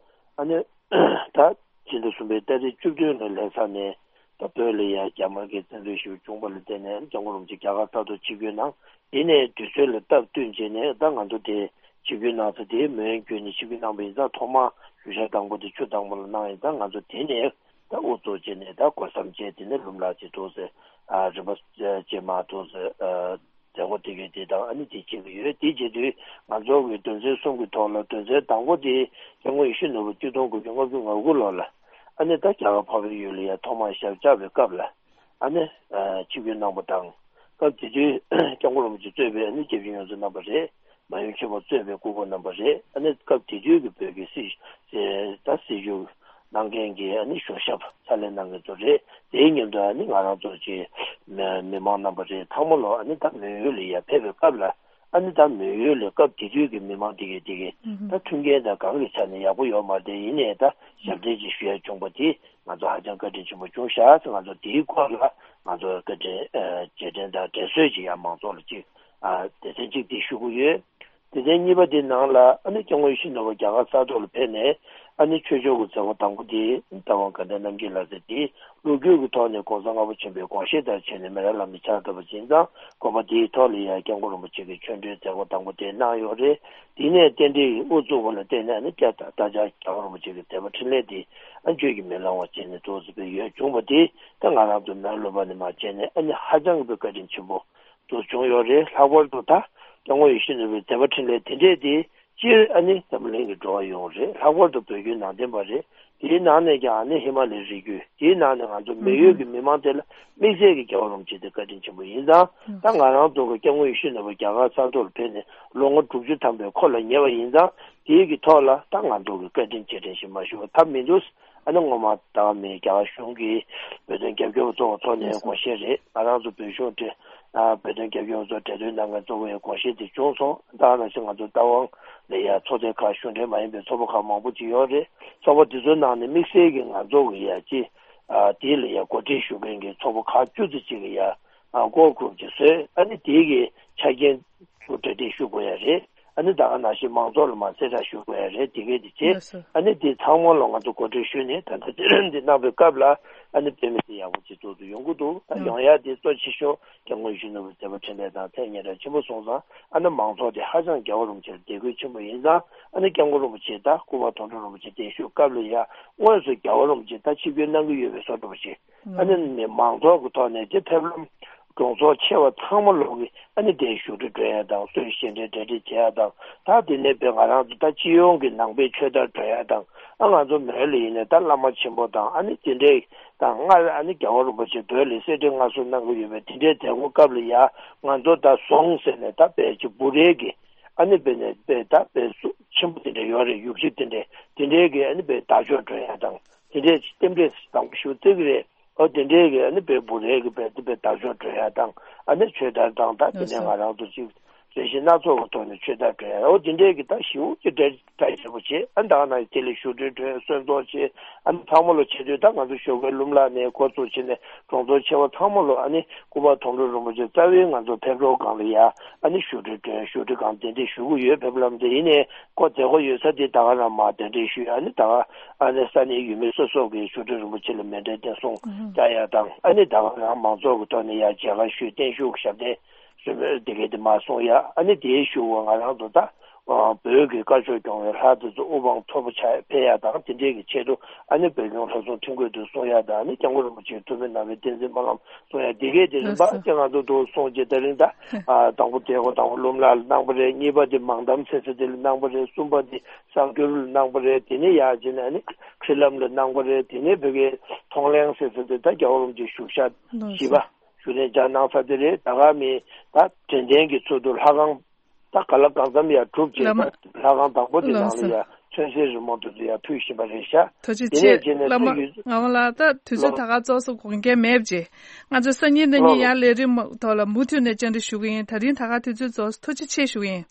ཨ་ནི་ད་ཕྱི་ཟླ་གསུམ་པའི་ཏ་རིག་བཅུ་བདུན་ལ་ལྷ་ས་ནས་ད་བོད་ལ་ཡ་རྒྱ་དམར་གྱི་བཙན་འཛུལ་ཞེ་པོ་བྱུང་བ་ལ་བརྟེན་ནས་སྐྱབས་མགོན་རིན་པོ་ཆེ་རྒྱ་གར་ས་ཐོག་ཆིབས་བསྒྱུར་གནང་། དེ་ནས་དུས་ཚོད་ལ་སྟབས་བསྟུན་བྱས་ནས་ད་ང་ཚོ་དེ་ཆིབས་བསྒྱུར་གནང་ས་དེ་མོན་བརྒྱུད་ནས་ཆིབས་བསྒྱུར་གནང་བ་ཡིན་ཙང་ཐོག་མར་བཞུགས་ཞག་དང་པོ་དེ་ཆུ་དྭངས་པོ་ལ་གནང་ཡིན་ཙང་ང་ཚོ་དེ་ནས་ད་དབུ་བཙུགས་བྱས་ནས་ད་སྒོ་བསམ་བྱས་དེ་ནས་ལུམ་ལ་ཅིག་འདུག་ཟེར་ཨ་རིམ་པ་བྱས་མ་འདུག་ཟེར་ཨ་ མཛད་སྒོ་དེ་གའི་དེ་དང་ཨ་ནི་དེ་བྱེད་ཀྱི་ཡོད། དེ་བྱེད་དུས་ང་ཚོ་གི་དོན་ཚན་གསུམ་གྱི་ཐོག་ལ་དོན་ཚན་དང་པོ་དེ་སྐྱབས་མགོན་ཡིད་བཞིན་ནོར་བུ་ཆིག་སྟོང་དགུ་བརྒྱ་ལྔ་བཅུ་ང་དགུ་ལོ་ལ་ཨ་ནི་ད་རྒྱ་གར་འཕགས་པའི་ཡུལ་ལ་ཡ་ཐོག་མར་ཞབས་བཅགས་པའི་སྐབས་ལ་ཨ་ནི་ཆིབས་བསྒྱུར་གནང་པ་དང་། སྐབས་དེ་དུས་སྐྱབས་མགོན་རིན་པོ་ཆེ་གཙོས་པའི་ཨ་ནི་སྐྱབས་རྗེ་ཡོངས་རྫོགས་རྣམ་པ་རེད། མ་ཡུམ་ཆེན་པོ་གཙོས་པའི་སྐུ་འཁོར་རྣམ་པ་རེད། ཨ་ནི་སྐབས་དེ་དུས་ཀྱི་བོད་ཀྱི་སྲིད་ད་སྲིད་བྱུས་གནང་མཁན་གྱི་ཨ་ནི་གཞུང་ཞབས་ཕྱག་ལས་གནང་མཁན་ཚོ་རེད། དེའི་མཉམ་དུ་ཨ་ནི་ང་རང་ཚོ་ཀྱི་མི་མི་མང་རྣམ་པ་རེད། ཚང་མ་ལོ་ཨ་ནི་ད་མོན་ཡུལ་ལ་ཡར་ཕེབས་པའི་སྐབས་ལ་ཨ་ནི་ད་མོན་ཡུལ་ལ་སྐབས་དེ་དུས་ཀྱི་མི་མང་དེ་གས་དེ་གས་ད་མཐུན་རྐྱེན་དང་གང་གི་ཆ་ནས་ཡག་པོ་ཡོད་མ་རེད། ཡིན་ནའི་ད་ཞབས་འདྲེན་ཅིག་ཞུ་ཡ་བྱུང་པ་དེ་ང་ཚོ་ཧ་ཅང་བཀའ་དྲིན་ཆེན་པོ་བྱུང་ཤག་ང་ཚོ་དེའི་སྐོར་ལ་ང་ཚོ་བཀའ་དྲིན་རྗེས་དྲན་དང་དྲན་གསོ་ཅིག་ཡང་མང་ཚོགས་ལ་ཅིག་སྡེ་ཚན་གཅིག་དེ་ཞུ་གི་ཡོད། སྡེ་ཚན་གཉིས་པ་དེ་ནང་ལ་ཨ་ནི་སྐྱབས་མགོན་ཡིད་བཞིན་ནོར་བུ་རྒྱ་གར་ས་ཐོག་ལ་ཕེབས་ནས་ཨ་ནི་ཆོས་ཕྱོགས་ཀྱི་མཛད་སྒོ་དང་པོ་དེ་རྟ་དབང་དགའ་ལྡན་རྣམ་རྒྱལ་ལགས་ཟེར་དེ་ལོ་རྒྱུས་ཀྱི་ཐོག་ནས་༸གོང་ས་ལྔ་པ་ཆེན་པོའི་དགོངས་བཞེད་ལྟར་བྱས་ནས་མི་རབས་བླ་མའི་ཕྱག་བཏབ་པ་ཡིན་ཙང་། དགོངས་པ་དེའི་ཐོག་ལ་ཡང་སྐྱབས་མགོན་རིན་པོ་ཆེ་གི་ཆོས་འབྲེལ་མཛད་སྒོ་དང་པོ་དེ་གནང་ཡོད་རེད། དེ་ནས་རྟེན་འབྲེལ་གྱི་དབུ་བཙུགས་པ་ལ་བརྟེན་ནས་ཨ་ནི་སྐྱབས་དང་ད་ཆ་རྒྱལ་བ་རིན་པོ་ཆེ་གི་མཛད་པ་འཕྲིན་ལས་དེ་ཨ་བརྗོད་ཀྱིས་མི་ལང་བ་བྱས་ནས་འདུག་ཟེར་བའི་ཡོད་བྱུང་བ་དེ་ད་ང་རང་ཚོ་མོན་ལུང་པ་ནས་མར་བྱས་ནས་ཨ་ནི་ཧ་ཅང་གི་བཀའ་དྲིན་ཆེན་པོ་འདུག་བྱུང་ཡོད་རེད། ལྷག་པར་དུ་ད་སྐྱབས་མགོན་ཡིད་བཞིན་ནོར་བུའི་མཛད་པ་འཕྲིན་ལས་དེ་འདྲས་དེ་སྤྱིར་ཨ་ནི་འཛམ་གླིང་གི་འགྲོ་བ་ཡོངས་རེད། ལྷག་པར་དུ་བོད་བརྒྱུད་ནང་བསྟན་པ་རེད། དེའི་ནང་ནས་ཀྱང་ཨ་ནི་ཧི་མ་ལའི་རི་རྒྱུད་དེའི་ནང་ནས་ང་ཚོ་མི་ཡུལ་གྱི་མི་མང་དེ་ལ་དམིགས་བསལ་གྱི་རྒྱལ་བ་རིན་པོ་ཆེ་དེ་བཀའ་དྲིན་ཆེན་པོ་ཡིན་ཙང་། ད་ང་རང་ཚོ་གི་སྐྱབས་མགོན་ཡིད་བཞིན་ནོར་བུ་རྒྱ་གར་ས་ཐོག་ལ་ཕེབས་ནས་ལོ་ངོ་དྲུག་ཅུ་ཐམ་པའི་འཁོར་ལ་ཉེ་བ་ཡིན་ཙང་། དེའི་གི་ཐོག་ལ་ད་ང་ཚོ་གི་བཀའ་དྲིན་རྗེས་དྲན་ཞིག་མ་ཞུ་བ་ཐབས་མི་འདུག་ཨ་ནི་སྔོན་མ་ད་མི་རྒྱ་གར་གཞུང་གི་བོད་དོན་རྒྱབ་སྐྱོར་བ་གཙོ་བོ་ཐོག་ནས་དགོངས་བཞེད་རེད། ང་རང་ཚོ་བོད་གཞུང་དེ་བོད་དོན་རྒྱབ་སྐྱོར་བ་ཚོ་གྲོས་བསྡུར་གནང་མཁན་གཙོ་བོའི་དགོངས་བཞེད་དེ་བྱུང་སོང་། ད་ནང་བཞིན་ང་ཚོ་རྟ་དབང་ལ་ཡ་ཚོགས་སྡེ་ཁག་གཞུང་འབྲེལ་མ་ཡིན་པའི་ཚོགས་པ་ཁག་མང་པོ་ཅིག་ཡོད་རེད། ཚོགས་པ་དེ་ཚོའི་ནང་ནས་དམིགས་བསལ་གྱི་ང་ཚོ་གི་ཡ་ཅི་དེ་ལ་ཡ་གོ་སྒྲིག་ཞུ་མཁན་གྱི་ཚོགས་པ་ཁག་བཅུ་ཙམ་ཅིག་གི་ཡ་ཀོར་གྷུ་རུབ་ཅིག་བཟོས། ཨ་ནི་དེ་གི་ཆ་རྐྱེན་ཚོ་གྲ་སྒྲིག་ཞུ་དགོས་ཡ་རེད། ཨ་ནི་ད་ག་ནང་བཞིན་མང་ཚོགས་ལ་མ་གསལ་བསྒྲགས་ཞུ་དགོས་ཡ་རེད། དེ་གས་དེ་བྱས། ལགས་སོ། ཨ་ནི་དེ་ཚང་མ་ལ་ང་ཚོ་གོ་སྒྲིག་ཞུས་ནས་ད་ལྟ་དེ་རིང་འདི་གནང་བའི་སྐབས་ལ་ཨ་ནི་དཔེ་མི་སྲིད་ཡག་པོ་ཅིག་ཚོགས་འདུ་ཡོང་གི་འདུག་ད་ཡོང་ཡ་དེ་གཙོ་ཆེ་ཤོས་སྐྱབས་མགོན་ཡིད་བཞིན་ནོར་བུའི་མཛད་པ་འཕྲིན་ལས་དང་ཐད་སྙན་གྲགས་ཆེན་པོ་སོང་ཙང་། ཨ་ནི་མང་ཚོགས་དེ་ཧ་ཅང་རྒྱལ་བ་རིན་པོ་ཆེར་དད་གུས་ཆེན་པོ་ཡིན་ཙང་། ཨ་ནི་སྐྱབས་མགོན་རིན་པོ་ཆེ་ད་སྐུ་པར་དོན་གྲུབ་རིན་པོ་ཆེ་བརྟན་བཞུགས་སྐབས་ལ་ཡ་དངོས་སུ་རྒྱལ་བ་རིན་པོ་ཆེ་ད་ཆིབས་བསྒྱུར་གནང་གི་ཡོད་པའི་བཟོ་འདྲ་པོ་ཞིག་ཨ་ནི་ནི་མང་ཚོགས་ཀྱི་ཐོག་ནས་དེ་ཕེབས་ལམ་གྲོང་ཚོ་ཆེ་བ་ཚང་མ་ལོག་གི་ཨ་ནི་དེ་བཞུགས་ཁྲི་སྒྲོན་ཡ་དང་། གསོལ་ཞལ་འདྲེན་གྲ་སྒྲིག་བྱེད་ཡ་དང་། ད་དེ་ནས་བོད་ང་རང་ཚོ་ད་སྤྱི་ཡོངས་ཀྱི་ནང་པའི་ཆོས་དར་སྒྲོན་ཡ་དང་། ཨ་ང་ཚོ་མོན་ལ་ཡིན་ནས་ད་བླ་མ་ཆེན་པོ་དང་ཨ་ནི་དེ་འདྲའི་དང་སྔར་ཨ་ནི་རྒྱལ་བ་རིན་པོ་ཆེ་བོད་ལ་གསེར་ཁྲི་མངའ་གསོལ་གནང་གི་ཡོད་པའི་དེ་འདྲའི་མཛད་སྒོ་སྐབས་ལ་ཡ་ང་ཚོ་ད་ཟོང་ཟེར་ནས་ད་དཔེ་ཅིག་འབུ་རས་ཀྱི་ཨ་ནི་དཔེ་ནས་དཔེ་ད་དཔེ་སུ་ཆེན་པོ་དེ་འདྲ་ཡོད་རེད། ཡུག་ཤི་དེ་འདྲའི་དེ་འདྲའི་གི་ཨ་ནི་དཔེ་དར་ལྕོག་སྒྲོན་ཡ་དང་། དེ་འདྲའི་རྟེན་འབྲེལ་དང་པོ་ཞུ་བརྩི་གི་རེད། ཨོ་དེ་འདྲའི་གི་ཨ་ནི་དཔེ་འབུ་རས་གི་དཔེ་དེ་དཔེ་དར་ལྕོག་སྒྲོན་ཡ་དང་། ཨ་ནི་ཆོས་དར་དང་ད་དེ་ནས་ང་རང་ཚོ་གཅིག་རེ་ཞིག་སྣ་ཚོགས་ཀྱི་ཐོག་ནས་ཆོས་དར་སྒྲོན་ཡ། ཨོ་དེ་འདྲའི་གི་ད་ཞེ་པོ་ཅིག་གྲ་གྲ་རྒྱས་པོ་བྱེད། ཨ་ནི་ད་ག་ནང་དེ་ལ་བཞུགས་ཁྲི་སྒྲོན་གསོལ་ཚོགས་བྱེད། ཨ་ནི་ཚང་མ་ལོ་བྱེད་དུས་ད་ང་ཚོ་ཞོགས་ཀའི་ལྷུམ་ལག་ནས་འགོ་བཙུགས་བྱས་ནས་གྲོང་ཚོ་ཆེ་བ་ཚང་མ་ལོ་ཨ་ནི་སྐུ་པར་དོན་གྲུབ་རིན་པོ་ཆེ་རྩ་བའི་ང་ཚོ་ཕེབས་རོགས་སྒང་ལ་ཡ་ཨ་ནི་བཞུགས་ཁྲི་སྒྲོན། བཞུགས་ཁྲི་སྒང་གདན་འདྲེན་ཞུ་གི་ཡོད། ཕེབས་ལམ་དེ་ཡིན་ནའི་ཀོ་མཛད་སྒོ་ཡོད་ས་དེ་ད་ག་རང་མར་གདན་འདྲེན་ཞུས། ཨ་ནི་ད་ག་ཨ་ནི་ས་གནས་ཡུལ་མི་སོ་སོ་གིས་བཞུགས་ཁྲི་རིན་པོ་ཆེ་ལ་མཎྜལ་བརྟན་སྲུང་བྱ་ཡ་དང་། ཨ་ནི་ད་ག་རང་མང་ཚོགས་ཀྱི་ཐོག་ནས་ཡ་མཇལ་ཁ་ཞུས། བརྟན་བཞུགས་ཞབས་བརྟན་ཞུ་བའི་དེ་གས་དེ་མར་སྲུང་ཡ། ཨ་ནི་དེའི་གཞུག་གུ་ང་རང་ཚོ་ད་བོད་ཀྱི་དཀར་ཕྱོགས་སྐྱོང་བའི་ལྷ་དེ་ཚོ་དབུ་འཕང་མཐོ་པོ་ཆགས་ཕེབས་ཡ་དང་། དེ་འདྲའི་གི་ཆེད་དུ་ཨ་ནི་བོད་ལྗོངས་ལྷ་སྲུང་ཁྲིམས་བཀོད་དེ་སྲུང་ཡ་དང་། ཨ་ནི་སྐྱབས་མགོན་རིན་པོ་ཆེའི་ཐུགས་ཕན་གནང་བའི་བསྟན་འཛིན་སྨོན་ལམ་སྲུང་ཡ། དེ་གས་དེ་རིམ་པ་ལགས་སོ། དེ་ང་ཚོ་འདུག་སྲུང་བྱེད། དེ་རིང་ད་ཨ་དང་པོ་དེ་གོ་དང་པོ་ལྷུམ་ལག་ལ་གནང་པ་རེད། གཉིས་པ་དེ་མང་དམ་ཟེར་ས་དེ་ལ་གནང་པ་རེད། གསུམ་པ་དེ་གསར་འགྱུར་ལ་གནང་པ་རེད། དེ་ནས་ཡར་བྱས་ནས་ཨ་ནི་ཁྲིད་ལམ་ལ་གནང་པ་རེད། དེ་ནས་བོད་ཀྱི་མཐོང་གླེང་ཟེར་ས་དེ་ད་རྒྱལ་བ་རིན་པོ་ཆེའི་བཞུགས་ཤག་ལགས་བཞི་པ། སོ། བཞུགས་གནས་མཇལ་གནང་ས་དེ་རེད། ད་ག་མི་ད་དྲན་རྟེན་གྱི་ཚུལ་དུ་ལྷ་ཁང་ད་ག་ལ་གང་འཚམ་ཡར་གྲུབ་བྱས། བླ་མ། ད་ལྷ་ཁང་དང་པོ་དེ་ནང་ལ་ལགས་སོ། ཡར་ཚོན་གསེར་རི་མོ་དེ་ཚོ་ཡར་ཕུལ་བཞིན་པ་རེད་ཤག་ཐུགས་རྗེ་དེ་ཆེ། ནས་རྗེས་ནས་བླ་མ་ཚོ་ཡུལ་ངག་དབང་ལགས། ད་དུས་ཚོད་ལོ། ད་ག་རྫོགས་སོང་། དགོངས་འགལ་མེད་པ་བྱེད། ང་ཚོ་སང་ཉིན་གནངས་ཉིན་ལོ། ཡར་ལས་རིམ་ཐོག་ལ་མུ་མཐུད་ནས་བཅར་འདྲི་ཞུ་གི་ཡིན། ད་རིང་ད་ག་དུས་ཚོད་རྫོགས་སོང་། ཐུགས་རྗེ་ཆེ་ཞུ་གི་ཡིན།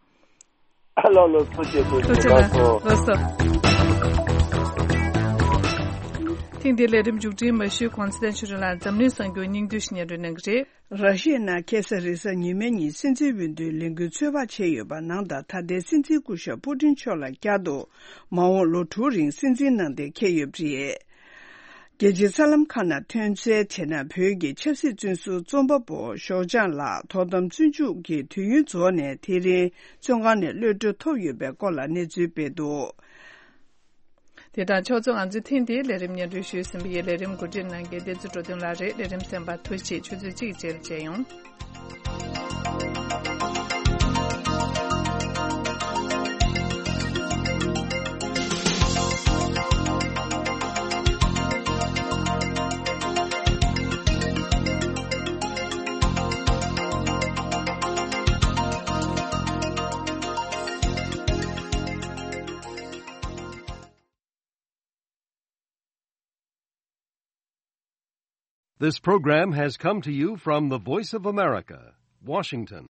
ཨ་ལོ་ལོ། ཐུགས་རྗེ་ཆེ། ཐུགས་རྗེ་ཆེ། ལགས་སོ། ལགས་སོ། ཐེངས་འདིའི་ལས་རིམ་མཇུག་སྒྲིལ་མ་ཞུས་གོང་ཚེ་བརྟན་ཆོས་སྒྲོན་ལགས་འཛམ་གླིང་གསར་འགྱུར་སྙིང་བསྡུས་ཤིག་སྙན་སྒྲོན་གནང་གི་རེད། ར་ཤི་ཡའི་ནང་ཁ་སང་རེས་གཟའ་ཉི་མའི་ཉིན་སྲིད་འཛིན་འོས་བསྡུའི་ལས་འགུལ་ཚོད་དཔག་བྱས་ཡོད་པ་ནང་ལྟར། ད་ལྟའི་སྲིད་འཛིན་སྐུ་ཞབས་པུ་ཏིན་མཆོག་ལ་བསྐྱར་དུ་མ་འོངས་ལོ་དྲུག་རིང་སྲིད་འཛིན་གནང་གཏན་འཁེལ་ཡོད་པ་རེད། རྒྱལ་སྤྱིའི་གསར་ལམ་ཁག་ནང་ཐོན་གསལ་བྱས་ན། བོད་ཀྱི་ཆབ་སྲིད་བཙོན་ཟུར་རྩོམ་པ་པོ་ཞའོ་ཅང་ལགས་དོ་དམ་བཙོན་འཇུག་གི་དུས་ཡུན་རྫོགས་ནས་དེ་རིང་བཙོན་ཁང་ནས་གློད་གྲོལ་ཐོབ་ཡོད་པའི་སྐོར་ལ་གནས་ཚུལ་སྤེལ་འདུག་དེ་དང་ཕྱོགས་མཚུངས། ང་ཚོས་ཐེངས་འདིའི་ལས་རིམ་སྙན་སྒྲོན་ཞུས་ཟིན་པ་ཡིན། ལས་རིམ་གོ་སྒྲིག་གནང་མཁན་བསྟན་འཛིན་འགྲོ་དོན་ལགས་རེད། ལས་རིམ་གསན་པར་ཐུགས་རྗེ་ཆེ། ཆུ་ཚོད་གཅིག་རྗེས་ལ་མཇལ་ཡོང་། This program has come to you from the Voice of America, Washington.